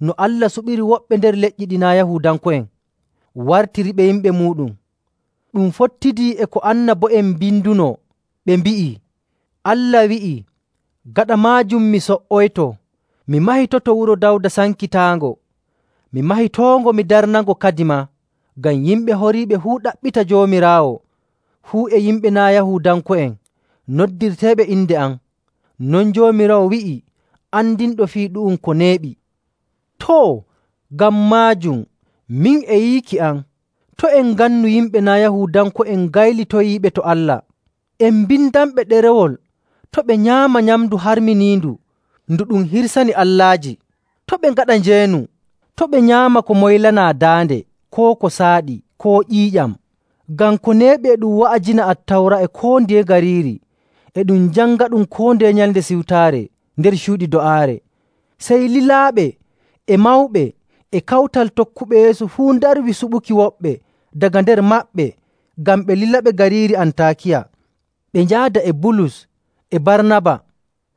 no Allah suɓiri woɓɓe nder leƴƴi ɗi naa' Yahuudanko'en, wartiriɓe yimɓe muuɗum. Ɗum fottidii e ko annabo'en mbindunoo, ɓe mbi'ii, Allah wi'ii, ‘Gaɗa maajum mi so''oyto, mi mahitoto wuro Dawda sankitaango. Mi mahitoongo mi darnango kadimaa, ngam yimɓe horiiɓe fuu ɗaɓɓita Joomiraawo, fuu e yimɓe naa' Yahuudanko'en noddirteeɓe inde am.’ Non Joomiraawo wi'i andinɗo fii ɗu'um ko neeɓi. Too, ngam maajum, min e yiiki am, to' en ngannu yimɓe naa' Yahuudanko'en gaylitoyiiɓe to Allah. En mbindanɓe ɗerewol to' ɓe nyaama nyamndu harminiindu ndu ɗum hirsani allaaji. To' ɓe ngaɗa njeenu. To' ɓe nyaama ko moylanaa daande, koo ko saaɗi, koo ƴiiƴam. Ngam ko neeɓi e ɗum wa'ajina Attawra e koo ndiye gariiri, e ɗum jangaɗum koo ndeye nyalnde siwtaare nder cuuɗi do'aare. Sey lilaaɓe e mawɓe e kawtal tokkuɓe Yeesu fuu ndarwi suɓuki woɓɓe daga nder maɓɓe ngam ɓe lilaɓe gariiri Antaakiya. Ɓe njaada e Bulus e Barnaba.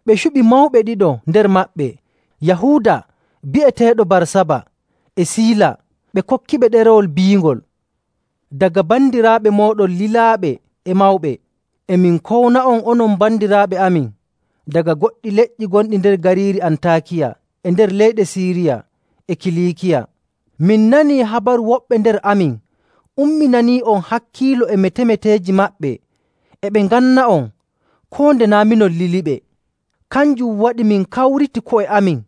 Ɓe cuɓi mawɓe ɗiɗo nder maɓɓe, Yahuuda bi'eteeɗo Barsaba e Siila, ɓe kokkiɓe ɗerewol biingol. Daga bandiraaɓe mooɗon lilaaɓe e mawɓe, e min kowna'on onon bandiraaɓe amin daga goɗɗi leƴƴi gonɗi nder gariiri Antaakiya e nder leyɗe Siiriya e Kiliikiya. Min nanii habaru woɓɓe nder amin umminanii'on hakkiilo e metemeteeji maɓɓe, e ɓe nganna'on koo nde naa' minon liliɓe. Kanjum waɗi min kawriti ko'e amin,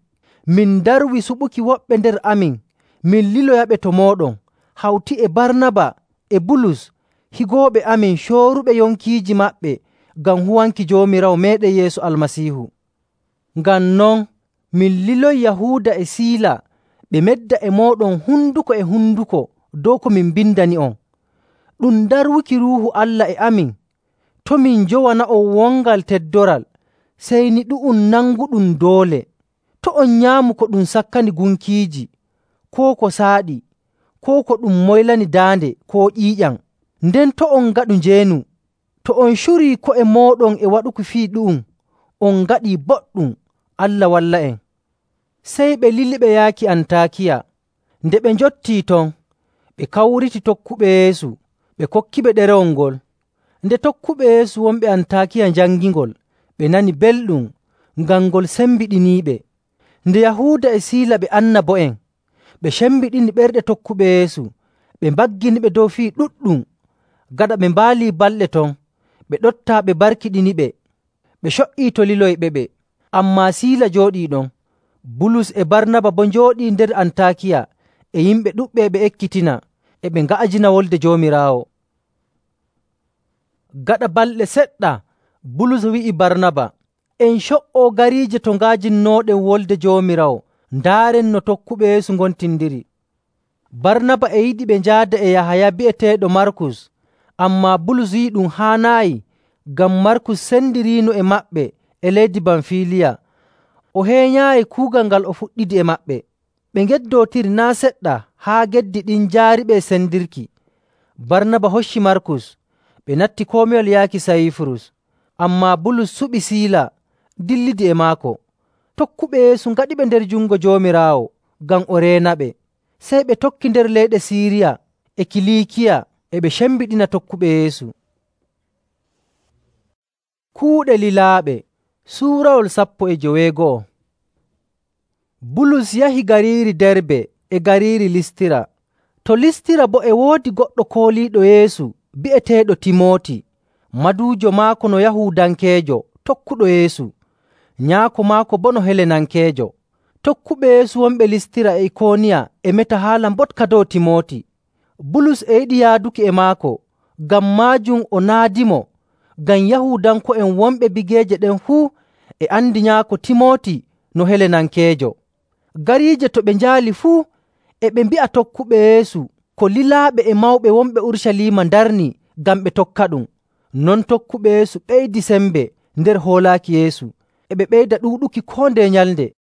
min ndarwi suɓuki woɓɓe nder amin min liloyaɓe to mooɗon, hawti e Barnaba e Bulus, higooɓe amin cooruɓe yonkiiji maɓɓe ngam huwanki Joomiraawo meeɗen Yeesu Almasiihu. Ngam non, min liloyi Yahuuda e Siila ɓe medda e mooɗon hunduko e hunduko dow ko min mbindani'on. Ɗum darwuki Ruuhu Allah e amin, to' min njowana'on wongal teddoral, sey ni ɗu'um nanguɗum doole. To' on nyaamu ko ɗum sakkani gunkiiji, koo ko saaɗi, koo ko ɗum moylani daande koo ƴiiƴam. Nden to' on ngaɗu njeenu. To on curii ko'e mooɗon e waɗuki fii ɗu'um, on ngaɗii boɗɗum. Allah walla'en. Sey ɓe liliɓe yaaki Antaakiya. Nde ɓe njottii ton, ɓe kawriti tokkuɓe Yeesu, ɓe kokkiɓe ɗerewol ngol. Nde tokkuɓe Yeesu wonɓe Antaakiya njangingol, ɓe nani belɗum, ngam ngol sembiɗiniiɓe. Nde Yahuuda e Siila ɓe annabo'en, ɓe cembiɗini ɓerɗe tokkuɓe Yeesu, ɓe mbagginiɓe dow fii ɗuɗɗum. Gaɗa ɓe mbaalii balɗe ton, ɓe ɗoftaa ɓe barkiɗiniɓe. Ɓe co''ii to liloyɓeɓe. Ammaa Siila jooɗii ɗon. Bulus e Barnaba boo njooɗii nder Antaakiya e yimɓe ɗuɗɓe ɓe ekkitina, e ɓe nga'ajina Wolde Joomiraawo. Gaɗa balɗe seɗɗa, Bulus wi'i Barnaba, “En co''oo gariije to nga'ajinnooɗen Wolde Joomiraawo, ndaaren no tokkuɓe Yeesu ngontindiri.” Barnaba e yiɗi ɓe njaada e Yahaya bi'eteeɗo Markus, ammaa Bulus wi'i ɗum haanaayi, ngam Markus sendiriino e maɓɓe e leydi Bamfiliya, o heenyaayi kuugal ngal o fuɗɗidi e maɓɓe. Ɓe ngeddootiri naa' seɗɗa haa geddi ɗin njaariɓe e sendirki. Barnaba hocci Markus, ɓe natti komiwal yaaki Sayifurus. Ammaa Bulus suɓi Siila dillidi e maako. Tokkuɓe Yeesu ngaɗiɓe nder jungo Joomiraawo ngam o reenaɓe. Sey ɓe tokki nder leyɗe Siiriya e Kiliikiya e ɓe cembiɗina tokkuɓe Yeesu. Kuuɗe lilaaɓe suurawol 12. Bulus yahi gariiri Derbe e gariiri Listira. To Listira boo e woodi goɗɗo kooliiɗo Yeesu bi'eteeɗo Timooti, maduujo maako no Yahuudankeejo tokkuɗo Yeesu, nyaako maako boo no Helenankeejo. Tokkuɓe Yeesu wonɓe Listira e Ikooniya e meta haala mboɗka dow Timooti. Bulus e yiɗi yaaduki e maako, ngam maajum o naadimo, ngam Yahuudanko'en wonɓe bigeeje ɗen fuu e andi nyaako Timooti no Helenankeejo. Gariije to ɓe njaali fuu e ɓe mbi'a tokkuɓe Yeesu ko lilaaɓe e mawɓe wonɓe Urucaliima ndarni ngam ɓe tokkaɗum. Non tokkuɓe Yeesu ɓeydi sembe nder hoolaaki Yeesu, e ɓe ɓeyda ɗuuɗuki koo ndeye nyalnde.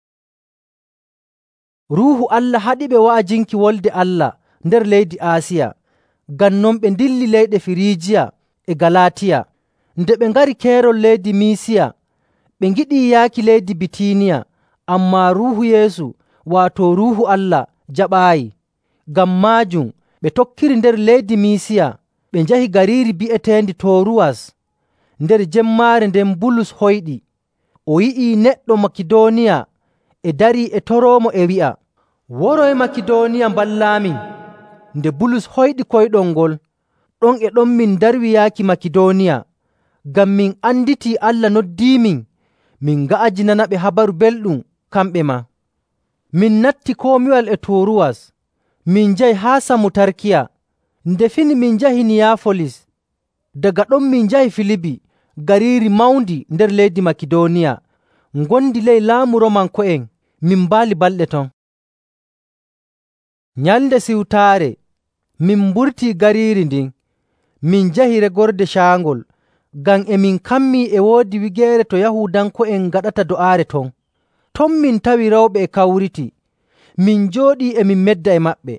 Ruuhu Allah haɗiɓe wa'ajinki Wolde Allah nder leydi Aasiya. Ngam non ɓe ndilli leyɗe Firiijiya e Galaatiya. Nde ɓe ngari keerol leydi Miisiya, ɓe ngiɗii yaaki leydi Bitiiniya, ammaa Ruuhu Yeesu, waato Ruuhu Allah, jaɓaayi. Ngam maajum ɓe tokkiri nder leydi Miisiya, ɓe njahi gariiri bi'eteendi Tooruwas. Nder jemmaare nden Bulus hoyɗi. O yi'ii neɗɗo Makidooniya e darii e toroomo e wi'a, “Woroy Makidooniya mballaamin.” Nde Bulus hoyɗi koyɗol ngol, ɗon e ɗon min darwi yaaki Makidooniya, ngam min anditii Allah noddiimin min nga'ajinanaɓe habaru belɗum kamɓe maa. Min natti komiwal e Tooruwas, min njahi haa Samutarkiya. Nde fini min njahi Niyaafolis. Daga ɗon min njahi Filibi, gariiri mawndi nder leydi Makidooniya, ngondi ley laamu Romanko'en. Min mbaali balɗe ton. Nyalnde Siwtaare, min mburtii gariiri ndin, min njahi regorde caangol, ngam e min kammii e woodi wigeere to Yahuudanko'en ngaɗata do'aare ton. Ton min tawi rewɓe e kawriti. Min njooɗii e min medda e maɓɓe.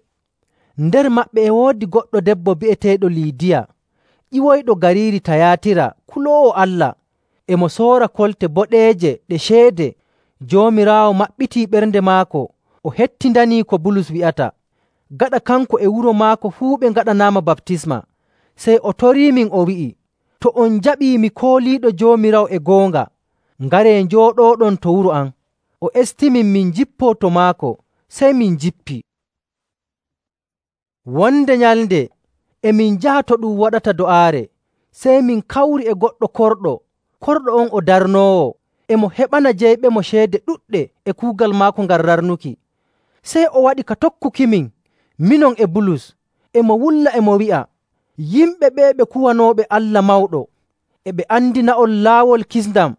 Nder maɓɓe e woodi goɗɗo debbo bi'eteeɗo Liidiya, ƴiwoyɗo gariiri Tayaatira, kuloowo Allah. E mo soora kolte boɗeeje ɗe ceede. Joomiraawo maɓɓitii ɓernde maako, o hettindanii ko Bulus wi'ata. Gaɗa kanko e wuro maako fuu ɓe ngaɗanaama baptisma. Sey o toriimin o wi'i, “To on njaɓii mi kooliiɗo Joomiraawo e goonga, ngaree njooɗooɗon to wuro am.” O estimin min jippoo to maako, sey min njippi. Wonde nyalnde e min njaha to ɗum waɗata do'aare, sey min kawri e goɗɗo korɗo. Korɗo on o darnoowo, e mo heɓana jeyɓemo ceede ɗuɗɗe e kuugal maako ngal rarnuki. Sey o waɗi ka tokkukimin, minon e Bulus, e mo wulla e mo wi'a, “Yimɓe ɓee ɓe kuwanooɓe Allah mawɗo, e ɓe andina'on laawol kisndam.”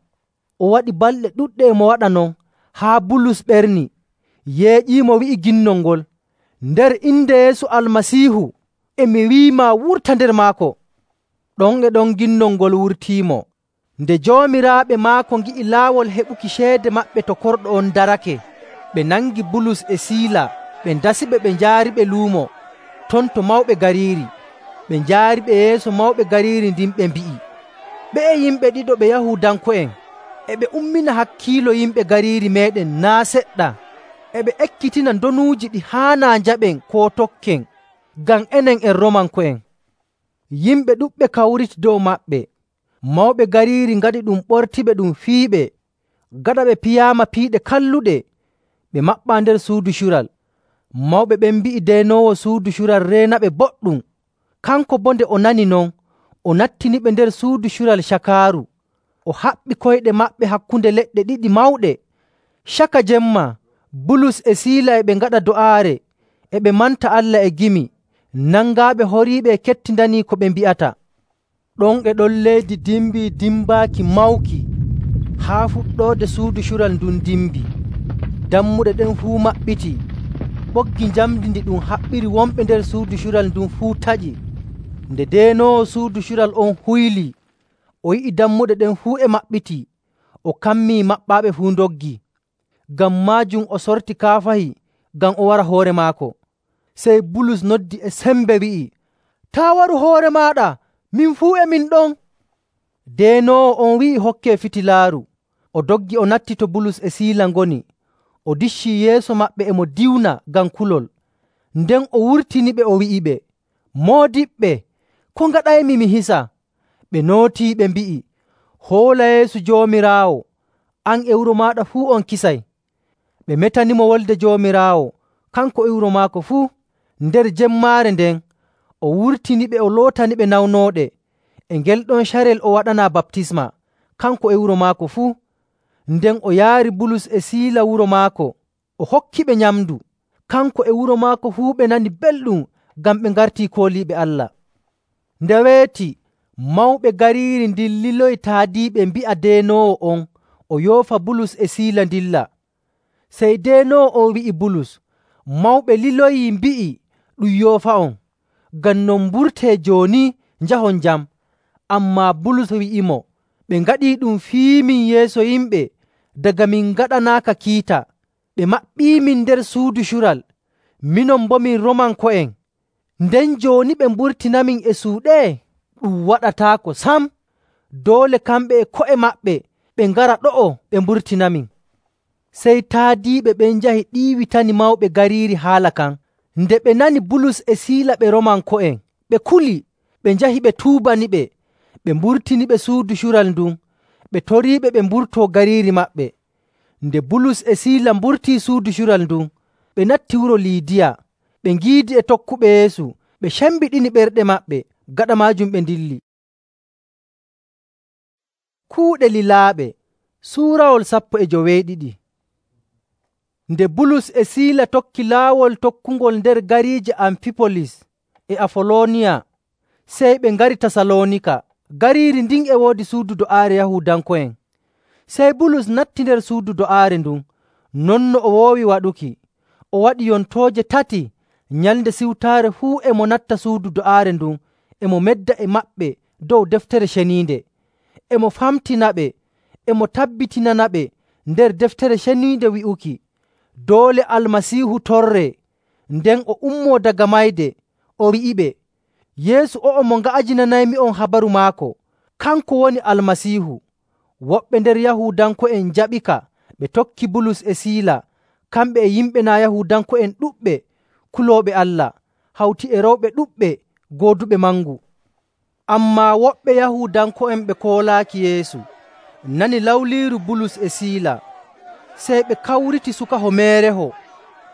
O waɗi balɗe ɗuɗɗe e mo waɗa non, haa Bulus ɓerni, yeeƴiimo wi'i ginnol ngol, “Nder inde Yeesu Almasiihu, e mi wi'imaa wurta nder maako.” Ɗon e ɗon ginnol ngol wurtiimo. Nde joomiraaɓe maako ngi'i laawol heɓuki ceede maɓɓe to korɗo on darake, ɓe nangi Bulus e Siila, ɓe ndasiɓe ɓe njaariɓe luumo ton to mawɓe gariiri. Ɓe njaariɓe yeeso mawɓe gariiri ndin ɓe mbi'i, “Ɓe'e yimɓe ɗiɗo ɓe Yahuudanko'en, e ɓe ummina hakkiilo yimɓe gariiri meeɗen naa' seɗɗa. E ɓe ekkitina ndonuuji ɗi haanaa njaɓen koo tokken, ngam enen en Romanko'en.” Yimɓe ɗuɗɓe kawriti dow maɓɓe. Mawɓe gariiri ngaɗi ɗum ɓortiɓe ɗum fiiɓe. Gaɗa ɓe piyaama piiɗe kalluɗe, ɓe maɓɓaa nder suudu cural. Mawɓe ɓen mbi'i deynoowo suudu cural reenaɓe boɗɗum. Kanko boo nde o nani non, o nattiniɓe nder suudu cural cakaaru. O haɓɓi koyɗe maɓɓe hakkunde leɗɗe ɗiɗi mawɗe. Caka jemma, Bulus e Siila e ɓe ngaɗa do'aare, e ɓe manta Allah e gimi, nangaaɓe horiiɓe e kettindanii ko ɓe mbi'ata. Ɗon e ɗon leydi dimbii dimbaaki mawki, haa fuɗɗoode suudu cural ndun dimbi. Dammuɗe ɗen fuu maɓɓitii. Ɓoggi njamndi ndi ɗum haɓɓiri wonɓe nder suudu cural ndun fuu taƴi. Nde deenoowo suudu cural on huylii, o yi'i dammuɗe ɗen fuu e maɓɓitii. o kammii maɓɓaaɓe fuu ndoggi. Ngam maajum o sorti kaafahi ngam o wara hoore maako. Sey Bulus noddi e sembe wi'i, “Taa' waru hoore maaɗa, min fuu e min ɗon.” Deenoowo on wi'i hokkee fitilaaru. O doggi o natti to Bulus e Siila ngoni. O diccii yeeso maɓɓe e mo diwna ngam kulol. Nden o wurtiniɓe o wi'iɓe, “Moodiɓɓe, ko ngaɗaymi mi hisa?” Ɓe nootii ɓe mbi'i, “Hoola Yeesu Joomiraawo, an e wuro maaɗa fuu on kisay.” Ɓe metanimo Wolde Joomiraawo, kanko e wuro maako fuu. Nder jemmaare nden o wurtiniɓe o lootaniɓe nawnooɗe. E ngel ɗon carel o waɗanaa baptisma, kanko e wuro maako fuu. Nden o yaari Bulus e Siila wuro maako, o hokkiɓe nyamndu. Kanko e wuro maako fuu ɓe nani belɗum ngam ɓe ngartii kooliiɓe Allah. Nde weeti, mawɓe gariiri ndin liloyi taadiiɓe mbi'a deenoowo on o yoofa Bulus e Siila ndilla. Sey deenoowo on wi'i Bulus, “Mawɓe liloyii mbi'i ɗum yoofa'on. Ngam non mburtee jooni njahon jam.” Ammaa Bulus wi'imo, “Ɓe ngaɗii ɗum fiimin yeeso yimɓe daga min ngaɗanaaka kiita. Ɓe maɓɓiimin nder suudu cural. Minon boo min Roomanko'en. Nden jooni ɓe mburtinamin e suuɗe? Ɗum waɗataako sam! Doole kamɓe e ko'e maɓɓe ɓe ngara ɗo'o ɓe mburtinamin.” Sey taadiiɓe ɓen njahi ɗiiwitani mawɓe gariiri haala kan. Nde ɓe nani Bulus e Siila ɓe Roomanko'en, ɓe kuli, ɓe njahi ɓe tuubaniɓe. Ɓe mburtiniɓe suudu cural ndun, ɓe toriiɓe ɓe mburtoo gariiri maɓɓe. Nde Bulus e Siila mburtii suudu cural ndun, ɓe natti wuro Liidiya. Ɓe ngiidi e tokkuɓe Yeesu, ɓe cembiɗini ɓerɗe maɓɓe. Gaɗa maajum ɓe ndilli. Kuuɗe lilaaɓe suurawol 12. Nde Bulus e Siila tokki laawol tokkungol nder gariije Amfipolis e Afoloniya, sey ɓe ngari Tasaloonika. Gariiri ndin e woodi suudu do'aare Yahuudanko'en. Sey Bulus natti nder suudu do'aare ndun, non no o woowi waɗuki. O waɗi yontooje 3 nyalnde siwtaare fuu e mo natta suudu do'aare ndun, e mo medda e maɓɓe dow Deftere Ceniinde. E mo famtinaɓe, e mo tabbitinanaɓe nder Deftere Ceniinde wi'uki, doole Almasiihu torree. Nden o ummoo daga mayde, o wi'iɓe, “Yeesu o'o mo nga'ajinanaymi'on habaru maako, kanko woni Almasiihu.” Woɓɓe nder Yahuudanko'en njaɓika, ɓe tokki Bulus e Siila, kamɓe e yimɓe naa' Yahuudanko'en ɗuɗɓe kulooɓe Allah, hawti e rewɓe ɗuɗɓe gooduɓe mangu. Ammaa woɓɓe Yahuudanko'en ɓe koolaaki Yeesu nani lawliiru Bulus e Siila. Sey ɓe kawriti sukaho meereho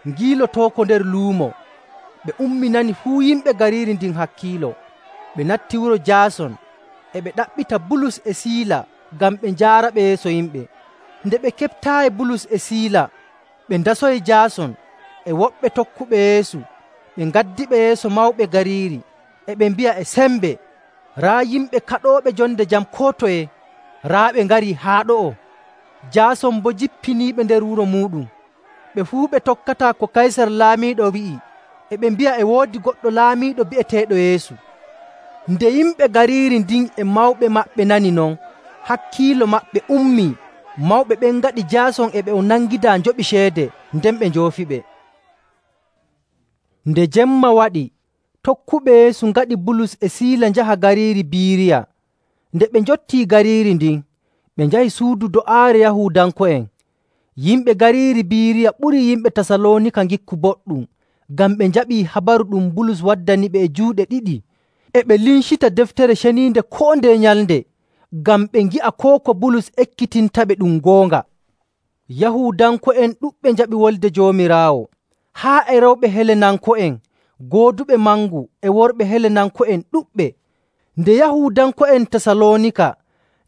ngiilotooko nder luumo. Ɓe umminani fuu yimɓe gariiri ndin hakkiilo. Ɓe natti wuro Jaason, e ɓe ɗaɓɓita Bulus e Siila ngam ɓe njaaraɓe yeeso yimɓe. Nde ɓe keɓtaayi Bulus e Siila, ɓe ndasoyi Jaason e woɓɓe tokkuɓe Yeesu. Ɓe ngaddiɓe yeeso mawɓe gariiri, e ɓe mbi'a e sembe, “Raa yimɓe kaɗooɓe jonde jam koo toye, raa ɓe ngarii haa ɗo'o.” Jaason boo jippiniiɓe nder wuro muuɗum. Ɓe fuu ɓe tokkataa ko Kaysar laamiiɗo wi'i, e ɓe mbi'a e woodi goɗɗo laamiiɗo bi'eteeɗo Yeesu. Nde yimɓe gariiri ndin e mawɓe maɓɓe nani non, hakkiilo maɓɓe ummii. Mawɓe ɓen ngaɗi Jaason e ɓe o nangidaa njoɓi ceede, nden ɓe njoofiɓe. Nde jemma waɗi, tokkuɓe Yeesu ngaɗi Bulus e Siila njaha gariiri Biiriya. Nde ɓe njottii gariiri ndin, ɓe njahi suudu do'aare Yahuudanko'en. Yimɓe gariiri Biiriya ɓuri yimɓe Tasaloonika ngikku boɗɗum, ngam ɓe njaɓii habaru ɗum Bulus waddaniɓe e juuɗe ɗiɗi. E ɓe lincita Deftere Ceniinde koo ndeye nyalnde, ngam ɓe ngi'a koo ko Bulus ekkitintaɓe ɗum goonga. Yahuudanko'en ɗuɗɓe njaɓi Wolde Joomiraawo, haa e rewɓe Helenanko'en gooduɓe mangu e worɓe Helenanko'en ɗuɗɓe. Nde Yahuudanko'en Tasaloonika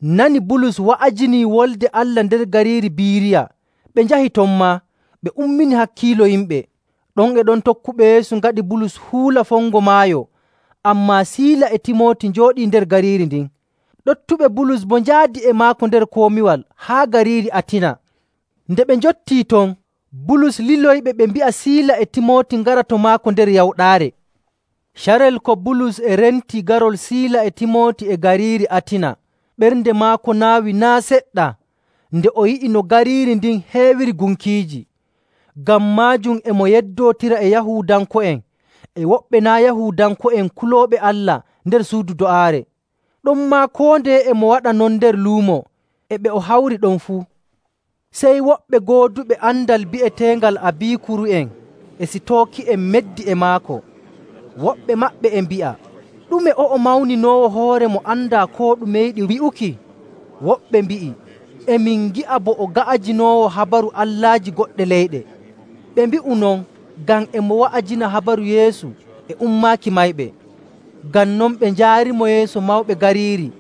nani Bulus wa'ajinii Wolde Allah nder gariiri Biiriya, ɓe njahi ton maa, ɓe ummini hakkiilo yimɓe. Ɗon e ɗon tokkuɓe Yeesu ngaɗi Bulus huula fongo maayo, ammaa Siila e Timooti njooɗii nder gariiri ndin. Ɗoftuɓe Bulus boo njaadi e maako nder komiwal haa gariiri Atina. Nde ɓe njottii ton, Bulus liloyiɓe ɓe mbi'a Siila e Timooti ngara to maako nder yawɗaare. Carel ko Bulus e renti garol Siila e Timooti e gariiri Atina, ɓernde maako naawi naa' seɗɗa. nde o yi'i no gariiri ndin heewiri gunkiiji. Ngam maajum e mo yeddootira e Yahuudanko'en e woɓɓe naa' Yahuudanko'en kulooɓe Allah nder suudu do'aare. Ɗonmaa koo ndeye e mo waɗa non nder luumo e ɓe o hawri ɗon fuu. Sey woɓɓe gooduɓe andal bi'eteengal Abiikuru'en e Sitooki'en meddi e maako. Woɓɓe maɓɓe e mbi'a, “Ɗume o'o mawninoowo hoore mo andaa koo ɗume yiɗi wi'uki?” Woɓɓe mbi'i, “E min ngi'a bo o ga'ajinoowo habaru allaaji goɗɗe leyɗe.” Ɓe mbi'u non ngam e mo wa'ajina habaru Yeesu e ummaaki mayɓe. Ngam non ɓe njaarimo yeeso mawɓe gariiri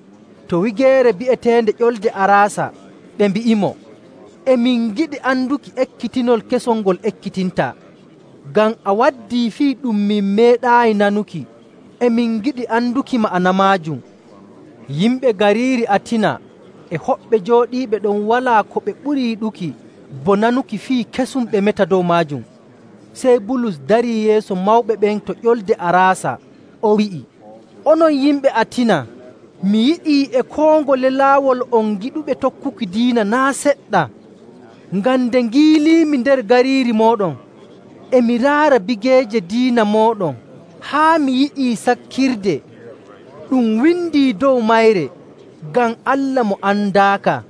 to wigeere bi'eteende Ƴolde Araasa, ɓe mbi'imo, “E min ngiɗi anduki ekkitinol kesol ngol ekkitintaa, ngam a waddii fii ɗum min meeɗaayi nanuki. E min ngiɗi anduki ma'ana maajum.” Yimɓe gariiri Atina e hoɓɓe jooɗiiɓe ɗon walaa ko ɓe ɓuri yiɗuki bo nanuki fii kesum ɓe meta dow maajum. Sey Bulus darii yeeso mawɓe ɓen to Ƴolde Araasa, o wi'i, “Onon yimɓe Atina, mi yi'ii e koo ngole laawol on giɗuɓe tokkuki diina naa' seɗɗa. Ngam nde ngiiliimi nder gariiri mooɗon, e mi raara bigeeje diina mooɗon, haa mi yi'ii sakkirde ɗum windii dow mayre, ngam Allah mo andaaka.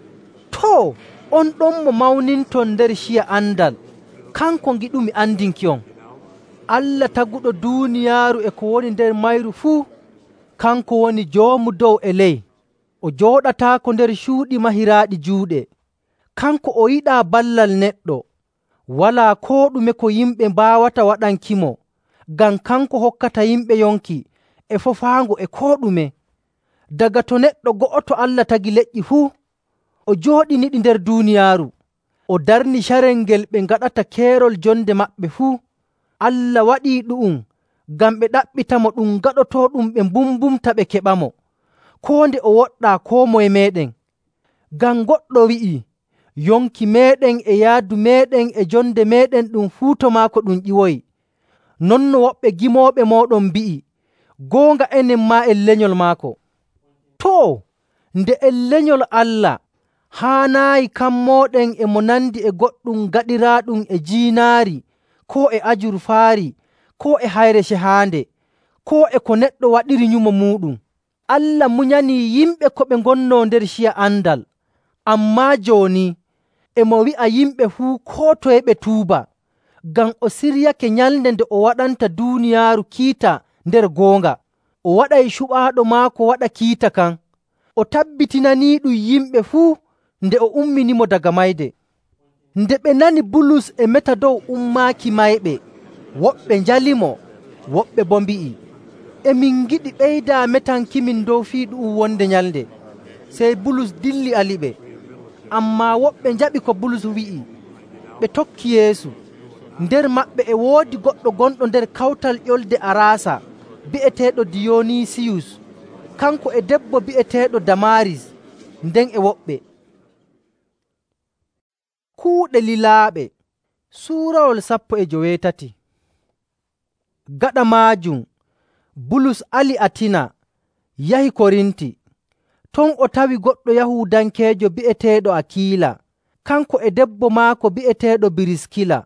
Too, on ɗon mo mawninton nder ciya andal, kanko ngiɗumi andinki'on. Allah taguɗo duuniyaaru e ko woni nder mayru fuu, kanko woni Joomu dow e ley. O jooɗataako nder cuuɗi mahiraaɗi juuɗe. Kanko o yiɗaa ballal neɗɗo. Walaa koo ɗume ko yimɓe mbaawata waɗankimo, ngam kanko hokkata yimɓe yonki e fofaango e koo ɗume. Daga to neɗɗo go'oto Allah tagi leƴƴi fuu, o jooɗiniɗi nder duuniyaaru. O darni carel ngel ɓe ngaɗata keerol jonde maɓɓe fuu. Allah waɗii ɗu'um ngam ɓe ɗaɓɓitamo ɗum gaɗotooɗum ɓe mbumbumta ɓe keɓamo, koo nde o woɗɗaa koo moye meeɗen. Ngam goɗɗo wi'ii, “Yonki meeɗen e yaadu meeɗen e jonde meeɗen ɗum fuu to maako ɗum ƴiwoyi.” Non no woɓɓe gimooɓe mooɗon mbi'i, “Goonga enen maa en lenyol maako.” Too, nde en lenyol Allah, haanaayi kammooɗen e mo nandi e goɗɗum gaɗiraaɗum e jiinaari, koo e ajurfaari, koo e hayre cehaande, koo e ko neɗɗo waɗiri nyumo muuɗum. Allah munyanii yimɓe ko ɓe ngonnoo nder ciya andal. Ammaa jooni e mo wi'a yimɓe fuu koo toye ɓe tuuba, ngam o siryake nyalnde nde o waɗanta duuniyaaru kiita nder goonga. O waɗay cuɓaaɗo maako waɗa kiita kan. O tabbitinaniiɗum yimɓe fuu nde o umminimo daga mayde. Nde ɓe nani Bulus e meta dow ummaaki mayɓe, woɓɓe njalimo, woɓɓe boo mbi'i, “E min ngiɗi ɓeydaa metankimin dow fii ɗu'um wonde nyalnde.” Sey Bulus dilli aliɓe. Ammaa woɓɓe njaɓi ko Bulus wi'i, ɓe tokki Yeesu. Nder maɓɓe e woodi goɗɗo gonɗo nder kawtal Ƴolde Araasa bi'eteeɗo Diyonisiyus. Kanko e debbo bi'eteeɗo Damaaris, nden e woɓɓe. Kuuɗe lilaaɓe suurawol 17. Gaɗa maajum Bulus ali Atina yahi Korinti. Ton o tawi goɗɗo Yahuudankeejo bi'eteeɗo Akiila, kanko e debbo maako bi'eteeɗo Biriskila,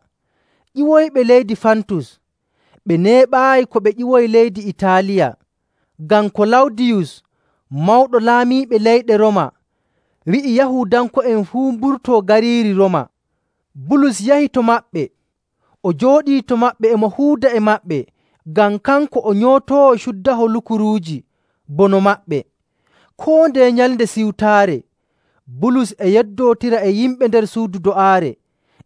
ƴiwoyɓe leydi Fantus. Ɓe neeɓaayi ko ɓe ƴiwoyi leydi Itaaliya, ngam Kolawdiyus, mawɗo laamiiɓe leyɗe Roma, wi'i Yahuudanko'en fuu mburtoo gariiri Roma. Bulus yahi to maɓɓe. O jooɗii to maɓɓe e mo huuda e maɓɓe, ngam kanko o nyootoowo cuddaho lukuruuji bono maɓɓe. Koo ndeye nyalnde siwtaare, Bulus e yeddootira e yimɓe nder suudu do'aare,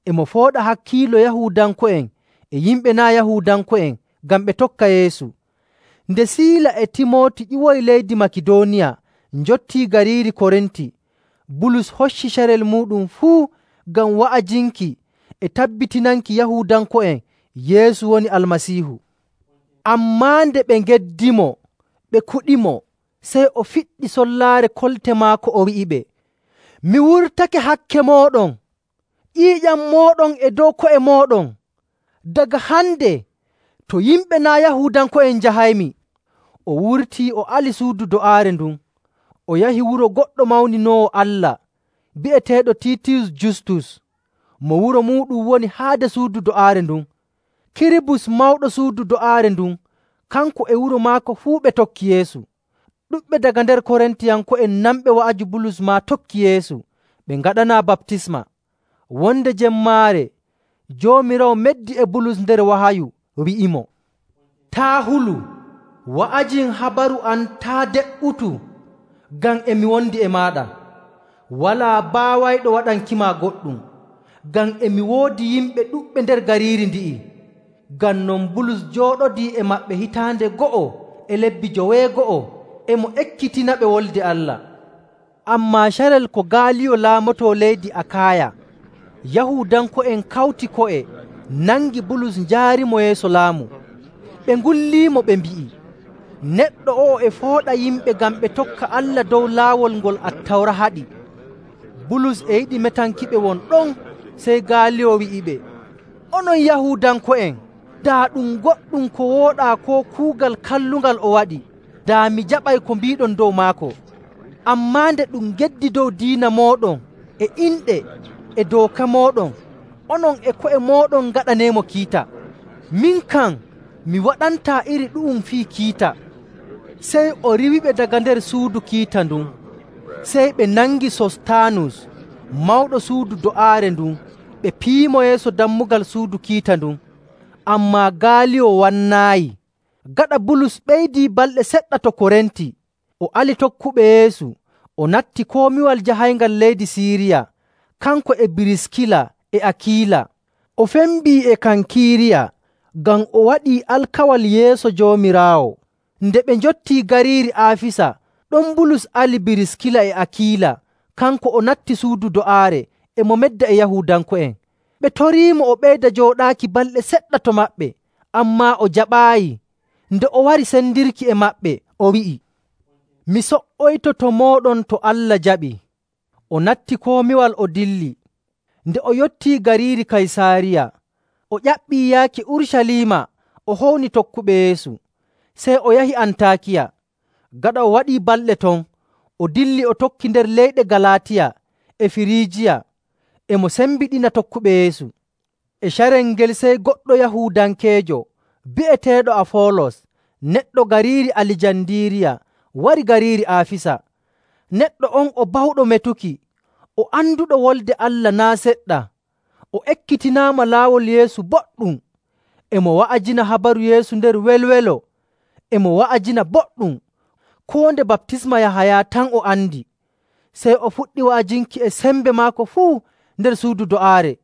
e mo fooɗa hakkiilo Yahuudanko'en e yimɓe naa' Yahuudanko'en ngam ɓe tokka Yeesu. Nde Siila e Timooti ƴiwoyi leydi Makidooniya njottii gariiri Korinti, Bulus hocci carel muuɗum fuu ngam wa'ajinki e tabbitinanki Yahuudanko'en Yeesu woni Almasiihu. Ammaa nde ɓe ngeddimo, ɓe kuɗimo, sey o fiɗɗi sollaare kolte maako o wi'iɓe, “Mi wurtake hakke mooɗon. Ƴiiƴam mooɗon e dow ko'e mooɗon. Daga hande to yimɓe naa' Yahuudanko'en njahaymi.” O wurtii o ali suudu do'aare ndun, o yahi wuro goɗɗo mawninoowo Allah, bi'eteeɗo Tiitiyus Justus, mo wuro muuɗum woni haade suudu do'aare ndun. Kiribus mawɗo suudu do'aare ndun, kanko e wuro maako fuu ɓe tokki Yeesu. Ɗuɗɓe daga nder Korintiyanko'en nanɓe wa'aju Bulus maa tokki Yeesu, ɓe ngaɗanaa baptisma. Wonde jemmaare Joomiraawo meddi e Bulus nder wahayu, wi'imo, “Taa' hulu, wa'ajin habaru am taa' de''utu, ngam e mi wondi e maaɗa. Walaa baawayɗo waɗankima goɗɗum, ngam e mi woodi yimɓe ɗuɗɓe nder gariiri ndi'i.” Ngam non Bulus jooɗodii e maɓɓe hitaande go'o e lebbi 90 e mo ekkitinaɓe Wolde Allah. Ammaa carel ko Gaaliyo laamotoo leydi Akaaya, Yahuudanko'en kawti ko'e nangi Bulus njaarimo yeeso laamu. Ɓe ngulliimo ɓe mbi'i, “Neɗɗo o'o e fooɗa yimɓe ngam ɓe tokka Allah dow laawol ngol Attawra haɗi.” Bulus e yiɗi metankiɓe won ɗon, sey Gaaliyo wi'iɓe, “Onon Yahuudanko'en, daa ɗum goɗɗum ko wooɗaa koo kuugal kallungal o waɗi, daa mi jaɓay ko mbiiɗon dow maako. Ammaa nde ɗum geddi dow diina mooɗon e inɗe e dooka mooɗon, onon e ko'e mooɗon ngaɗaneemo kiita. Min kam mi waɗantaa iri ɗu'um fii kiita.” Sey o riwiɓe daga nder suudu kiita ndun. Sey ɓe nangi Sostaanus, mawɗo suudu do'aare ndun, ɓe piimo yeeso dammugal suudu kiita ndun. Ammaa Gaaliyo wannaayi. Gaɗa Bulus ɓeydii balɗe seɗɗa to Korinti, o ali tokkuɓe Yeesu, o natti komiwal jahayngal leydi Siiriya, kanko e Biriskila e Akiila. O fembii e Kankiiriya, ngam o waɗii alkawal yeeso Joomiraawo. Nde ɓe njottii gariiri Aafisa, ɗon Bulus ali Biriskila e Akiila, kanko o natti suudu do'aare e mo medda e Yahuudanko'en. Ɓe toriimo o ɓeyda jooɗaaki balɗe seɗɗa to maɓɓe, ammaa o jaɓaayi. Nde o wari sendirki e maɓɓe, o wi'i, “Mi so''oyto to mooɗon to Allah jaɓi.” O natti komiwal o dilli. Nde o yottii gariiri Kaysaariya, o ƴaɓɓii yaaki Urucaliima o howni tokkuɓe Yeesu. Sey o yahi Antaakiya. Gaɗa o waɗii balɗe ton, o dilli o tokki nder leyɗe Galaatiya e Firiijiya, e mo sembiɗina tokkuɓe Yeesu. E carel ngel sey goɗɗo Yahuudankeejo bi'eteeɗo Afoolos, neɗɗo gariiri Alijandiiriya, wari gariiri Aafisa. Neɗɗo on o bawɗo metuki, o anduɗo Wolde Allah naa' seɗɗa. O ekkitinaama laawol Yeesu boɗɗum, e mo wa'ajina habaru Yeesu nder welwelo, e mo wa'ajina boɗɗum. Koo nde baptisma Yahaya tan o andi. Sey o fuɗɗi wa'ajinki e sembe maako fuu nder suudu do'aare.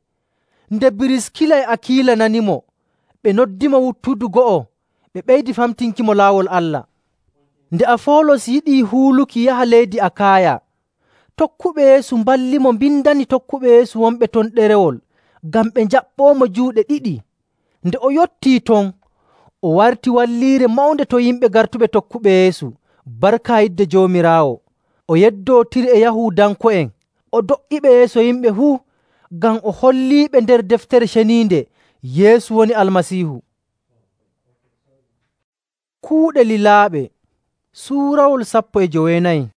Nde Biriskila e Akiila nanimo, ɓe noddimo wuttudu go'o, ɓe ɓeydi famtinkimo laawol Allah. Nde Afoolos yiɗii huuluki yaha leydi Akaaya, tokkuɓe Yeesu mballimo mbindani tokkuɓe Yeesu wonɓe ton ɗerewol, ngam ɓe njaɓɓoomo juuɗe ɗiɗi. Nde o yottii ton, o warti walliire mawnde to yimɓe gartuɓe tokkuɓe Yeesu, barka yidde Joomiraawo. O yeddootiri e Yahuudanko'en, o do''iɓe yeeso yimɓe fuu, ngam o holliiɓe nder Deftere Ceniinde Yeesu woni Almasiihu. Kuuɗe lilaaɓe Suurawol 14.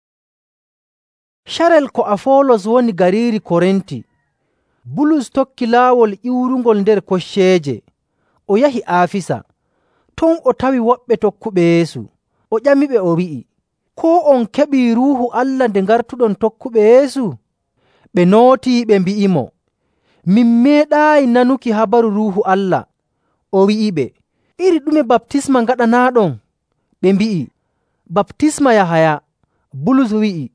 Carel ko Afoolos woni gariiri Korinti, Bulus tokki laawol ƴiwrungol nder kocceeje, o yahi Aafisa. Ton o tawi woɓɓe tokkuɓe Yeesu. O ƴamiɓe o wi'i, “Koo on keɓii Ruuhu Allah nde ngartuɗon tokkuɓe Yeesu?” Ɓe nootii ɓe mbi'imo, “Min meeɗaayi nanuki habaru Ruuhu Allah.” O wi'iɓe, “Iri ɗume baptisma ngaɗanaaɗon?” Ɓe mbi'i, “Baptisma Yahaya.” Bulus wi'i,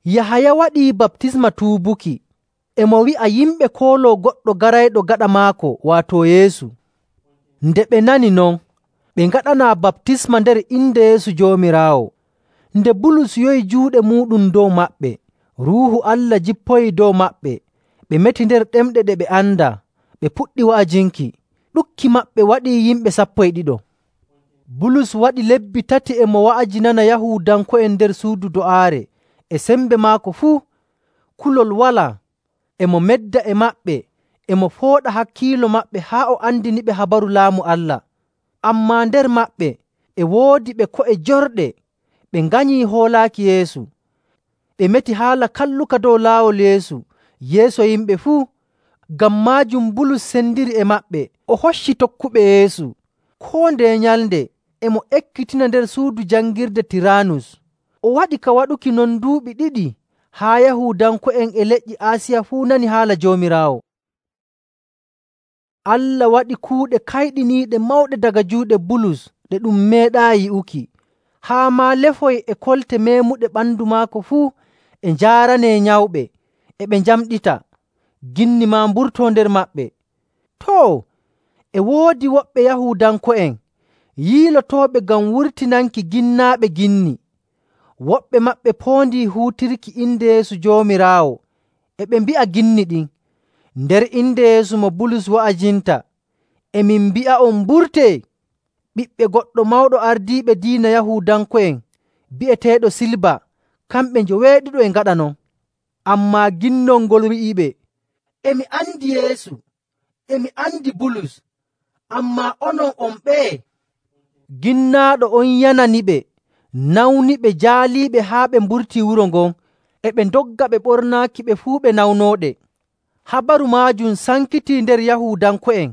“Yahaya waɗii baptisma tuubuki, e mo wi'a yimɓe kooloo goɗɗo garayɗo gaɗa maako, waato Yeesu.” Nde ɓe nani non, ɓe ngaɗanaa baptisma nder inde Yeesu Joomiraawo. Nde Bulus yowi juuɗe muuɗum dow maɓɓe, Ruuhu Allah jippoyii dow maɓɓe. Ɓe meti nder ɗemɗe ɗe ɓe andaa, ɓe puɗɗi wa'ajinki. Ɗukki maɓɓe waɗii yimɓe 12. Bulus waɗi lebbi 3 e mo wa'ajinana Yahuudanko'en nder suudu do'aare, e sembe maako fuu. Kulol walaa. E mo medda e maɓɓe, e mo fooɗa hakkiilo maɓɓe haa o andiniɓe habaru Laamu Allah. Ammaa nder maɓɓe e woodi ɓe ko'e jorɗe, ɓe nganyii hoolaaki Yeesu. Ɓe meti haala kalluka dow laawol Yeesu yeeso yimɓe fuu. Ngam maajum Bulus sendiri e maɓɓe, o hocci tokkuɓe Yeesu. Koo ndeye nyalnde e mo ekkitina nder suudu jangirde Tiraanus. O waɗi ka waɗuki non duuɓi 2 haa Yahuudanko'en e leƴƴi Aasiya fuu nani haala Joomiraawo. Allah waɗi kuuɗe kayɗiniiɗe mawɗe daga juuɗe Bulus ɗe ɗum meeɗaayi yi'uki, haa maa lefoy e kolte meemuɗe ɓandu maako fuu e njaaranee nyawɓe, e ɓe njamɗita. Ginni maa mburtoo nder maɓɓe. Too, e woodi woɓɓe Yahuudanko'en yiilotooɓe ngam wurtinanki ginnaaɓe ginni. Woɓɓe maɓɓe poondii huutirki inde Yeesu Joomiraawo, e ɓe mbi'a ginni ɗin, “Nder inde Yeesu mo Bulus wa'ajinta, e min mbi'a'on mburtee!” Ɓiɓɓe goɗɗo mawɗo ardiiɓe diina Yahuudanko'en bi'eteeɗo Silba kamɓe njoweeɗiɗo e ngaɗa non. Ammaa ginnol ngol wi'iɓe, “E mi andi Yeesu, e mi andi Bulus, ammaa onon on ɓeye?” Ginnaaɗo on yananiɓe, nawniɓe, jaaliiɓe haa ɓe mburtii wuro ngon, e ɓe ndogga ɓe ɓornaaki ɓe fuu ɓe nawnooɗe. Habaru maajum sankitii nder Yahuudanko'en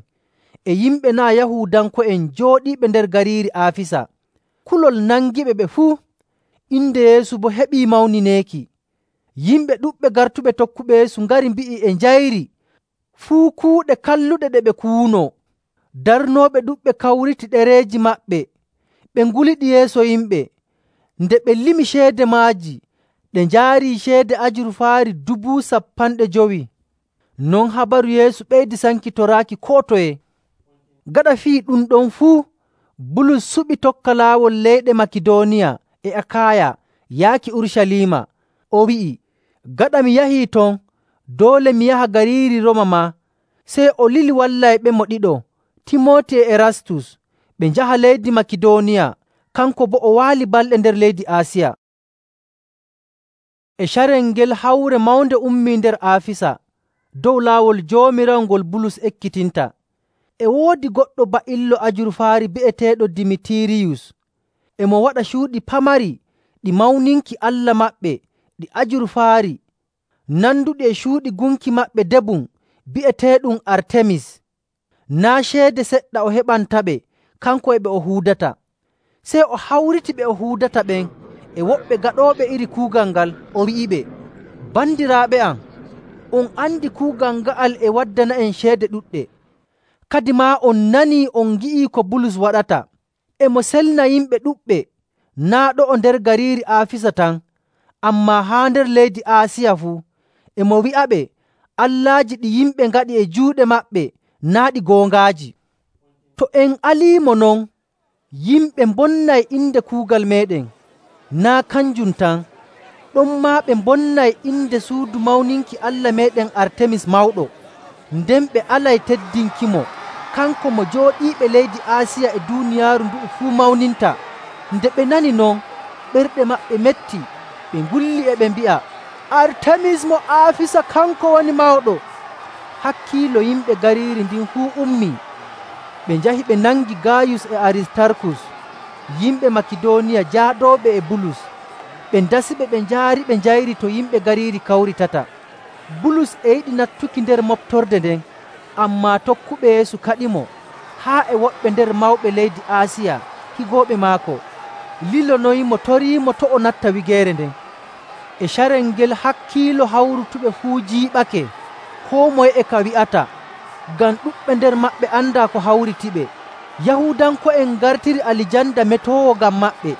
e yimɓe naa' Yahuudanko'en jooɗiiɓe nder gariiri Aafisa. Kulol nangiɓe ɓe fuu, inde Yeesu boo heɓii mawnineeki. Yimɓe ɗuɗɓe gartuɓe tokkuɓe Yeesu ngari mbi'i e njayri fuu kuuɗe kalluɗe ɗe ɓe kuwunoo. Darnooɓe ɗuɗɓe kawriti ɗereeji maɓɓe, ɓe nguliɗi yeeso yimɓe. Nde ɓe limi ceede maaji, ɗe njaarii ceede ajurfaari 50,000. Non habaru Yeesu ɓeydi sankitoraaki koo toye. Gaɗa fii ɗum ɗon fuu, Bulus suɓi tokka laawol leyɗe Makidooniya e Akaaya yaaki Urucaliima. O wi'i, “Gaɗa mi yahii ton, doole mi yaha gariiri Rooma maa.” Sey o lili wallayɓemo ɗiɗo, Timooti e Erastus, ɓe njaha leydi Makidooniya, kanko boo o waali balɗe nder leydi Aasiya. E carel ngel hawre mawnde ummii nder Aafisa dow laawol Joomiraawo ngol Bulus ekkitinta. E woodi goɗɗo ba'illo ajurfaari bi'eteeɗo Dimitiriyus. E mo waɗa cuuɗi pamari ɗi mawninki allah maɓɓe ɗi ajurfaari, nanduɗi e cuuɗi gunki maɓɓe debum bi'eteeɗum Artemis. Naa' ceede seɗɗa o heɓantaɓe kanko e ɓe o huudata. Sey o hawriti ɓe o huudata ɓen e woɓɓe gaɗooɓe iri kuugal ngal, o wi'iɓe, “Bandiraaɓe am, on andi kuugal nga'al e waddana'en ceede ɗuɗɗe. Kadimaa on nanii on ngi'ii ko Bulus waɗata. E mo selna yimɓe ɗuɗɓe, naa' ɗo'o nder gariiri Aafisa tan, ammaa haa nder leydi Aasiya fuu. E mo wi'aɓe allaaji ɗi yimɓe ngaɗi e juuɗe maɓɓe naa' ɗi goongaaji. To en aliimo non, yimɓe mbonnay inde kuugal meeɗen. Naa' kanjum tan, ɗonmaa ɓe mbonnay inde suudu mawninki allah meeɗen Artemis mawɗo, nden ɓe alay teddinkimo, kanko mo jooɗiiɓe leydi Aasiya e duuniyaaru ndu'u fuu mawninta.” Nde ɓe nani non, ɓerɗe maɓɓe metti, ɓe ngulli e ɓe mbi'a, “Artemis mo Aafisa kanko woni mawɗo!” Hakkiilo yimɓe gariiri ndin fuu ummii. Ɓe njahi ɓe nangi Gaayus e Aristarkus, yimɓe Makidooniya jaaɗooɓe e Bulus. Ɓe ndasiɓe ɓe njaari ɓe njayri to yimɓe gariiri kawritata. Bulus e yiɗi nattuki nder moftorde nden, ammaa tokkuɓe Yeesu kaɗimo, haa e woɓɓe nder mawɓe leydi Aasiya higooɓe maako lilonoyimo toriimo to' o natta wigeere nden. E carel ngel hakkiilo hawrutuɓe fuu jiiɓake, koo moye e ka wi'ata, ngam ɗuɗɓe nder maɓɓe andaa ko hawritiɓe. Yahuudanko'en ngartiri Alijanda metoowo ngam maɓɓe.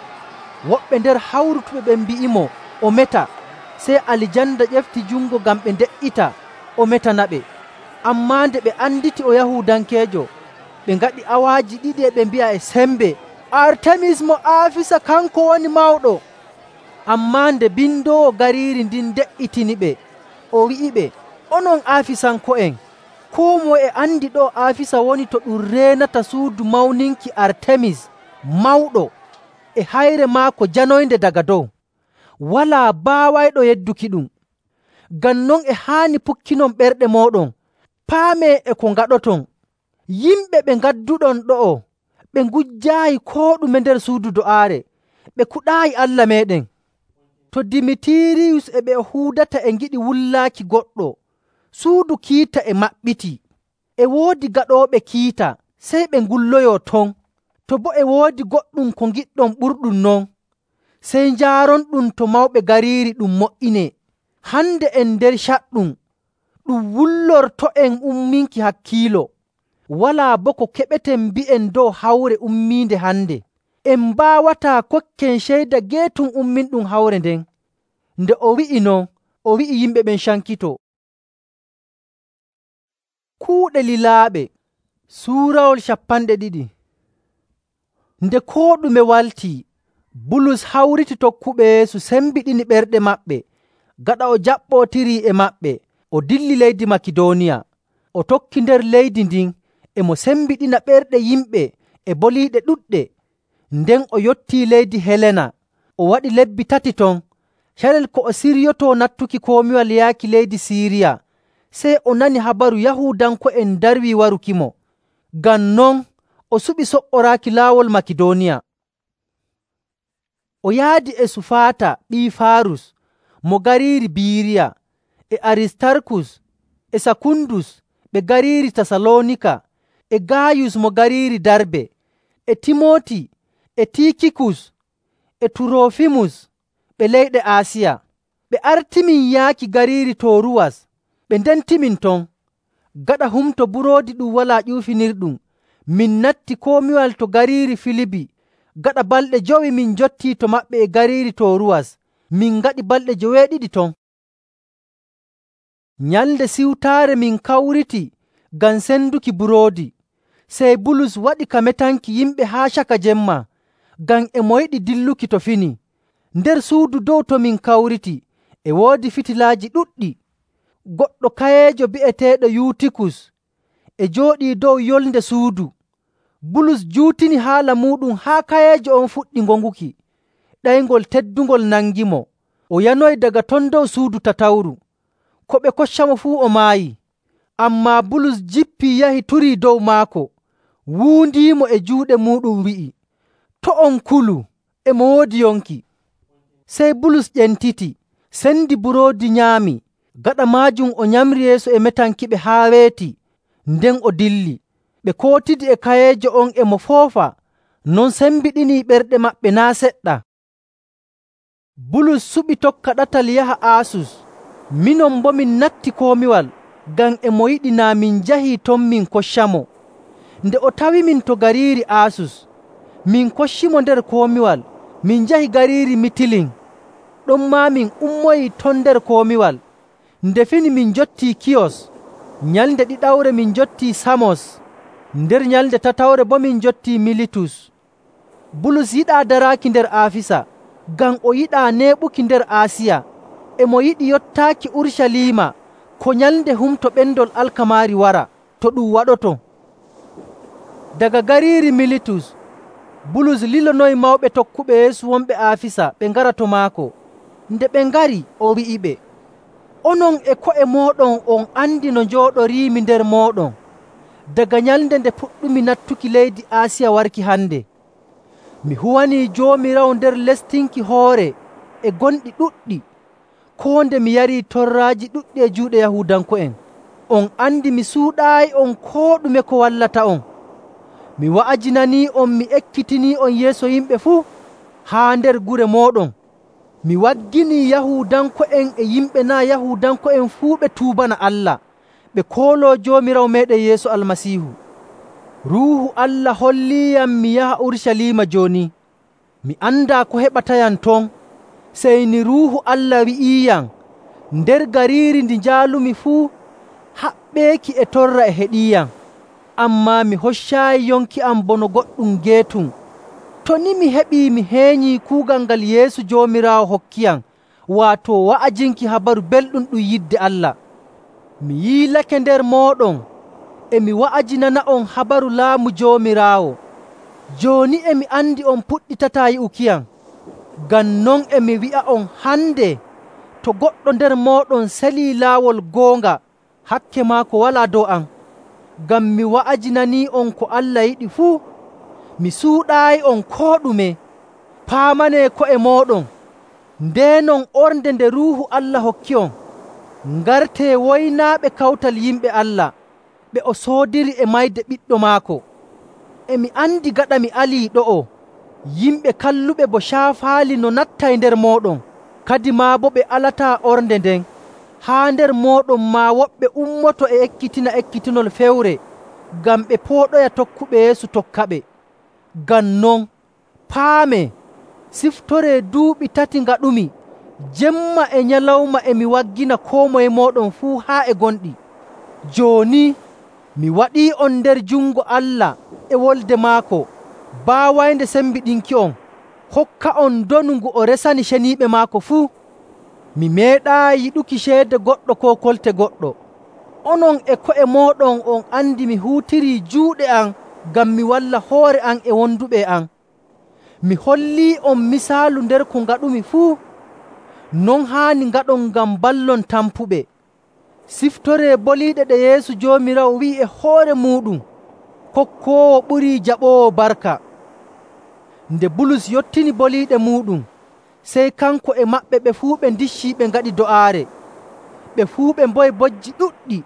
Woɓɓe nder hawrutuɓe ɓen mbi'imo o meta. Sey Alijanda ƴefti jungo ngam ɓe nde''ita o metanaɓe. Ammaa nde ɓe anditi o Yahuudankeejo, ɓe ngaɗi awaaji 2 e ɓe mbi'a e sembe, “Artemis mo Aafisa kanko woni mawɗo!” Ammaa nde bindoowo gariiri ndin de''itiniɓe, o wi'iɓe, “Onon Aafisanko'en, koo moye e andi ɗo Aafisa woni to ɗum reenata suudu mawninki Artemis mawɗo e hayre maako janoynde daga dow. Walaa baawayɗo yeddukiɗum. Ngam non e haani pukkinon ɓerɗe mooɗon, paamee e ko ngaɗoton. Yimɓe ɓe ngadduɗon ɗo'o ɓe ngujjaayi koo ɗume nder suudu do'aare, ɓe kuɗaayi Allah meeɗen.” To Dimitiriyus e ɓe o huudata e ngiɗi wullaaki goɗɗo, suudu kiita e maɓɓiti. E woodi gaɗooɓe kiita, sey ɓe ngulloyoo ton. To boo e woodi goɗɗum ko ngiɗɗon ɓurɗum non, sey njaaronɗum to mawɓe gariiri ɗum mo''inee. Hande en nder caɗɗum, ɗum wullorto'en umminki hakkiilo. Walaa boo ko keɓeten mbi'en dow hawre ummiinde hande. En mbaawataa kokken ceyda geetum umminɗum hawre nden. Nde o wi'i non, o wi'i yimɓe ɓen cankitoo. Kuuɗe lilaaɓe suurawol 20. Nde koo ɗume waltii, Bulus hawriti tokkuɓe Yeesu sembiɗini ɓerɗe maɓɓe. Gaɗa o jaɓɓootirii e maɓɓe, o dilli leydi Makidooniya. O tokki nder leydi ndin e mo sembiɗina ɓerɗe yimɓe e boliiɗe ɗuɗɗe. Nden o yottii leydi Helena. O waɗi lebbi 3 ton. Carel ko o siryotoo nattuki komiwal yaaki leydi Siiriya, sey o nani habaru Yahuudanko'en darwii warukimo. Ngam non o suɓi so''oraaki laawol Makidooniya. O yaadi e Sufaata ɓii Faarus mo gariiri Biiriya, e Aristarkus e Sakundus ɓe gariiri Tasaloonika, e Gaayus mo gariiri Darbe, e Timooti e Tiikikus e Turoofimus ɓe leyɗe Aasiya. Ɓe artimin yaaki gariiri Tooruwas. Ɓe ndentimin ton. Gaɗa Humto Buroodi Ɗum Walaa Ƴuufinirɗum, min natti komiwal to gariiri Filibi. Gaɗa balɗe 5 min njottii to maɓɓe e gariiri Tooruwas. Min ngaɗi balɗe 7 ton. Nyalnde siwtaare min kawriti ngam senduki buroodi. Sey Bulus waɗi ka metanki yimɓe haa caka jemma, ngam e mo yiɗi dilluki to fini. Nder suudu dow to min kawriti e woodi fitilaaji ɗuɗɗi. Goɗɗo kayeejo bi'eteeɗo Yuutikus e jooɗii dow yolnde suudu. Bulus juutini haala muuɗum haa kayeejo on fuɗɗi ngonguki. Ɗayngol teddungol nangimo. O yanoyi daga ton dow suudu tatawru. Ko ɓe koccamo fuu o maayi. Ammaa Bulus jippii yahi turii dow maako, wuundiimo e juuɗe muuɗum wi'i, “To' on kulu, e mo woodi yonki.” Sey Bulus ƴentiti, sendi buroodi nyaami. Gaɗa maajum o nyamri yeeso e metankiɓe haa weeti. Nden o dilli. Ɓe kootidi e kayeejo on e mo foofa, non sembiɗinii ɓerɗe maɓɓe naa' seɗɗa. Bulus suɓi tokka ɗatal yaha Aasus. Minon boo min natti komiwal, ngam e mo yiɗi naa min njahii ton min koccamo. Nde o tawimin to gariiri Aasus, min koccimo nder komiwal, min njahi gariiri Mitilin. Ɗonmaa min ummoyii ton nder komiwal. Nde fini min njottii Kiyos. Nyalnde ɗiɗawre min njottii Samos. Nder nyalnde tatawre boo min njottii Militus. Bulus yiɗaa daraaki nder Aafisa, ngam o yiɗaa neeɓuki nder Aasiya. E mo yiɗi yottaaki Urucaliima ko nyalnde Humto Ɓendol Alkamaari wara, to ɗum waɗoto. Daga gariiri Militus, Bulus lilonoyi mawɓe tokkuɓe Yeesu wonɓe Aafisa ɓe ngara to maako. Nde ɓe ngari, o wi'iɓe, “Onon e ko'e mooɗon on andi no njooɗoriimi nder mooɗon daga nyalnde nde puɗɗumi nattuki leydi Aasiya warki hande. Mi huwanii Joomiraawo nder lestinki hoore e gonɗi ɗuɗɗi, koo nde mi yarii torraaji ɗuɗɗi e juuɗe Yahuudanko'en. On andi mi suuɗaayi on koo ɗume ko wallata on. Mi wa'ajinanii'on, mi ekkitinii'on yeeso yimɓe fuu haa nder gure mooɗon. Mi wagginii Yahuudanko'en e yimɓe naa' Yahuudanko'en fuu ɓe tuubana Allah, ɓe kooloo Joomiraawo meeɗen Yeesu Almasiihu. Ruuhu Allah holliiyam mi yaha Urucaliima jooni. Mi andaa ko heɓatayam ton, sey ni Ruuhu Allah wi'iiyam nder gariiri ndi njaalumi fuu haɓɓeeki e torra e heɗiiyam. Ammaa mi hoccaayi yonki am bono goɗɗum geetum. To ni mi heɓii mi heenyii kuugal ngal Yeesu Joomiraawo hokkiyam, waato wa'ajinki habaru belɗum ɗum yidde Allah. Mi yiilake nder mooɗon e mi wa'ajinana'on habaru laamu Joomiraawo. Jooni e mi andi on puɗɗitataa yi'ukiyam. Ngam non e mi wi'a'on hande, to goɗɗo nder mooɗon selii laawol goonga, hakke maako walaa dow am. Ngam mi wa'ajinanii'on ko Allah yiɗi fuu. Mi suuɗaayi'on koo ɗume. Paamanee ko'e mooɗon. Ndeenon ornde nde Ruuhu Allah hokki'on, ngartee woynaaɓe kawtal yimɓe Allah ɓe o soodiri e mayde Ɓiɗɗo maako. E mi andi gaɗa mi alii ɗo'o, yimɓe kalluɓe bo caafaali no nattay nder mooɗon, kadimaa boo ɓe alataa ornde nden. Haa nder mooɗon maa woɓɓe ummoto e ekkitina ekkitinol fewre ngam ɓe pooɗoya tokkuɓe Yeesu tokkaɓe. Ngam non, paamee, siftoree duuɓi 3 ngaɗumi, jemma e nyalawma e mi waggina koo moye mooɗon fuu haa e gonɗi. Jooni mi waɗii'on nder jungo Allah e wolde maako baawaynde sembiɗinki'on, hokka'on ndonu ngu o resani ceniiɓe maako fuu. Mi meeɗaayi yiɗuki ceede goɗɗo koo kolte goɗɗo. Onon e ko'e mooɗon on andi mi huutirii juuɗe am ngam mi walla hoore am e wonduɓe e am. Mi hollii'on misaalu nder ko ngaɗumi fuu. Non haani ngaɗon ngam mballon tampuɓe. Siftoree boliiɗe ɗe Yeesu Joomiraawo wi'i e hoore muuɗum, kokkoowo ɓurii jaɓoowo barka. Nde Bulus yottini boliiɗe muuɗum, sey kanko e maɓɓe ɓe fuu ɓe ndiccii ɓe ngaɗi do'aare. Ɓe fuu ɓe mboyi bojji ɗuɗɗi.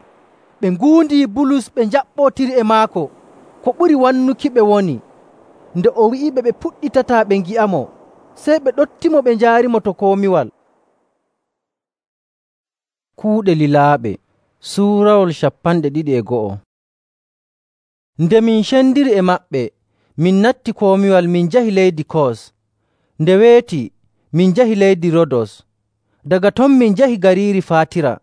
Ɓe nguundii Bulus ɓe njaɓɓootiri e maako, ko ɓuri wannukiɓe woni. Nde o wi'iɓe ɓe puɗɗitataa ɓe ngi'amo, sey ɓe ɗottimo ɓe njaarimo to komiwal. Kuuɗe lilaaɓe Suurawol 21. Nde min cendiri e maɓɓe, min natti komiwal min njahi leydi Kos. Nde weeti, min njahi leydi Rodos. Daga ton min njahi gariiri Faatira.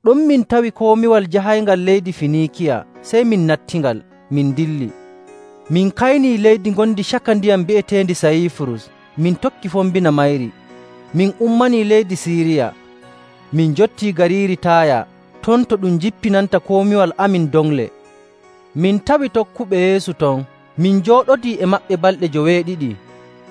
Ɗon min tawi komiwal jahayngal leydi Finiikiya, sey min nattingal, min dilli. Min kaynii leydi ngondi caka ndiyam bi'eteendi Sayifurus, min tokki fombina mayri. Min ummanii leydi Siiriya. Min njottii gariiri Taaya, ton to ɗum jippinanta komiwal amin dongle. Min tawi tokkuɓe Yeesu ton. Min njooɗodii e maɓɓe balɗe 2.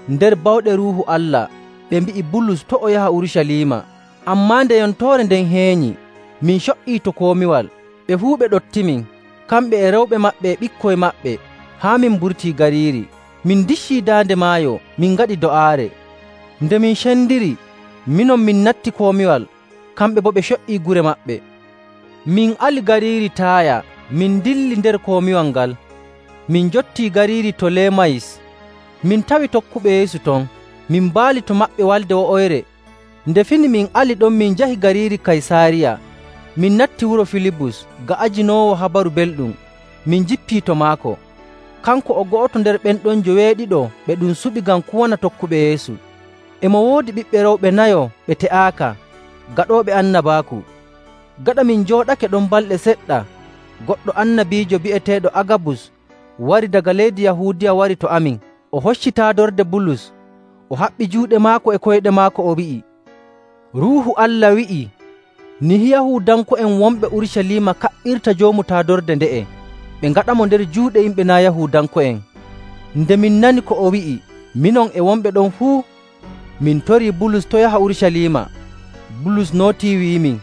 Nder bawɗe Ruuhu Allah, ɓe mbi'i Bulus to' o yaha Urucaliima. Ammaa nde yontoore nden heenyi, min co''ii to komiwal. Ɓe fuu ɓe ɗottimin, kamɓe e rewɓe maɓɓe e ɓikkoy maɓɓe, haa min mburtii gariiri. Min ndiccii daande maayo, min ngaɗi do'aare. Nde min cendiri, minon min natti komiwal, kamɓe boo ɓe co''ii gure maɓɓe. Min ali gariiri Taaya, min dilli nder komiwal ngal. Min njottii gariiri Tolemayis. Min tawi tokkuɓe Yeesu ton. Min mbaali to maɓɓe walde wo'oyre. Nde fini min ali ɗon min njahi gariiri Kaysaariya. Min natti wuro Filibus ga'ajinoowo habaru belɗum. Min jippii to maako. Kanko o go'oto nder ɓen ɗon 7 ɓe ɗum suɓi ngam kuwana tokkuɓe Yeesu. E mo woodi ɓiɓɓe rewɓe 4 ɓe te'aaka, gaɗooɓe annabaaku. Gaɗa min njooɗake ɗon balɗe seɗɗa, goɗɗo annabiijo bi'eteeɗo Agabus wari daga leydi Yahuudiya wari to amin. O hocci taadorde Bulus, o haɓɓi juuɗe maako e koyɗe maako, o wi'i, “Ruuhu Allah wi'ii, nihi Yahuudanko'en wonɓe Urucaliima kaɓɓirta joomu taadorde nde'e, ɓe ngaɗamo nder juuɗe yimɓe naa' Yahuudanko'en.” Nde min nani ko o wi'i, minon e wonɓe ɗon fuu, min torii Bulus to' yaha Urucaliima. Bulus nootii wi'imin,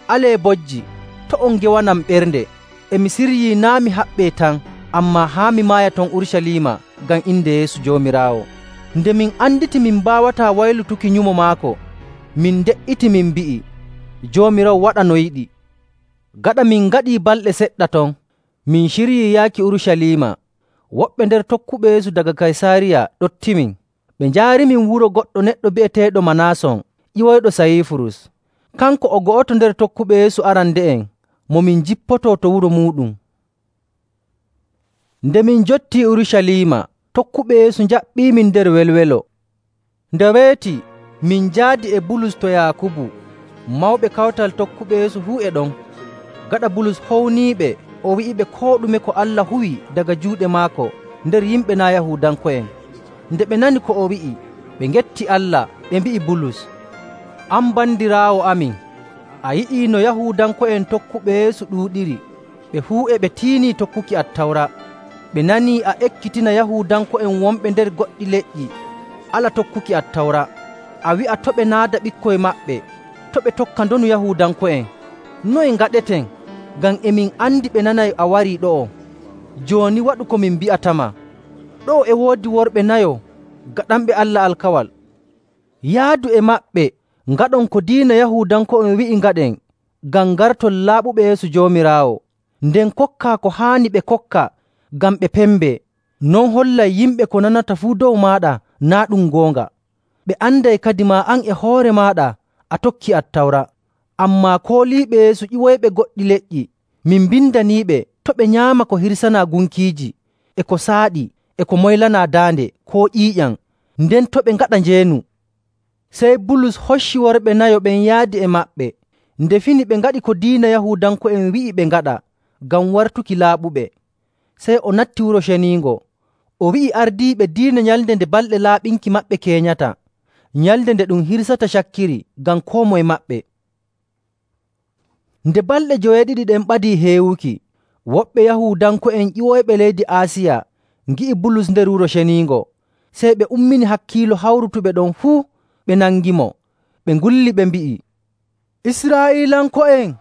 “Alee bojji, to' on ngewanam ɓernde. E mi siryii naa' mi haɓɓee tan, ammaa haa mi maaya ton Urucaliima ngam inde Yeesu Joomiraawo.” Nde min anditi min mbaawataa waylutuki nyumo maako, min nde''iti min mbi'i, “Joomiraawo waɗa no yiɗi.” Gaɗa min ngaɗii balɗe seɗɗa ton, min ciryii yaaki Urucaliima. Woɓɓe nder tokkuɓe Yeesu daga Kaysaariya ɗottimin. Ɓe njaarimin wuro goɗɗo neɗɗo bi'eteeɗo Manaason, ƴiwoyɗo Sayifurus. Kanko o go'oto nder tokkuɓe Yeesu arande'en mo min jippotoo to wuro muuɗum. Nde min njottii Urucaliima, tokkuɓe Yeesu njaɓɓiimin nder welwelo. Nde weeti, min njaadi e Bulus to Yaakubu. Mawɓe kawtal tokkuɓe Yeesu fuu e ɗon. Gaɗa Bulus howniiɓe, o wi'iɓe koo ɗume ko Allah huwi daga juuɗe maako nder yimɓe naa' Yahuudanko'en. Nde ɓe nani ko o wi'i, ɓe ngetti Allah, ɓe mbi'i Bulus, “An bandiraawo amin, a yi'ii no Yahuudanko'en tokkuɓe Yeesu ɗuuɗiri, ɓe fuu e ɓe tiinii tokkuki Attawra. Ɓe nanii a ekkitina Yahuudanko'en wonɓe nder goɗɗi leƴƴi ala tokkuki Attawra. A wi'a to' ɓe naada ɓikkoy maɓɓe, to' ɓe tokka ndonu Yahuudanko'en. Noye ngaɗeten? Ngam e min andi ɓe nanay a warii ɗo'o. Jooni waɗu ko min mbi'atama. Ɗo'o e woodi worɓe 4 gaɗanɓe Allah alkawal. Yaadu e maɓɓe ngaɗon ko diina Yahuudanko'en wi'i ngaɗen ngam ngarton laaɓuɓe yeeso Joomiraawo, nden kokkaa ko haani ɓe kokka ngam ɓe pembee. Non hollay yimɓe ko nanata fuu dow maaɗa naa' ɗum goonga. Ɓe anday kadimaa an e hoore maaɗa a tokki Attawra. Ammaa kooliiɓe Yeesu ƴiwoyɓe goɗɗi leƴƴi, min mbindaniiɓe to' ɓe nyaama ko hirsanaa gunkiiji, e ko saaɗi, e ko moylanaa daande koo ƴiiƴam, nden to' ɓe ngaɗa njeenu. Sey Bulus hocci worɓe nayo ɓen yaadi e maɓɓe. Nde fini ɓe ngaɗi ko diina Yahuudanko'en wi'i ɓe ngaɗa ngam wartuki laaɓuɓe. Sey o natti Wuro Ceniingo. O wi'i ardiiɓe diina nyalnde nde balɗe laaɓinki maɓɓe keenyata, nyalnde nde ɗum hirsata cakkiri ngam koo moye maɓɓe. Nde balɗe 7 ɗen ɓadii heewuki, woɓɓe Yahuudanko'en ƴiwoyɓe leydi Aasiya ngi'i Bulus nder Wuro Ceniingo. Sey ɓe ummini hakkiilo hawrutuɓe ɗon fuu, ɓe nangimo. Ɓe ngulli ɓe mbi'i, “Israa'iilanko'en,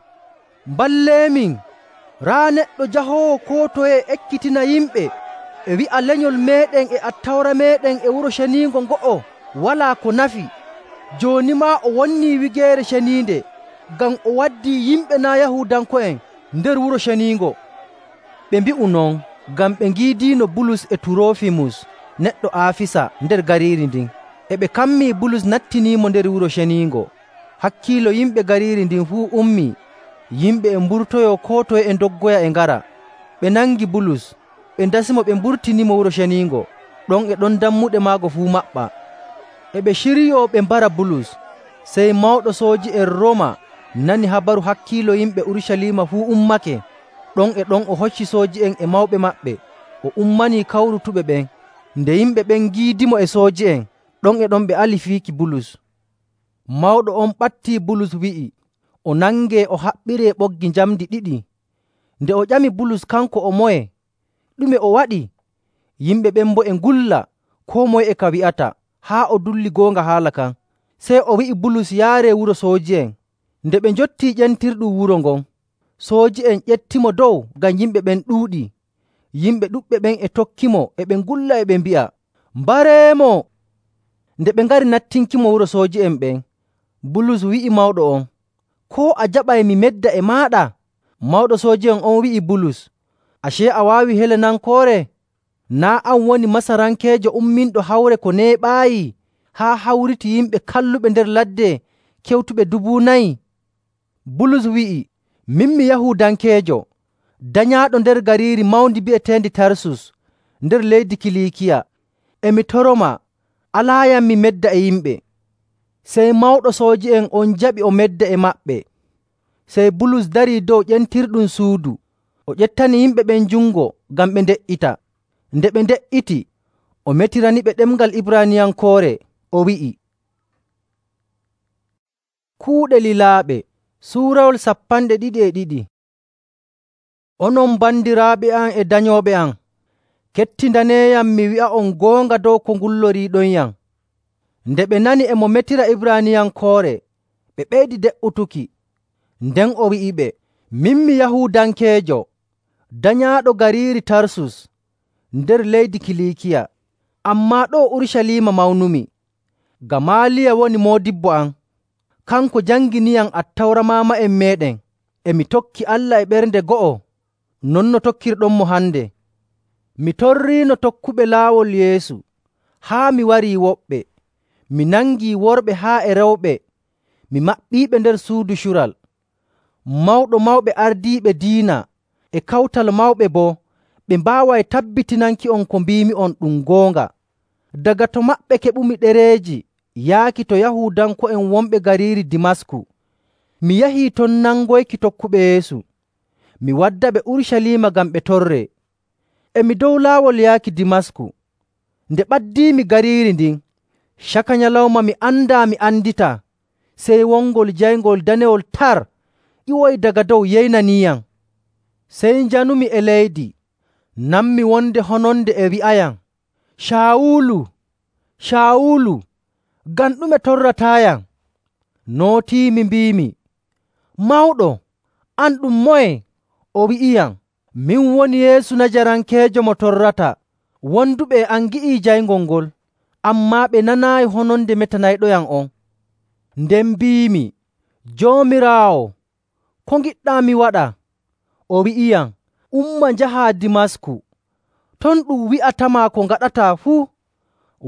mballeemin! Raa neɗɗo jahoowo koo toye ekkitina yimɓe e wi'a lenyol meeɗen e Attawra meeɗen e Wuro Ceniingo ngo'o walaa ko nafi. Jooni maa o wonnii Wigeere Ceniinde ngam o waddii yimɓe naa' Yahuudanko'en nder Wuro Ceniingo.” Ɓe mbi'u non ngam ɓe ngiidiino Bulus e Turoofimus neɗɗo Aafisa nder gariiri ndin. E ɓe kammii Bulus nattiniimo nder Wuro Ceniingo. Hakkiilo yimɓe gariiri ndin fuu ummii. Yimɓe e mburtoyoo koo toye e ndoggoya e ngara. Ɓe nangi Bulus, ɓe ndasimo ɓe mburtinimo Wuro Ceniingo. Ɗon e ɗon dammuɗe maago fuu maɓɓa. E ɓe ciryoo ɓe mbara Bulus. Sey mawɗo sooji'en Rooma nani habaru hakkiilo yimɓe Urucaliima fuu ummake. Ɗon e ɗon o hocci sooji'en e mawɓe maɓɓe, o ummanii kawrutuɓe ɓen. Nde yimɓe ɓen ngiidimo e sooji'en, ɗon e ɗon ɓe ali fiiki Bulus. Mawɗo on ɓattii Bulus wi'i o nangee o haɓɓiree ɓoggi njamndi 2. Nde o ƴami Bulus kanko o moye, ɗume o waɗi? Yimɓe ɓen boo e ngulla, koo moye e ka wi'ata, haa o dulli goonga haala kan. Sey o wi'i Bulus yaaree wuro sooji'en. Nde ɓe njottii ƴentirɗum wuro ngon, sooji'en ƴettimo dow ngam yimɓe ɓen ɗuuɗii. Yimɓe ɗuɗɓe ɓen e tokkimo e ɓe ngulla e ɓe mbi'a, “Mbareemo!” Nde ɓe ngari nattinkimo wuro sooji'en ɓen, Bulus wi'i mawɗo on, “Koo a jaɓay mi medda e maaɗa?” Mawɗo sooji'en on wi'i Bulus, “Acee a waawi Helenankoore? Naa' an woni Masarankeejo umminɗo hawre ko neeɓaayi haa hawriti yimɓe kalluɓe nder ladde kewtuɓe 4,000?” Bulus wi'i, “Min mi Yahuudankeejo, danyaaɗo nder gariiri mawndi bi'eteendi Tarsus nder leydi Kiliikiya. E mi toromaa, alaayam mi medda e yimɓe.” Sey mawɗo sooji'en on jaɓi o medda e maɓɓe. Sey Bulus darii dow ƴentirɗum suudu, o ƴettani yimɓe ɓen jungo ngam ɓe nde''ita. Nde ɓe nde''iti, o metiraniɓe ɗemngal Ibraaniyankoore, o wi'i, Kuuɗe Lilaaɓe Suurawol 22. Onon bandiraaɓe am e danyooɓe am, kettindaneeyam mi wi'a'on goonga dow ko ngulloriiɗonyam. Nde ɓe nani e mo metira Ibraaniyankoore, ɓe ɓeydi de''utuki. Nden o wi'iɓe, “Min mi Yahuudankeejo, danyaaɗo gariiri Tarsus nder leydi Kiliikiya, ammaa ɗoo Urucaliima mawnumi. Gamaaliya woni moodibbo am. Kanko janginiyam Attawra maama'en meeɗen, e mi tokki Allah e ɓernde go'o, non no tokkirɗonmo hande. Mi torriino tokkuɓe laawol Yeesu haa mi warii woɓɓe. Mi nangii worɓe haa e rewɓe, mi maɓɓiiɓe nder suudu cural. Mawɗo mawɓe ardiiɓe diina e kawtal mawɓe boo ɓe mbaaway tabbitinanki'on ko mbiimi'on ɗum goonga. Daga to maɓɓe keɓumi ɗereeji yaaki to Yahuudanko'en wonɓe gariiri Dimasku. Mi yahii ton nangoyki tokkuɓe Yeesu. Mi waddaɓe Urucaliima ngam ɓe torree. E mi dow laawol yaaki Dimasku. Nde ɓaddiimi gariiri ndin, caka nyalawma mi andaa mi anditaa, sey wongol jayngol danewol tar ƴiwoyi daga dow yeynaniiyam. Sey njanumi e leydi, nanmi wonde hononde e wi'ayam, “Caawulu, Caawulu, ngam ɗume torrataayam?” Nootiimi mbiimi, “Mawɗo, an ɗum moye?” O wi'iyam, “Min woni Yeesu Najarankeejo mo torrata. Wonduɓe e am ngi'ii jayngol ngol, ammaa ɓe nanaayi hononde metanayɗoyam on. Nden mbiimi, ‘Joomiraawo, ko ngiɗɗaa mi waɗa?’ O wi'iyam, ‘Umma njahaa Dimasku. Ton ɗum wi'atama ko ngaɗataa fuu.’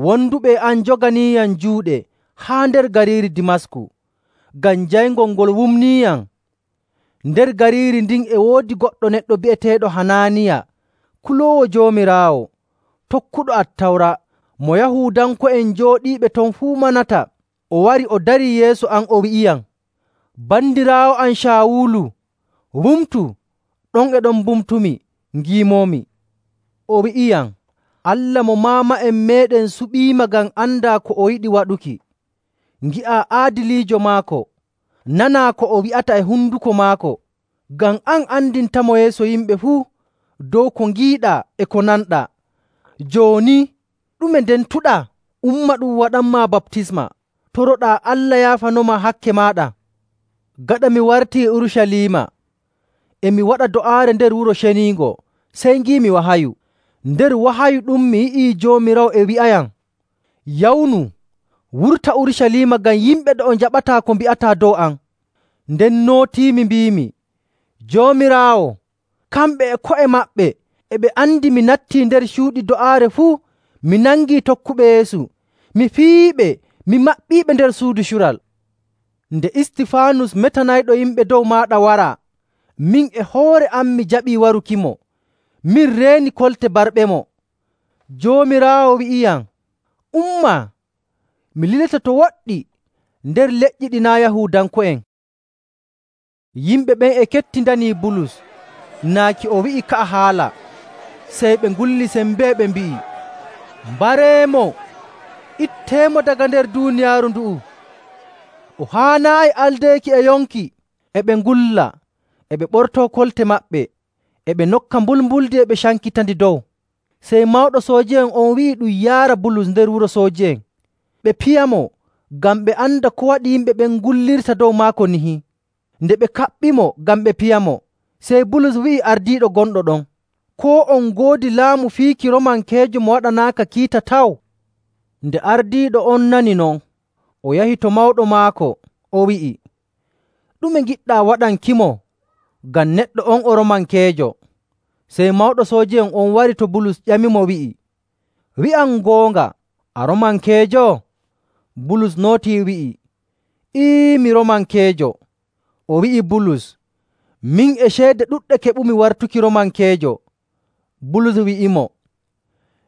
Wonduɓe e am njoganiiyam juuɗe haa nder gariiri Dimasku, ngam jayngol ngol wumniiyam. Nder gariiri ndin e woodi goɗɗo neɗɗo bi'eteeɗo Hanaaniya, kuloowo Joomiraawo, tokkuɗo Attawra, mo Yahuudanko'en jooɗiiɓe ton fuu manata. O wari o darii yeeso am o wi'iyam, ‘Bandiraawo am Caawulu, wumtu!’ Ɗon e ɗon mbumtumi, ngiimoomi. O wi'iyam, ‘Allah mo maama'en meeɗen suɓiima ngam andaa ko o yiɗi waɗuki. Ngi'aa aadiliijo maako, nanaa ko o wi'ata e honduko maako, ngam an andintamo yeeso yimɓe fuu dow ko ngiiɗaa e ko nanɗaa. Jooni ɗume ndentuɗaa? Umma ɗum waɗanmaa baptisma, toroɗaa Allah yaafanoma hakke maaɗa.’ Gaɗa mi wartii Urucaliima, e mi waɗa do'aare nder Wuro Ceniingo, sey ngiimi wahayu. Nder wahayu ɗum mi yi'ii Joomiraawo e wi'ayam, ‘Yawnu, wurta Urucaliima ngam yimɓe ɗo njaɓataa ko mbi'ataa dow am.’ Nden nootiimi mbiimi, ‘Joomiraawo, kamɓe e ko'e maɓɓe e ɓe andi mi nattii nder cuuɗi do'aare fuu, mi nangii tokkuɓe Yeesu, mi fiyiiɓe, mi maɓɓiiɓe nder suudu cural. Nde Istifaanus metanayɗo yimɓe dow maaɗa waraa, min e hoore am mi jaɓii warukimo. Min reeni kolte barɓemo. Joomiraawo wi'iyam, ‘Umma, mi lilete to woɗɗi nder leƴƴi ɗi naa' Yahuudanko'en.’ Yimɓe ɓen e kettindanii Bulus naaki o wi'i ka'a haala. Sey ɓe ngulli sembee ɓe mbi'i, ‘Mbareemo! Itteemo daga nder duuniyaaru ndu'u! O haanaayi aldeeki e yonki!’ E ɓe ngulla, e ɓe ɓortoo kolte maɓɓe, e ɓe nokka mbulmbuldi e ɓe cankitandi dow. Sey mawɗo sooji'en on wi'i ɗum yaara Bulus nder wuro sooji'en, ɓe piyamo ngam ɓe anda ko waɗi yimɓe ɓen ngullirta dow maako nihi. Nde ɓe kaɓɓimo ngam ɓe piyamo, sey Bulus wi'i ardiiɗo gonɗo ɗon, “Koo on ngoodi laamu fiiki Roomankeejo mo waɗanaaka kiita taw?” Nde ardiiɗo on nani non, o yahi to mawɗo maako, o wi'i, “Ɗume ngiɗɗaa waɗankimo? Ngam neɗɗo on o Roomankeejo.” Sey mawɗo sooji'en on wari to Bulus ƴamimo wi'i, “Wi'am goonga, a Roomankeejo?” Bulus nootii wi'i, “Mi Roomankeejo.” O wi'i Bulus, “Min e ceede ɗuɗɗe keɓumi wartuki Roomankeejo.” Bulus wi'imo,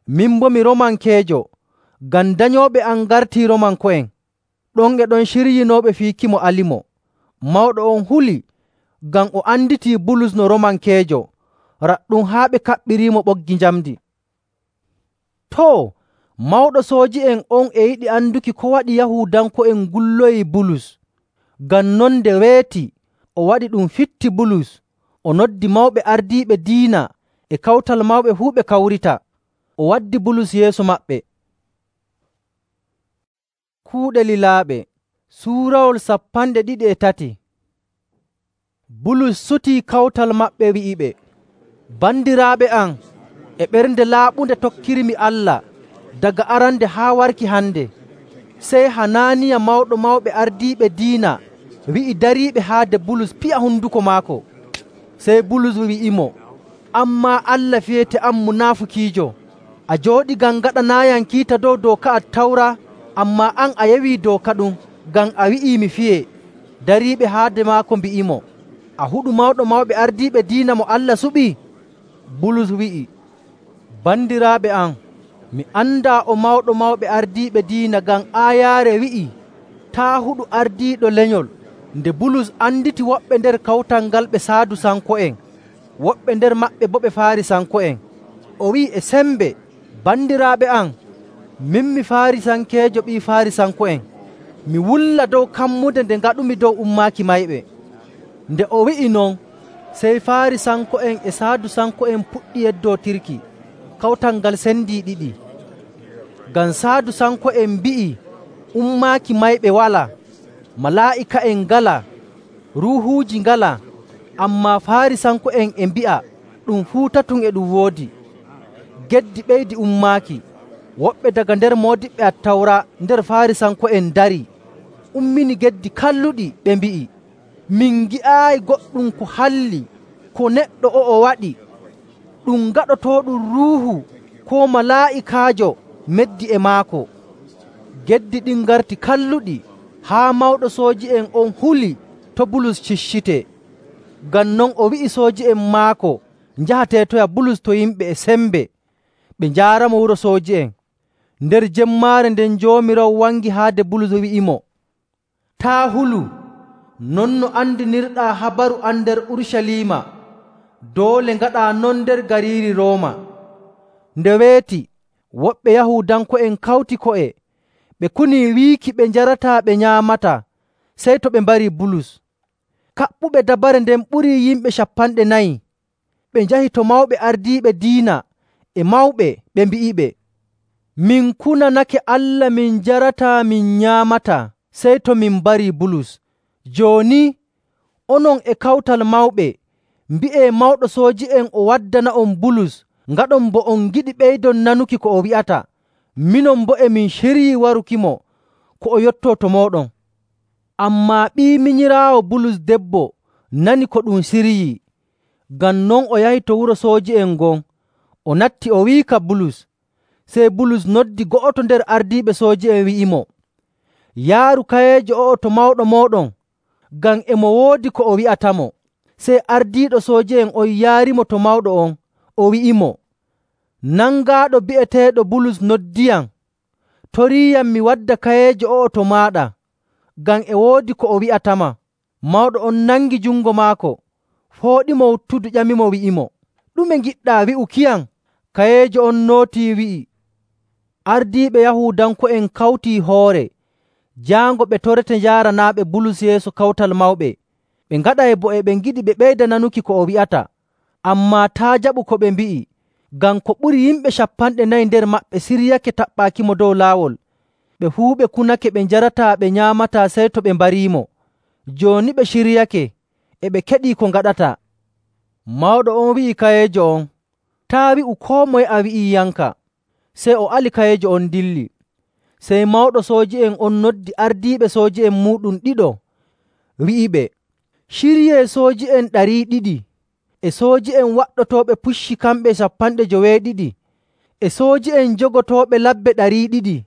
“Min boo mi Roomankeejo, ngam danyooɓe am ngartii Roomanko'en.” Ɗon e ɗon ciryinooɓe fiikimo alimo. Mawɗo on huli ngam o anditii Bulus no Roomankeejo, raɗɗum haa ɓe kaɓɓiriimo ɓoggi njamndi. Too, mawɗo sooji'en on e yiɗi anduki ko waɗi Yahuudanko'en ngulloyii Bulus. Ngam non nde weeti o waɗi ɗum fitti Bulus, o noddi mawɓe ardiiɓe diina e kawtal mawɓe fuu ɓe kawrita. O waddi Bulus yeeso maɓɓe. Kuuɗe Lilaaɓe Suurawol 23. Bulus sutii kawtal maɓɓe wi'iɓe, “Bandiraaɓe am, e ɓernde laaɓunde tokkirmi Allah daga arande haa warki hande.” Sey Hanaaniya mawɗo mawɓe ardiiɓe diina wi'i dariiɓe haade Bulus piya honduko maako. Sey Bulus wi'imo, “Ammaa Allah fiyete am munaafukiijo. A jooɗi ngam ngaɗanaayam kiita dow dooka Attawra, ammaa an a yewii dooka ɗum ngam a wi'ii mi fiyee.” Dariiɓe haade maako mbi'imo, “A huɗu mawɗo mawɓe ardiiɓe diina mo Allah suɓii?” Bulus wi'i, “Bandiraaɓe am, mi andaa o mawɗo mawɓe ardiiɓe diina ngam aayaare wi'ii, ‘Taa' huɗu ardiiɗo lenyol.’” Nde Bulus anditi woɓɓe nder kawtal ngal ɓe Saadusanko'en, woɓɓe nder maɓɓe boo ɓe Faarisanko'en, o wi'i e sembe, “Bandiraaɓe am, min mi Faarisankeejo ɓii Faarisanko'en. Mi wulla dow kammude nde ngaɗumi dow ummaaki mayɓe.” Nde o wi'i non, sey Faarisanko'en e Saadusanko'en puɗɗi yeddootirki. Kawtal ngal sendii ɗiɗi. Ngam Saadusanko'en mbi'i ummaaki mayɓe walaa, malaa'ika'en ngalaa, ruuhuuji ngalaa, ammaa Faarisanko'en e mbi'a ɗum fuu tatum e ɗum woodi. Geddi ɓeydi ummaaki. Woɓɓe daga nder moodiɓɓe Attawra nder Faarisanko'en ndarii, ummini geddi kalluɗi, ɓe mbi'i, “Min ngi'aayi goɗɗum ko halli ko neɗɗo o'o waɗi. Ɗum gaɗotooɗum ruuhu koo malaa'ikaajo meddi e maako?” Geddi ɗin ngarti kalluɗi haa mawɗo sooji'en on huli to Bulus ciccitee. Ngam non o wi'i sooji'en maako njaha teetoya Bulus to yimɓe e sembe, ɓe njaaramo wuro sooji'en. Nder jemmaare nden Joomiraawo wangi haade Bulus wi'imo, “Taa' hulu. Non no andinirɗaa habaru am nder Urucaliima, doole ngaɗaa non nder gariiri Rooma.” Nde weeti, woɓɓe Yahuudanko'en kawti ko'e, ɓe kunii wiiki ɓe njarataa ɓe nyaamataa sey to ɓe mbarii Bulus. Kaɓɓuɓe dabare nden ɓurii yimɓe 40. Ɓe njahi to mawɓe ardiiɓe diina e mawɓe, ɓe mbi'iɓe, “Min kunanake Allah min njarataa min nyaamataa sey to min mbarii Bulus. Jooni onon e Kawtal Mawɓe mbi'ee mawɗo sooji'en o waddana'on Bulus ngaɗon bo on ngiɗi ɓeydon nanuki ko o wi'ata. Minon boo e min ciryii warukimo ko o yottoo to mooɗon.” Ammaa ɓii minyiraawo Bulus debbo nani ko ɗum siryii. Ngam non o yahi to wuro sooji'en ngon, o natti o wiika Bulus. Sey Bulus noddi go'oto nder ardiiɓe sooji'en wi'imo, “Yaaru kayeejo o'o to mawɗo mooɗon, ngam e mo woodi ko o wi'atamo.” Sey ardiiɗo sooji'en on yaarimo to mawɗo on, o wi'imo, “Nangaaɗo bi'eteeɗo Bulus noddiyam, toriiyam mi wadda kayeejo o'o to maaɗa, ngam e woodi ko o wi'atama.” Mawɗo on nangi jungo maako, fooɗimo wuttudu, ƴamimo wi'imo, “Ɗume ngiɗɗaa wi'ukiyam?” Kayeejo on nootii wi'i, “Ardiiɓe Yahuudanko'en kawtii hoore, jaango ɓe torete njaaranaaɓe Bulus yeeso Kawtal Mawɓe. Ɓe ngaɗay bo e ɓe ngiɗi ɓe ɓeyda nanuki ko o wi'ata. Ammaa taa' jaɓu ko ɓe mbi'i, ngam ko ɓuri yimɓe 40 nder maɓɓe siryake taɓɓaakimo dow laawol. Ɓe fuu ɓe kunake ɓe njarataa ɓe nyaamataa sey to ɓe mbariimo. Jooni ɓe ciryake, e ɓe keɗii ko ngaɗataa.” Mawɗo on wi'i kayeejo on, “Taa' wi'u koo moye a wi'iiyanka.” Sey o ali kayeejo on dilli. Sey mawɗo sooji'en on noddi ardiiɓe sooji'en muuɗum ɗiɗo, wi'iɓe, “Ciryee sooji'en 200 e sooji'en waɗɗotooɓe pucci kamɓe 72 e sooji'en jogotooɓe labbe 200.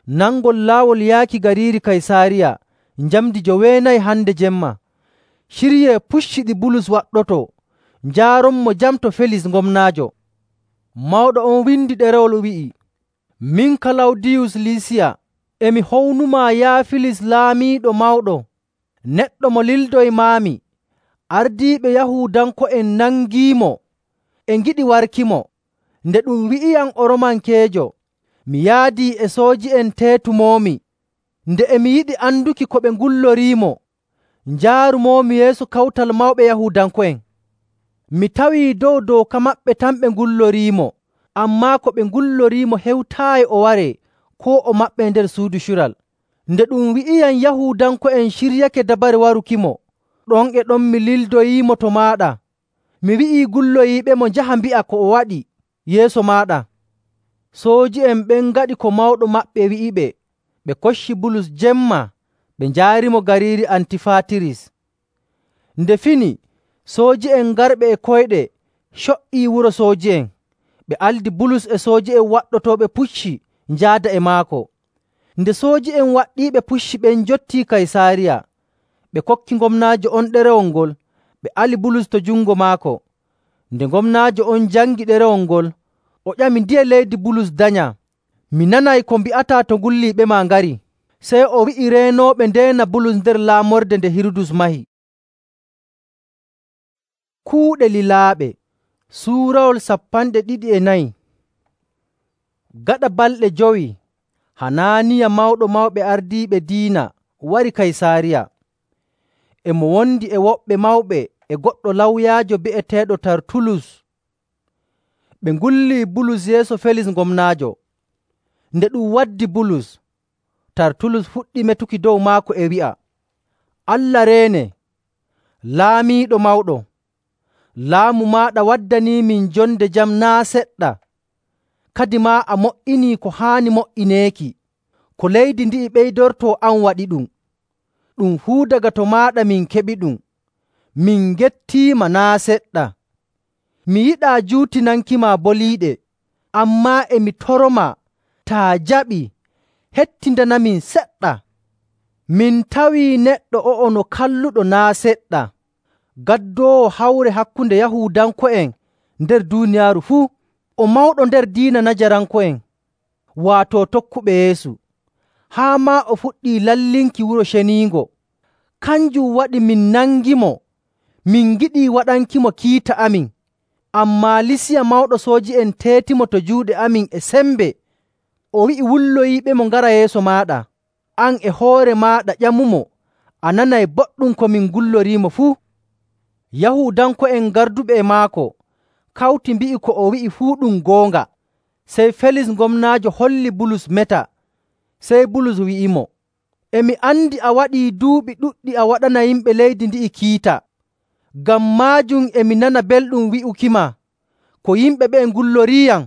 Nangol laawol yaaki gariiri Kaysaariya njamndi 9 hande jemma. Ciryee pucci ɗi Bulus waɗɗotoo, njaaronmo jam to Felis gomnaajo.” Mawɗo on windi ɗerewol wi'i, “Min Kalawdiyus Liisiya, emi hownumaa yaa Filis laamiiɗo mawɗo, neɗɗo mo lildoymaami. Ardiiɓe Yahuudanko'en nangiimo e ngiɗi warkimo. Nde ɗum wi'iyam o Romankeejo, mi yaadii e sooji'en teetumoomi. Nde emi yiɗi anduki ko ɓe ngulloriimo, njaarumoomi yeeso Kawtal Mawɓe Yahuudanko'en. Mi tawii dow dooka maɓɓe tan ɓe ngulloriimo, ammaa ko ɓe ngulloriimo hewtaayi o waree koo o maɓɓee nder suudu cural. Nde ɗum wi'iyam Yahuudanko'en ciryake dabare warukimo, ɗon e ɗon mi lildoyiimo to maaɗa. Mi wi'ii gulloyiiɓemo njaha mbi'a ko o waɗi yeeso maaɗa.” Sooji'en ɓen ngaɗi ko mawɗo maɓɓe wi'iɓe, ɓe kocci Bulus jemma ɓe njaarimo gariiri Antifaatiris. Nde fini, sooji'en garɓe e koyɗe co''ii wuro sooji'en. Ɓe aldi Bulus e sooji'en waɗɗotooɓe pucci njaada e maako. Nde sooji'en waɗɗiiɓe pucci ɓen njottii Kaysaariya, ɓe kokki gomnaajo on ɗerewol ngol, ɓe ali Bulus to jungo maako. Nde gomnaajo on jangi ɗerewol ngol, o ƴami ndiye leydi Bulus danyaa. “Mi nanay ko mbi'ataa to ngulliiɓema ngari.” Sey o wi'i reenooɓe ndeena Bulus nder laamorde nde Hirudus mahi. Kuuɗe lilaaɓe Suurawol 24. Gaɗa balɗe 5, Hanaaniya mawɗo mawɓe ardiiɓe diina wari Kaysaariya. E mo wondi e woɓɓe mawɓe e goɗɗo lawyaajo bi'eteeɗo Tartulus. Ɓe ngullii Bulus yeeso Felis gomnaajo. Nde ɗum waddi Bulus, Tartulus fuɗɗi metuki dow maako e wi'a, “Allah reene, laamiiɗo mawɗo! Laamu maaɗa waddaniimin jonde jam naa' seɗɗa. kadi maa a mo''inii ko haani mo''ineeki, ko leydi ndi'i ɓeydortoo an waɗiɗum. Ɗum fuu daga to maaɗa min keɓiɗum. Min ngettiima naa' seɗɗa. Mi yiɗaa juutinankima boliiɗe, ammaa e mi toromaa taa jaɓii, hettindanamin seɗɗa. Min tawii neɗɗo o'o no kalluɗo naa' seɗɗa, gaddoowo hawre hakkunde Yahuudanko'en nder duuniyaaru fuu. O mawɗo nder diina Najaranko'en, waato tokkuɓe Yeesu, haa maa o fuɗɗii lallinki Wuro Ceniingo. Kanjum waɗi min nangimo, min ngiɗii waɗankimo kiita amin. Ammaa Lisiya mawɗo sooji'en teetimo to juuɗe amin e sembe. O wi'i wulloyiiɓemo ngara yeeso maaɗa. An e hoore maaɗa ƴamumo, a nanay boɗɗum ko min ngulloriimo fuu. Yahuudanko'en garduɓe e maako kawti mbi'i ko o wi'i fuu ɗum goonga. Sey Felis gomnaajo holli Bulus meta. Sey Bulus wi'imo, “E mi andi a waɗii duuɓi ɗuɗɗi a waɗana yimɓe leydi ndi'i kiita. Ngam maajum e mi nana belɗum wi'ukima ko yimɓe ɓe'e ngulloriiyam.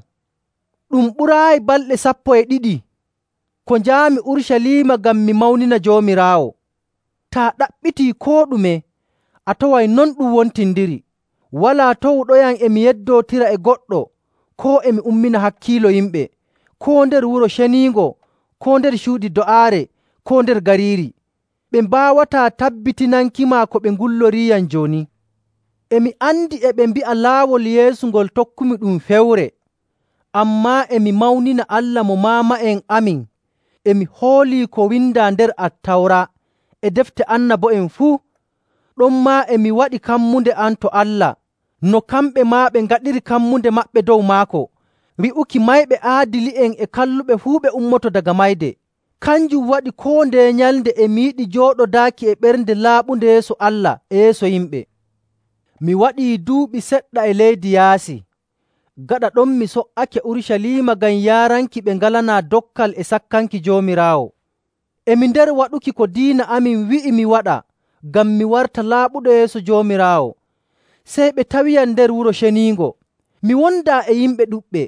Ɗum ɓuraayi balɗe 12 ko njaami Urucaliima ngam mi mawnina Joomiraawo. Taa ɗaɓɓitii koo ɗume, a taway non ɗum wontindiri. Walaa towuɗoyam e mi yeddootira e goɗɗo koo e mi ummina hakkiilo yimɓe, koo nder Wuro Ceniingo, koo nder cuuɗi do'aare, koo nder gariiri. Ɓe mbaawataa tabbitinankima ko ɓe ngulloriiyam jooni. E mi andi e ɓe mbi'a laawol Yeesu ngol tokkumi ɗum fewre. Ammaa e mi mawnina Allah mo maama'en amin. E mi hoolii ko windaa nder Attawra e defte annabo'en fuu. Ɗonmaa e mi waɗi kammunde am to Allah, no kamɓe maa ɓe ngaɗiri kammunde maɓɓe dow maako, wi'uki mayɓe aadili'en e kalluɓe fuu ɓe ummoto daga mayde. Kanjum waɗi koo ndeye nyalnde e mi yiɗi jooɗodaaki e ɓernde laaɓunde yeeso Allah e yeeso yimɓe. Mi waɗii duuɓi seɗɗa e leydi Yaasi. Gaɗa ɗon mi so''ake Urucaliima ngam yaaranki ɓe ngalanaa dokkal e sakkanki Joomiraawo. E mi nder waɗuki ko diina amin wi'i mi waɗa ngam mi warta laaɓuɗo yeeso Joomiraawo. Sey ɓe tawiyam nder Wuro Ceniingo. Mi wondaa e yimɓe ɗuɗɓe.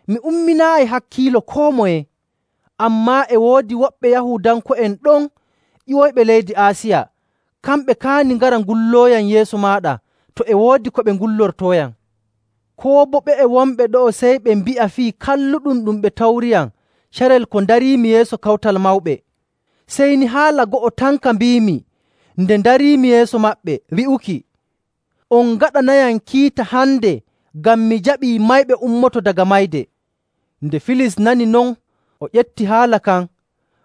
Mi umminaayi hakkiilo koo moye. Ammaa e woodi woɓɓe Yahuudanko'en ɗon ƴiwoyɓe leydi Aasiya. Kamɓe kaani ngara ngullooyam yeeso maaɗa to e woodi ko ɓe ngullortooyam. Koo boo ɓe'e wonɓe ɗo'o sey ɓe mbi'a fii kalluɗum ɗum ɓe tawriyam carel ko ndariimi yeeso Kawtal Mawɓe. Sey ni haala go'o tan ka mbiimi nde ndariimi yeeso maɓɓe, wi'uki, “On ngaɗanayam kiita hande ngam mi jaɓii mayɓe ummoto daga mayde.” Nde Filis nani non, o ƴetti haala kan,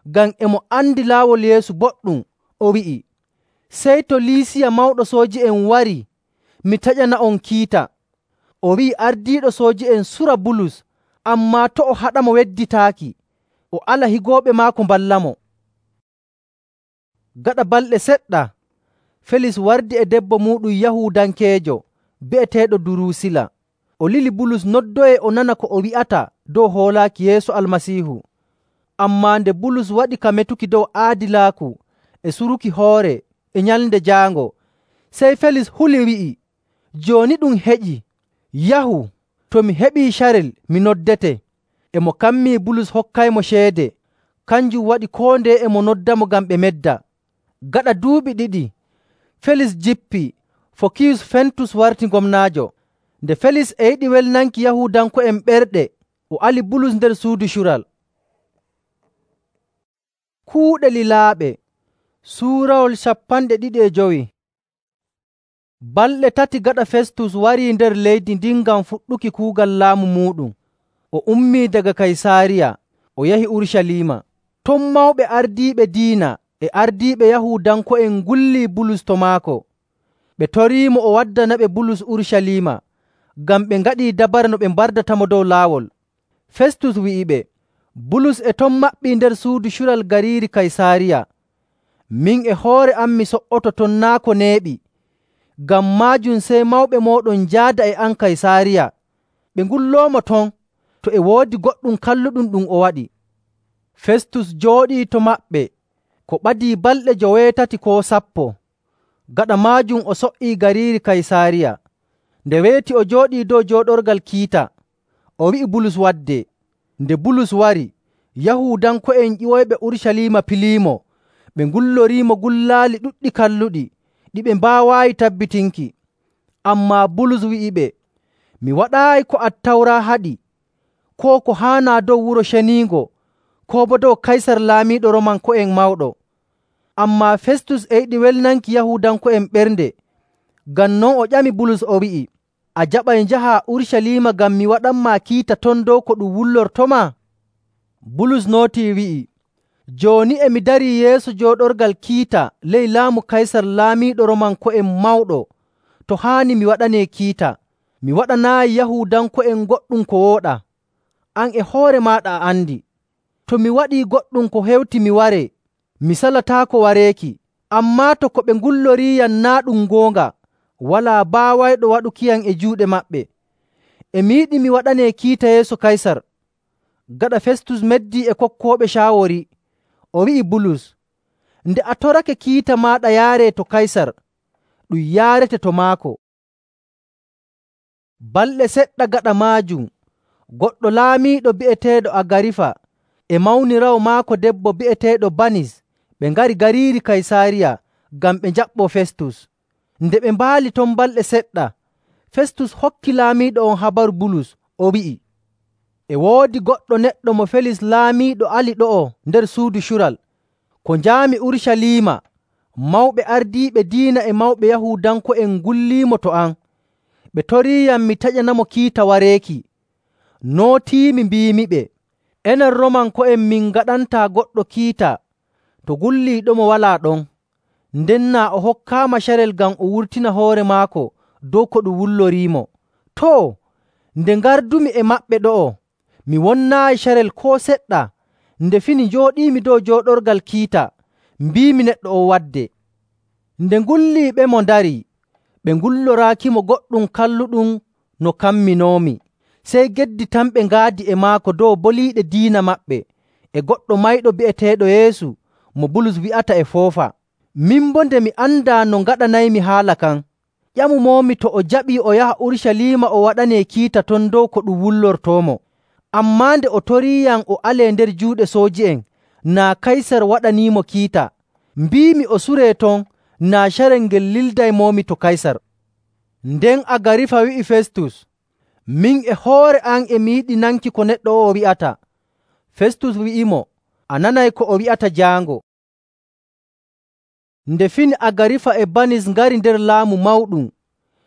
ngam e mo andi laawol Yeesu boɗɗum, o wi'i, “Sey to Liisiya mawɗo sooji'en warii, mi taƴana'on kiita.” O wi'i ardiiɗo sooji'en sura Bulus, ammaa to' o haɗamo wedditaaki, o ala higooɓe maako mballamo. Gaɗa balɗe seɗɗa, Felis wardi e debbo muuɗum Yahuudankeejo bi'eteeɗo Duruusila. O lili Bulus noddoyee o nana ko o wi'ata dow hoolaaki Yeesu Almasiihu. Ammaa nde Bulus waɗi ka metuki dow aadilaaku e suruki hoore e Nyalnde Jaango, sey Felis huli wi'i, “Jooni ɗum heƴii. Yahu, to mi heɓii carel mi noddete.” E mo kammii Bulus hokkaymo ceede. Kanjum waɗi koo ndeye e mo noddamo ngam ɓe medda. Gaɗa duuɓi 2, Felis jippii, Fokiyus Fentus warti gomnaajo. Nde Felis e yiɗi welnanki Yahuudanko'en ɓerɗe, o ali Bulus nder suudu cural. Kuuɗe lilaaɓe suurawol 25. Balɗe 3 gaɗa Festus warii nder leydi ndin ngam fuɗɗuki kuugal laamu muuɗum. O ummii daga Kaysaariya, o yahi Urucaliima. Ton mawɓe ardiiɓe diina e ardiiɓe Yahuudanko'en ngullii Bulus to maako. Ɓe toriimo o waddanaɓe Bulus Urucaliima, ngam ɓe ngaɗii dabare no ɓe mbardatamo dow laawol. Festus wi'iɓe, “Bulus e ton maɓɓii nder suudu cural gariiri Kaysaariya. Min e hoore am mi so''oto ton naa' ko neeɓi. Ngam maajum sey mawɓe mooɗon njaada e am Kaysaariya, ɓe ngulloomo ton to e woodi goɗɗum kalluɗum ɗum o waɗi.” Festus jooɗii to maɓɓe ko ɓadii balɗe 80 koo 10. Gaɗa maajum o so''ii gariiri Kaysaariya. Nde weeti o jooɗii dow jooɗorgal kiita, o wi'i Bulus wadde. Nde Bulus wari, Yahuudanko'en ƴiwoyɓe Urucaliima piliimo, ɓe ngulloriimo gullaali ɗuɗɗi kalluɗi ɗi ɓe mbaawaayi tabbitinki. Ammaa Bulus wi'iɓe, “Mi waɗaayi ko Attawra haɗi, koo ko haanaa dow Wuro Ceniingo, koo boo dow Kaysar laamiiɗo Roomanko'en mawɗo.” Ammaa Festus e yiɗi welnanki Yahuudanko'en ɓernde. Ngam non o ƴami Bulus o wi'i, “A jaɓay njahaa Urucaliima ngam mi waɗanmaa kiita ton dow ko ɗum wullortomaa?” Bulus nootii wi'i, “Jooni e mi darii yeeso jooɗorgal kiita ley laamu Kaysar laamiiɗo Roomanko'en mawɗo to haani mi waɗanee kiita. Mi waɗanaayi Yahuudanko'en goɗɗum ko wooɗaa. An e hoore maaɗa a andi. To mi waɗii goɗɗum ko hewti mi waree, mi salataako wareeki. Ammaa to ko ɓe ngulloriiyam naa' ɗum goonga, walaa baawayɗo waɗukiyam e juuɗe maɓɓe. E mi yiɗi mi waɗanee kiita yeeso Kaysar.” Gaɗa Festus meddii e kokkooɓe caawori, o wi'i Bulus, “Nde a torake kiita maaɗa yaaree to Kaysar, ɗum yaarete to maako.” Balɗe seɗɗa gaɗa maajum, goɗɗo laamiiɗo bi'eteeɗo Agarifa e mawniraawo maako debbo bi'eteeɗo Banis ɓe ngari gariiri Kaysaariya ngam ɓe njaɓɓoo Festus. Nde ɓe mbaali ton balɗe seɗɗa, Festus hokki laamiiɗo on habaru Bulus, o wi'i, “E woodi goɗɗo neɗɗo mo Felis laamiiɗo ali ɗo'o nder suudu cural. Ko njaami Urucaliima, mawɓe ardiiɓe diina e mawɓe Yahuudanko'en ngulliimo to am. Ɓe toriiyam mi taƴanamo kiita wareeki. Nootiimi mbiimiɓe, ‘Enen Roomanko'en min ngaɗantaa goɗɗo kiita to gulliiɗomo walaa ɗon.’ Nden naa o hokkaama carel ngam o wurtina hoore maako dow ko ɗum wulloriimo. Too, nde ngardumi e maɓɓe ɗo'o, mi wonnaayi carel koo seɗɗa. Nde fini njooɗiimi dow jooɗorgal kiita, mbiimi neɗɗo on wadde. Nde ngulliiɓemo ndarii, ɓe ngulloraakimo goɗɗum kalluɗum no kamminoomi. Sey geddi tan ɓe ngaadi e maako dow boliiɗe diina maɓɓe e goɗɗo mayɗo bi'eteeɗo Yeesu mo Bulus wi'ata e foofa. Min boo nde mi andaa no ngaɗanaymi haala kan, ƴamumoomi to o jaɓii o yaha Urucaliima o waɗanee kiita ton dow ko ɗum wullortoomo. Ammaa nde o toriiyam o alee nder juuɗe sooji'en, naa Kaysar waɗaniimo kiita. Mbiimi o suree ton naa carel ngel lildaymoomi to Kaysar.” Nden Agarifa wi'i Festus, “Min e hoore am e mi yiɗi nanki ko neɗɗo o'o wi'ata.” Festus wi'imo, “A nanay ko o wi'ata jaango.” Nde fini Agarifa e Banis ngari nder laamu mawɗum,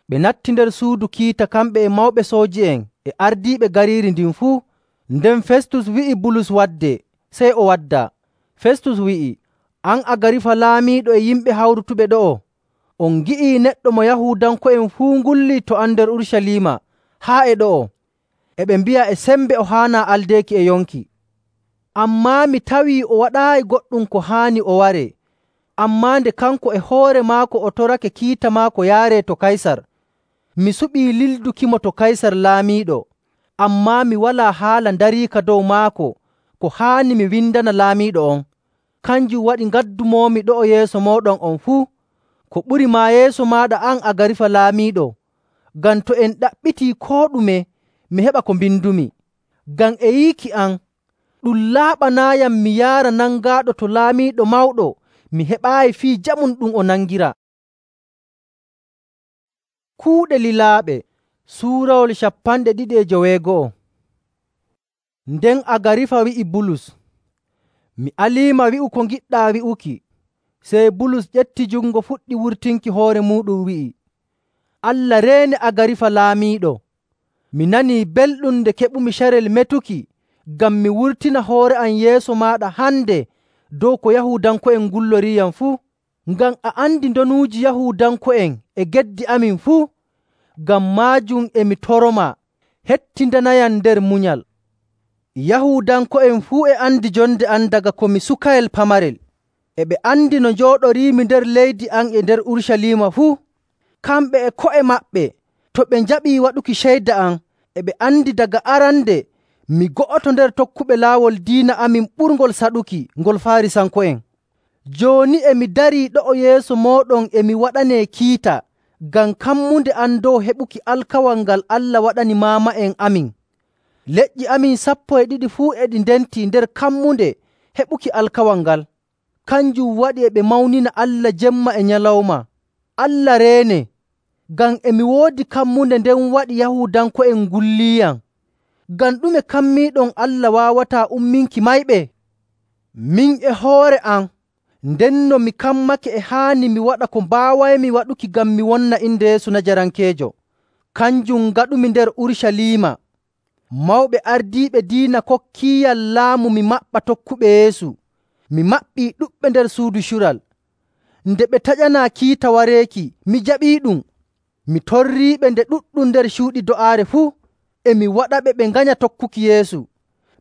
ɓe natti nder suudu kiita kamɓe e mawɓe sooji'en e ardiiɓe gariiri ndin fuu. Nden Festus wi'i Bulus waddee, sey o waddaa. Festus wi'i, “An Agarifa laamiiɗo e yimɓe hawrutuɓe ɗo'o, on ngi'ii neɗɗo mo Yahuudanko'en fuu ngullii to am nder Urucaliima haa e ɗo'o. E ɓe mbi'a e sembe o haanaa aldeeki e yonki. Ammaa mi tawii o waɗaayi goɗɗum ko haani o waree. Ammaa nde kanko e hoore maako o torake kiita maako yaaree to Kaysar, mi suɓii lildukimo to Kaysar laamiiɗo. Ammaa mi walaa haala ndariika dow maako ko haani mi windana laamiiɗo on. Kanjum waɗi ngaddumoomi ɗo'o yeeso mooɗon on fuu, ko ɓuri maa yeeso maaɗa an Agarifa laamiiɗo, ngam to en ɗaɓɓitii koo ɗume mi heɓa ko mbindumi. Ngam e yiiki am, ɗum laaɓanaayam mi yaara nangaaɗo to laamiiɗo mawɗo mi heɓaayi fii jamum ɗum o nangira.” Kuuɗe lilaaɓe Suurawol 22. Nden Agarifa wi'i Bulus, “Mi aliima wi'u ko ngiɗɗaa wi'uki.” Sey Bulus ƴetti jungo fuɗɗi wurtinki hoore muuɗum wi'i, “Allah reene Agarifa laamiiɗo! Mi nanii belɗum nde keɓumi carel metuki ngam mi wurtina hoore am yeeso maaɗa hande dow ko Yahuudanko'en ngulloriiyam fuu. Ngam a andi ndonuuji Yahuudanko'en e geddi amin fuu. Ngam maajum e mi toromaa, hettindanayam nder munyal. Yahuudanko'en fuu e andi jonde am daga ko mi sukayel pamarel. E ɓe andi no njooɗoriimi nder leydi am e nder Urucaliima fuu. Kamɓe e ko'e maɓɓe to ɓe njaɓii waɗuki ceyda am, e ɓe andi daga arande mi go'oto nder tokkuɓe laawol diina amin ɓurngol saɗuki ngol Faarisanko'en. Jooni e mi darii ɗo'o yeeso mooɗon e mi waɗanee kiita ngam kammunde am dow heɓuki alkawal ngal Allah waɗani maama'en amin. Leƴƴi amin 12 fuu e ɗi ndentii nder kammunde heɓuki alkawal ngal. Kanjum waɗi e ɓe mawnina Allah jemma e nyalawma. Allah reene, ngam e mi woodi kammunde nden waɗi Yahuudanko'en ngulliiyam. Ngam ɗume kammiiɗon Allah waawataa umminki mayɓe? Min e hoore am, ndenno mi kammake e haani mi waɗa ko mbaawaymi waɗuki ngam mi wonna inde Yeesu Najarankeejo. Kanjum ngaɗumi nder Urucaliima. Mawɓe ardiiɓe diina kokkiiyam laamu mi maɓɓa tokkuɓe Yeesu. Mi maɓɓii ɗuɗɓe nder suudu cural. Nde ɓe taƴanaa kiita wareeki, mi jaɓiiɗum. Mi torriiɓe nde ɗuɗɗum nder cuuɗi do'aare fuu. E mi waɗaɓe ɓe nganya tokkuki Yeesu.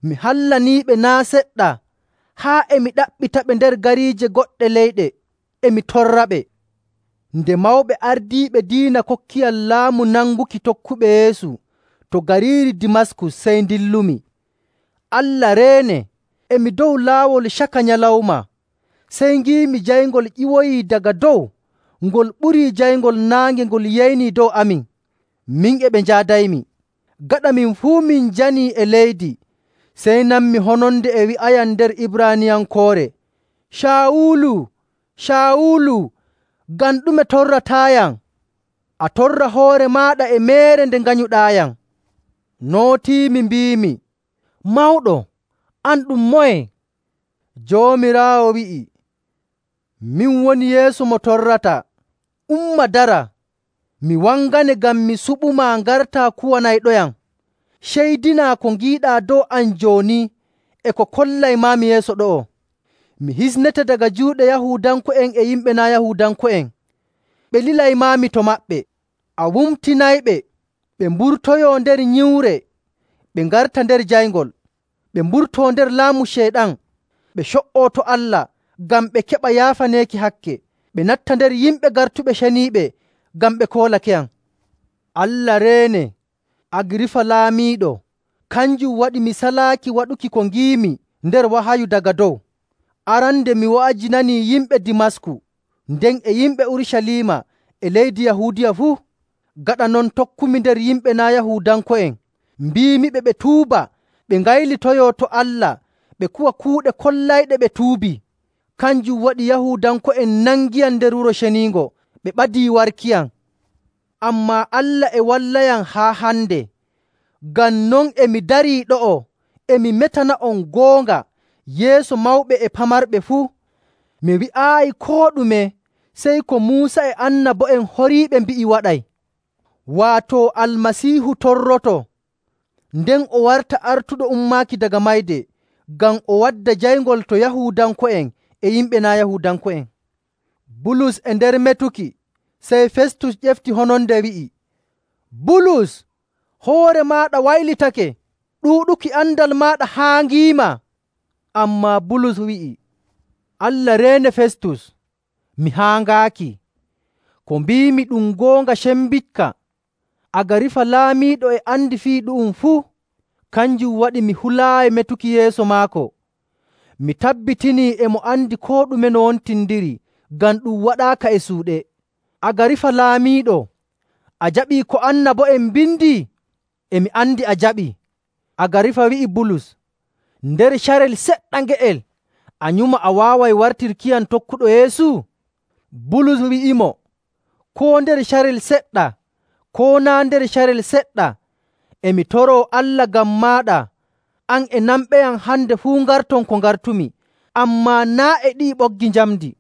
Mi hallaniiɓe naa' seɗɗa, haa e mi ɗaɓɓitaɓe nder gariije goɗɗe leyɗe, e mi torraɓe. Nde mawɓe ardiiɓe diina kokkiyam laamu nanguki tokkuɓe Yeesu to gariiri Dimaskus, sey ndillumi. Allah reene, e mi dow laawol caka nyalawma, sey ngiimi jayngol ƴiwoyii daga dow, ngol ɓurii jayngol naange ngol yeynii dow amin. Min e ɓe njaadaymi. Gaɗa min fuu min janii e leydi, sey nanmi hononde e wi'ayam nder Ibraaniyankoore, ‘Caawulu, Caawulu, ngam ɗume torrataayam? A torra hoore maaɗa e meere nde nganyuɗaayam.’ Nootiimi mbiimi, ‘Mawɗo, an ɗum moye?’ Joomiraawo wi'i, ‘Min woni Yeesu mo torrata. Umma dara, mi wangane ngam mi suɓumaa ngartaa kuwanayɗoyam. Ceydinaa ko ngiiɗaa dow am jooni e ko kollaymaami yeeso ɗo'o. Mi hisnete daga juuɗe Yahuudanko'en e yimɓe naa' Yahuudanko'en. Ɓe lilaymaami to maɓɓe. A wumtinayɓe ɓe mburtoyoo nder nyiwre, ɓe ngarta nder jayngol, ɓe mburtoo nder laamu Ceyɗan, ɓe co''oo to Allah ngam ɓe keɓa yaafaneeki hakke, ɓe natta nder yimɓe gartuɓe ceniiɓe ngam ɓe koolakeyam. Allah reene, Agirifa laamiiɗo, kanjum waɗi mi salaaki waɗuki ko ngiimi nder wahayu daga dow. Arande mi wa'ajinanii yimɓe Dimasku, nden e yimɓe Urucaliima e leydi Yahuudiya fuu. Gaɗa non tokkumi nder yimɓe naa' Yahuudanko'en, mbiimiɓe ɓe tuuba, ɓe ngaylitoyoo to Allah, ɓe kuwa kuuɗe kollayɗe ɓe tuubii. Kanjum waɗi Yahuudanko'en nangiyam nder Wuro Ceniingo, ɓe ɓadii warkiyam. Ammaa Allah e wallayam haa hande. Ngam non e mi darii ɗo'o, e mi metana'on goonga yeeso mawɓe e pamarɓe fuu. Mi wi'aayi koo ɗume sey ko Muusa e annabo'en horiiɓe mbi'i waɗay. Waato Almasiihu torroto, nden o warta artuɗo ummaaki daga mayde, ngam o wadda jayngol to Yahuudanko'en e yimɓe naa' Yahuudanko'en. Bulus e nder metuki, sey Festus ƴefti hononde wi'i, “Bulus, hoore maaɗa waylitake, ɗuuɗuki andal maaɗa haaŋiima.” Ammaa Bulus wi'i, “Allah reene Festus, mi haaŋaaki. Ko mbiimi ɗum goonga cembikka. Agarifa laamiiɗo e andi fii ɗu'um fuu. Kanjum waɗi mi hulaayi metuki yeeso maako. Mi tabbitinii e mo andi koo ɗume no wontindiri, ngam ɗum waɗaaka e suuɗe. Agarifa laamiiɗo, a jaɓii ko annabo'en mbindi?” E mi andi a jaɓii. Agarifa wi'i Bulus, “Nder carel seɗɗa nge'el, a nyuma a waaway wartirkiyam tokkuɗo Yeesu?” Bulus wi'imo, “Koo nder carel seɗɗa, koo naa' nder carel seɗɗa, e mi toroo Allah ngam maaɗa, an e namɓeyam hande fuu ngarton ko ngartumi, ammaa naa' e ɗi'i ɓoggi njamndi.”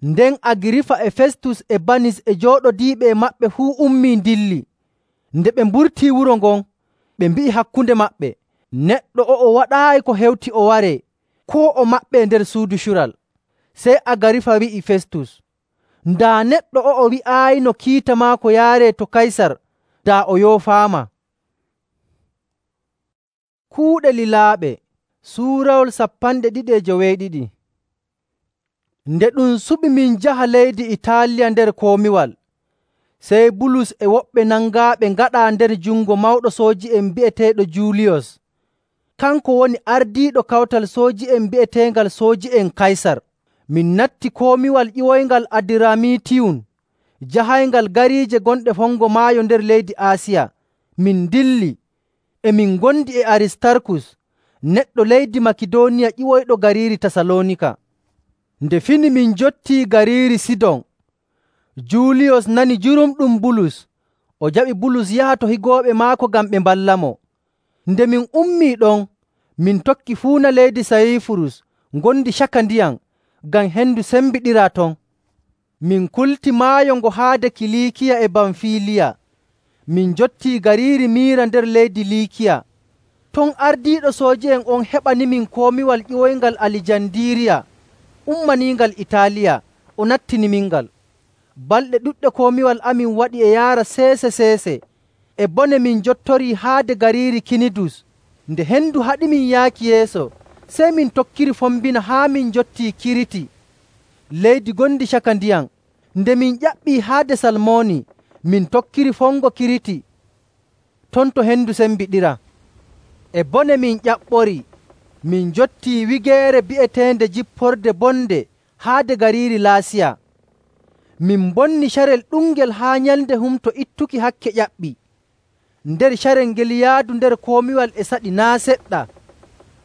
Nden Agirifa e Festus e Banis e jooɗodiiɓe e maɓɓe fuu ummii ndilli. Nde ɓe mburtii wuro ngon, ɓe mbi'i hakkunde maɓɓe, “Neɗɗo o'o waɗaayi ko hewti o waree, koo o maɓɓee nder suudu cural.” Sey Agarifa wi'i Festus, “Daa neɗɗo o'o wi'aayino kiita maako yaaree to Kaysar, daa o yoofaama.” Kuuɗe lilaaɓe Suurawol 292. Nde ɗum suɓi min njaha leydi Itaaliya nder komiwal, sey Bulus e woɓɓe nangaaɓe ngaɗaa nder jungo mawɗo sooji'en bi'eteeɗo Juuliyos. Kanko woni ardiiɗo kawtal sooji'en bi'eteengal Sooji'en Kaysar. Min natti komiwal ƴiwoyngal Adiramitiyum, jahayngal gariije gonɗe fongo maayo nder leydi Aasiya. Min ndilli, Emin ngondi e Aristarkus, neɗɗo leydi Makidooniya ƴiwoyɗo gariiri Tasaloonika. Nde fini min njottii gariiri Sidon, Juuliyos nani jurumɗum Bulus, o jaɓi Bulus yaha to higooɓe maako ngam ɓe mballamo. Nde min ummii ɗon, min tokki fuuna leydi Sayifurus ngondi caka ndiyam, ngam hendu sembiɗiraa ton. Min kulti maayo ngo haade Kiliikiya e Bamfiliya. Min njottii gariiri Miira nder leydi Liikiya. Ton ardiiɗo sooji'en on heɓanimin komiwal ƴiwoyngal Alijandiiriya ummaniingal Itaaliya, o nattinimingal. Balɗe ɗuɗɗe komiwal amin waɗi e yaara seese e bone min njottorii haade gariiri Kinidus. Nde hendu haɗimin yaaki yeeso, sey min tokkiri fombina haa min njottii Kiriti, leydi gondi caka ndiyam. Nde min ƴaɓɓii haade Salmooni, min tokkiri fongo Kiriti, ton to hendu sembiɗira. E bone min ƴaɓɓori, min njottii wigeere bi'eteende Jipporde Bonde haade gariiri Laasiya. Min bonni carel ɗungel haa nyalnde humto ittuki hakke ƴaɓɓi. Nder carel ngel yaadu nder komiwal e saɗi naa' seɗɗa.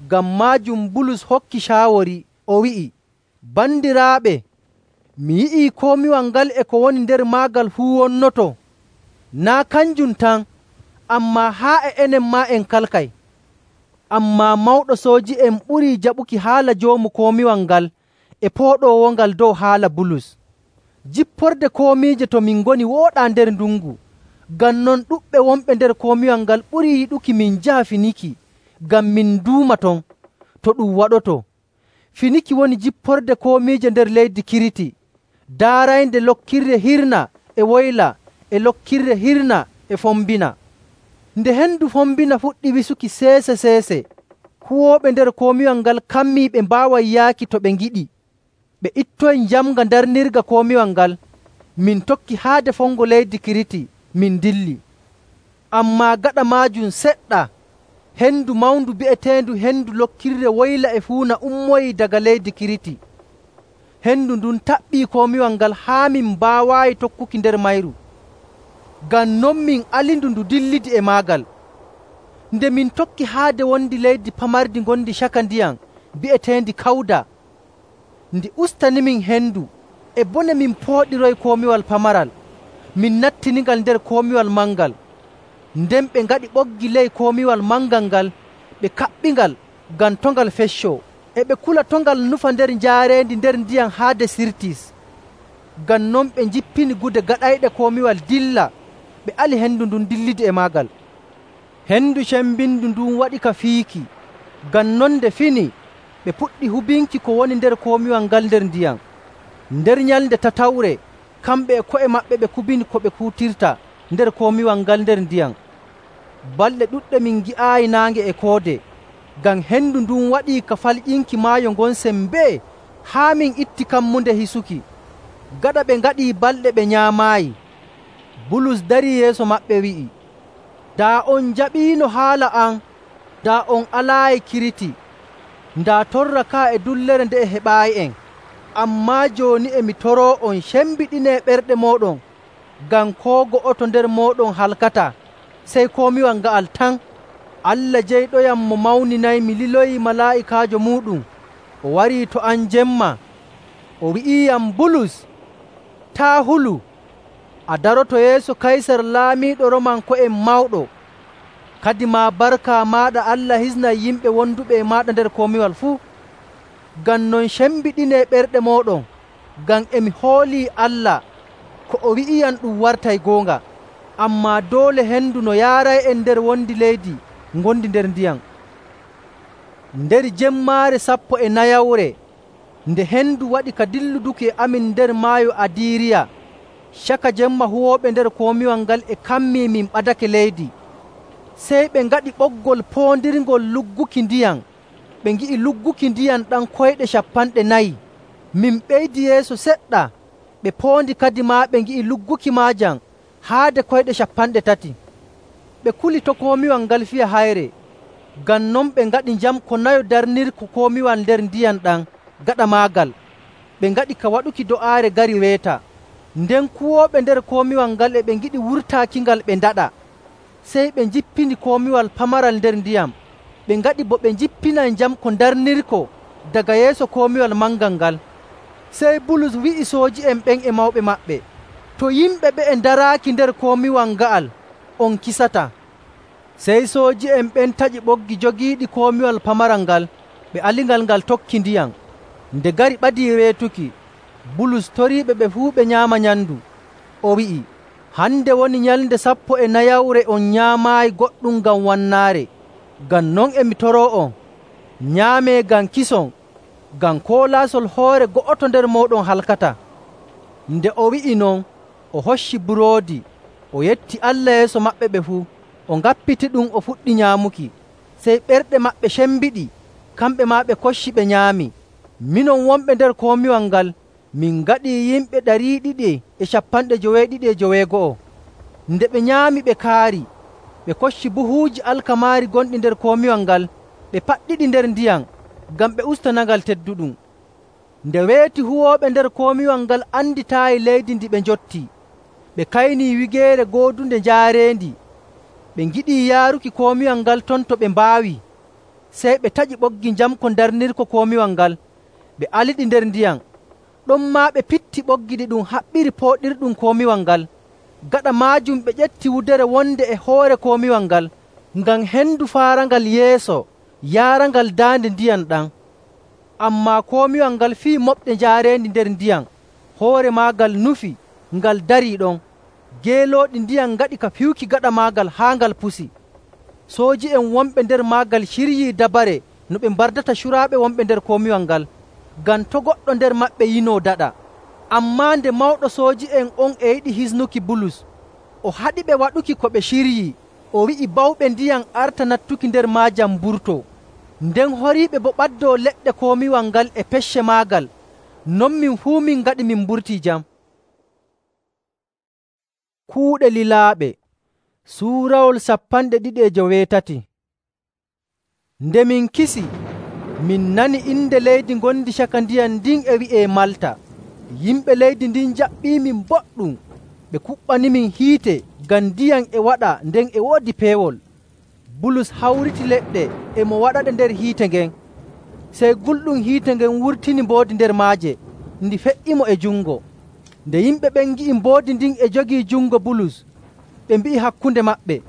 Ngam maajum Bulus hokki caawori, o wi'i, “Bandiraaɓe, mi yi'ii komiwal ngal e ko woni nder maagal fuu wonnoto. Naa' kanjum tan, ammaa haa e enen maa en kalkay.” Ammaa mawɗo sooji'en ɓurii jaɓuki haala joomu komiwal ngal e pooɗoowongal dow haala Bulus. Jipporde komiije to min ngoni wooɗaa nder ndungu. Ngam non ɗuɗɓe wonɓe nder komiwal ngal ɓurii yiɗuki min njaha Finiki ngam min nduuma ton to ɗum waɗoto. Finiki woni jipporde komiije nder leydi Kiriti, daaraynde lokkirde hirna e woyla e lokkirde hirna e fombina. Nde hendu fombina fuɗɗi wisuki seese, huwooɓe nder komiwal ngal kammii ɓe mbaaway yaaki to ɓe ngiɗi. Ɓe ittoyi njamnga darnirga komiwal ngal. Min tokki haade fongo leydi Kiriti, min dilli. Ammaa gaɗa maajum seɗɗa, hendu mawndu bi'eteendu hendu lokkirde woyla e fuuna ummoyii daga leydi Kiriti. Hendu ndun taɓɓii komiwal ngal haa min mbaawaayi tokkuki nder mayru. Ngam non min alindu ndu dillidi e maagal. Nde min tokki haade wondi leydi pamardi ngondi caka ndiyam bi'eteendi Kawda. Ndi ustanimin hendu e bone min pooɗiroy komiwal pamaral. Min nattinigal nder komiwal mangal. Nden ɓe ngaɗi ɓoggi ley komiwal mangal ngal, ɓe kaɓɓingal ngam tongal feccoo, e ɓe kula tongal nufa nder njaareendi nder ndiyam haade Sirtis. Ngam non ɓe njippini gude gaɗayɗe komiwal dilla, ɓe ali hendu ndun dillidi e maagal. Hendu cembindu ndun waɗi ka fiiki. Ngam non nde fini, ɓe puɗɗi hubinki ko woni nder komiwal ngal nder ndiyam. Nder nyalnde tatawre, kamɓe e ko'e maɓɓe ɓe kubini ko ɓe kuutirta nder komiwal ngal nder ndiyam. Balɗe ɗuɗɗe min ngi'aayi naange e koode, ngam hendu ndun waɗii ka falƴinki maayo ngon sembee haa min itti kammunde hisuki. Gaɗa ɓe ngaɗii balɗe ɓe nyaamaayi, Bulus darii yeeso maɓɓe wi'i, “Daa on njaɓiino haala am, daa on alaayi Kiriti, ndaa torra kaa e dullere nde e heɓaayi'en. Ammaa jooni e mi toroo on cembiɗinee ɓerɗe mooɗon, ngam koo go'oto nder mooɗon halkataa, sey komiwal nga'al tan. Allah jeyɗoyam mo mawninaymi liloyii malaa'ikaajo muuɗum, o warii to am jemma. O wi'iiyam, ‘Bulus, taa' hulu. A daroto yeeso Kaysar laamiiɗo Roomanko'en mawɗo. Kadi maa barka maaɗa Allah hisnay yimɓe wonduɓe e maaɗa nder komiwal fuu. Ngam non cembiɗinee ɓerɗe mooɗon, ngam emi hoolii Allah ko o wi'iyam ɗum wartay goonga. Ammaa doole hendu no yaaray'en nder wondi leydi ngondi nder ndiyam.’” Nder jemmaare 14, nde hendu waɗi ka dilluduki e amin nder maayo Adiiriya, caka jemma huwooɓe nder komiwal ngal e kammii min ɓadake leydi. Sey ɓe ngaɗi ɓoggol poondirngol lugguki ndiyam. Ɓe ngi'i lugguki ndiyam ɗam koyɗe 40. Min ɓeydi yeeso seɗɗa, ɓe poondi kadi maa ɓe ngi'i lugguki maajam haade koyɗe 30. Ɓe kuli to komiwal ngal fiya hayre. Ngam non ɓe ngaɗi njam ko nayo darnirko komiwal nder ndiyam ɗam gaɗa maagal. Ɓe ngaɗi ka waɗuki do'aare gari weeta. Nden kuwooɓe nder komiwal ngal e ɓe ngiɗi wurtaakingal ɓe ndaɗa. sey ɓe njippini komiwal pamaral nder ndiyam. Ɓe ngaɗi bo ɓe njippinay jam ko darnirko daga yeeso komiwal mangal ngal. Sey Bulus wi'i sooji'en ɓen e mawɓe maɓɓe, “To yimɓe ɓe'e ndaraaki nder komiwal nga'al, on kisataa.” Sey sooji'en ɓen taƴi ɓoggi jogiiɗi komiwal pamaral ngal, ɓe alingal ngal tokki ndiyam. Nde gari ɓadii weetuki, Bulus toriiɓe ɓe fuu ɓe nyaama nyamndu. O wi'i, “Hande woni nyalnde 14 on nyaamaayi goɗɗum ngam wannaare. Ngam non e mi toroo'on, nyaamee ngam kison, ngam koolaasol hoore go'oto nder mooɗon halkataa.” Nde o wi'i non, o hocci buroodi, o yetti Allah yeeso maɓɓe ɓe fuu, o ngappitiɗum o fuɗɗi nyaamuki. Sey ɓerɗe maɓɓe cembiɗi, kamɓe maa ɓe kocci ɓe nyaami. Minon wonɓe nder komiwal ngal, min ngaɗii yimɓe 292. Nde ɓe nyaami ɓe kaari, ɓe kocci buhuuji alkamaari gonɗi nder komiwal ngal, ɓe paɗɗiɗi nder ndiyam ngam ɓe ustanangal tedduɗum. Nde weeti huwooɓe nder komiwal ngal anditaayi leydi ndi ɓe njotti, ɓe kaynii wigeere goodunde njaareendi. Ɓe ngiɗii yaaruki komiwal ngal ton to ɓe mbaawi. Sey ɓe taƴi ɓoggi jam ko darnirko komiwal ngal, ɓe aliɗi nder ndiyam. Ɗonmaa ɓe pitti ɓoggi ɗi ɗum haɓɓiri pooɗirɗum komiwal ngal. Gaɗa maajum ɓe ƴetti wudere wonde e hoore komiwal ngal, ngam hendu faarangal yeeso yaarangal daande ndiyam ɗam. Ammaa komiwal ngal fii moɓɗe njaareendi nder ndiyam, hoore maagal nufi, ngal darii ɗon. Geelooɗi ndiyam ngaɗi ka fiwki gaɗa maagal haa ngal pusi. Sooji'en wonɓe nder maagal ciryii dabare no ɓe mbardata curaaɓe wonɓe nder komiwal ngal, ngam to' goɗɗo nder maɓɓe yinoo daɗa. Ammaa nde mawɗo sooji'en on e yiɗi hisnuki Bulus, o haɗiɓe waɗuki ko ɓe ciryii. O wi'i bawɓe ndiyam arta nattuki nder maajam mburtoo. Nden horiiɓe boo ɓaddoo leɗɗe komiwal ngal e pecce maagal. Non min fuu min ngaɗi min mburtii jam. Kuuɗe lilaaɓe Suurawol 2:8. Nde min kisi, min nani inde leydi ngondi caka ndiyam ndin e wi'ee Malta. Yimɓe leydi ndin jaɓɓiimin boɗɗum, ɓe kuɓɓanimin hiite ngam ndiyam e waɗa nden e woodi peewol. Bulus hawriti leɗɗe e mo waɗaɗe nder hiite ngen. Sey gulɗum hiite ngen wurtini mboodi nder maaje, ndi fe''imo e jungo. Nde yimɓe ɓen ngi'i mboodi ndin e jogii jungo Bulus, ɓe mbi'i hakkunde maɓɓe,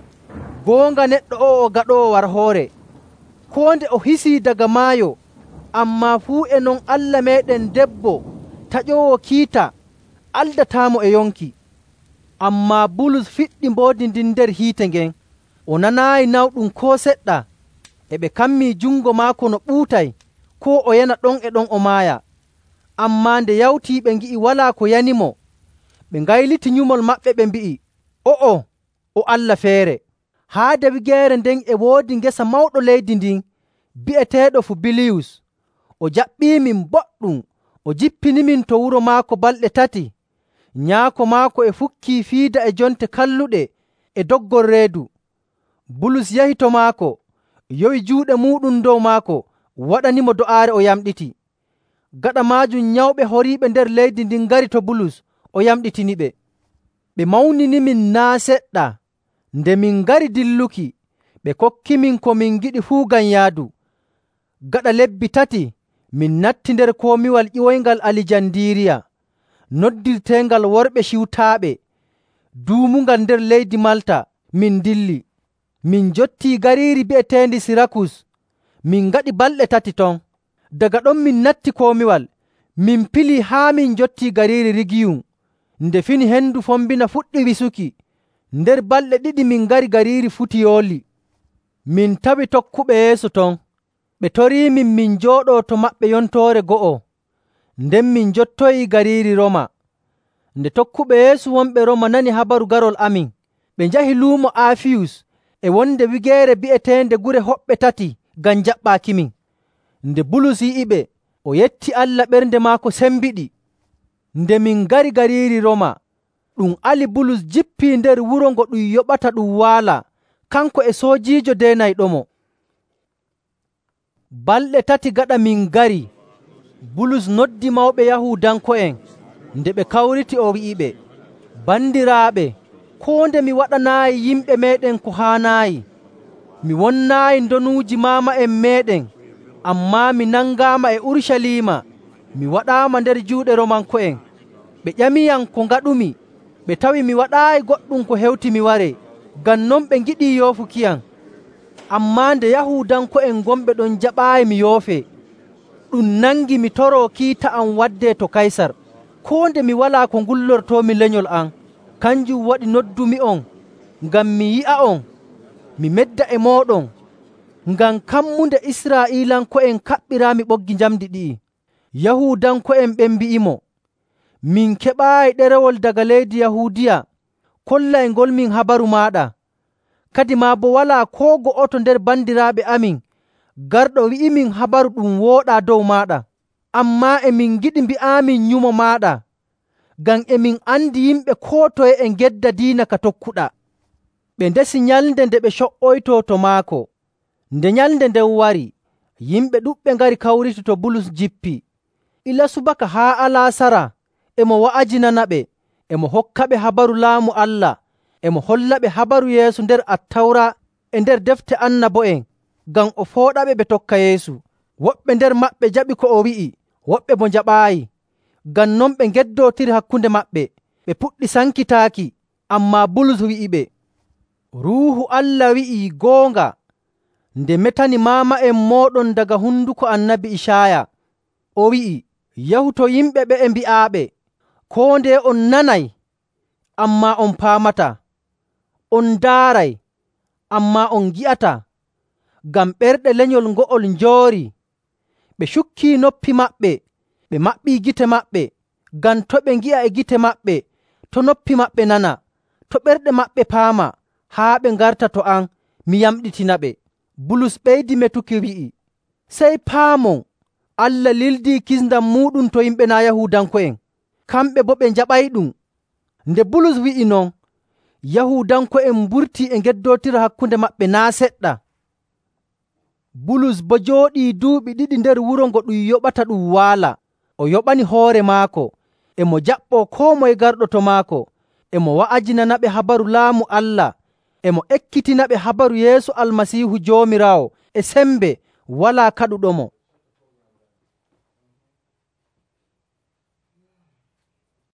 “Goonga neɗɗo o'o o gaɗoowo warhoore. Koo nde o hisii daga maayo, ammaa fuu e non Allah meeɗen debbo taƴoowo kiita aldataamo e yonki.” Ammaa Bulus fiɗɗi mboodi ndin nder hiite ngen. O nanaayi nawɗum koo seɗɗa. E ɓe kammii jungo maako no ɓuutay, koo o yana ɗon e ɗon o maaya. Ammaa nde yawtii ɓe ngi'i walaa ko yanimo, ɓe ngayliti nyumol maɓɓe ɓe mbi'i, “O'o o allah feere.” Haade wigeere nden e woodi ngesa mawɗo leydi ndin bi'eteeɗo Fubiliyus. O jaɓɓiimin boɗɗum, o jippinimin to wuro maako balɗe 3. Nyaako maako e fukkii fiida e jonte kalluɗe e doggol reedu. Bulus yahi to maako, yowi juuɗe muuɗum dow maako, waɗanimo do'aare o yamɗiti. Gaɗa maajum nyawɓe horiiɓe nder leydi ndin ngari to Bulus, o yamɗitiniɓe. Ɓe mawninimin naa' seɗɗa. Nde min ngari dilluki, ɓe kokkimin ko min ngiɗi fuu ngam yaadu. Gaɗa lebbi 3, min natti nder komiwal ƴiwoyngal Alijandiiriya, noddirteengal Worɓe Ciwtaaɓe, duumungal nder leydi Malta. Min dilli, min njottii gariiri bi'eteendi Sirakus. Min ngaɗi balɗe 3 ton. Daga ɗon min natti komiwal, min pilii haa min njottii gariiri Rigiyum. Nde fini hendu fombina fuɗɗi wisuki, nder balɗe 2 min ngari gariiri Futiyooli. Min tawi tokkuɓe Yeesu ton. Ɓe toriimin min njooɗoo to maɓɓe yontoore go'o. Nden min njottoyii gariiri Roma. Nde tokkuɓe Yeesu wonɓe Roma nani habaru garol amin, ɓe njahi luumo Aafiyus e wonde wigeere bi'eteende Gure Hoɓɓe 3 ngam jaɓɓaakimin. Nde Bulus yi'iɓe, o yetti Allah, ɓernde maako sembiɗi. Nde min ngari gariiri Roma, ɗum ali Bulus jippii nder wuro ngo ɗum yoɓata ɗum waala, kanko e soojiijo deenayɗomo. Balɗe 3 gaɗa min ngari, Bulus noddi mawɓe Yahuudanko'en. Nde ɓe kawriti, o wi'iɓe, “Bandiraaɓe, koo nde mi waɗanaayi yimɓe meeɗen ko haanaayi. Mi wonnaayi ndonuuji maama'en meeɗen, ammaa mi nangaama e Urucaliima mi waɗaama nder juuɗe Roomanko'en. Ɓe ƴamiyam ko ngaɗumi, ɓe tawi mi waɗaayi goɗɗum ko hewti mi waree, ngam non ɓe ngiɗii yoofukiyam. Ammaa nde Yahuudanko'en gonɓe ɗon jaɓaayi mi yoofee, ɗum nangi mi toroo kiita am waddee to Kaysar, koo nde mi walaa ko ngullortoomi lenyol am. Kanjum waɗi noddumi'on ngam mi yi'a'on, mi medda e mooɗon, ngam kammunde Israa'iilanko'en kaɓɓiraami ɓoggi njamndi ɗi'i.” Yahuudanko'en ɓen mbi'imo, “Min keɓaayi ɗerewol daga leydi Yahuudiya kollayngolmin habaru maaɗa. Kadi maa boo walaa koo go'oto nder bandiraaɓe amin garɗo wi'imin habaru ɗum wooɗaa dow maaɗa. Ammaa e min ngiɗi mbi'aamin nyumo maaɗa, ngam e min andi yimɓe koo toye e ngedda diina ka tokkuɗaa.” Ɓe ndesi nyalnde nde ɓe co''oytoo to maako. Nde nyalnde nden wari, yimɓe ɗuɗɓe ngari kawriti to Bulus jippi. Ila subaka haa alaasara e mo wa'ajinanaɓe, e mo hokkaɓe habaru Laamu Allah, e mo hollaɓe habaru Yeesu nder Attawra e nder defte annabo'en, ngam o fooɗaɓe ɓe tokka Yeesu. Woɓɓe nder maɓɓe jaɓi ko o wi'i, woɓɓe boo njaɓaayi. Ngam non ɓe ngeddootiri hakkunde maɓɓe, ɓe puɗɗi sankitaaki. Ammaa Bulus wi'iɓe, “Ruuhu Allah wi'ii goonga nde metani maama'en mooɗon daga honduko Annabi Icaaya. O wi'i, ‘Yahu to yimɓe ɓe'e mbi'aaɓe, koo ndeye on nanay, ammaa on paamataa. On ndaaray, ammaa on ngi'ataa. Ngam ɓerɗe lenyol ngo'ol njoorii. Ɓe cukkii noppi maɓɓe, ɓe maɓɓii gite maɓɓe, ngam to' ɓe ngi'a e gite maɓɓe, to' noppi maɓɓe nana, to' ɓerɗe maɓɓe paama, haa ɓe ngarta to am mi yamɗitinaɓe.’” Bulus ɓeydi metuki wi'i, “Sey paamon, Allah lildii kisndam muuɗum to yimɓe naa' Yahuudanko'en, kamɓe boo ɓe njaɓayɗum.” Nde Bulus wi'i non, Yahuudanko'en mburtii e ngeddootira hakkunde maɓɓe naa' seɗɗa. Bulus boo jooɗii duuɓi 2 nder wuro ngo ɗum yoɓata ɗum waala. O yoɓani hoore maako, e mo jaɓɓoo koo moye garɗo to maako, e mo wa'ajinanaɓe habaru Laamu Allah, e mo ekkitinaɓe habaru Yeesu Almasiihu Joomiraawo e sembe walaa kaɗuɗomo.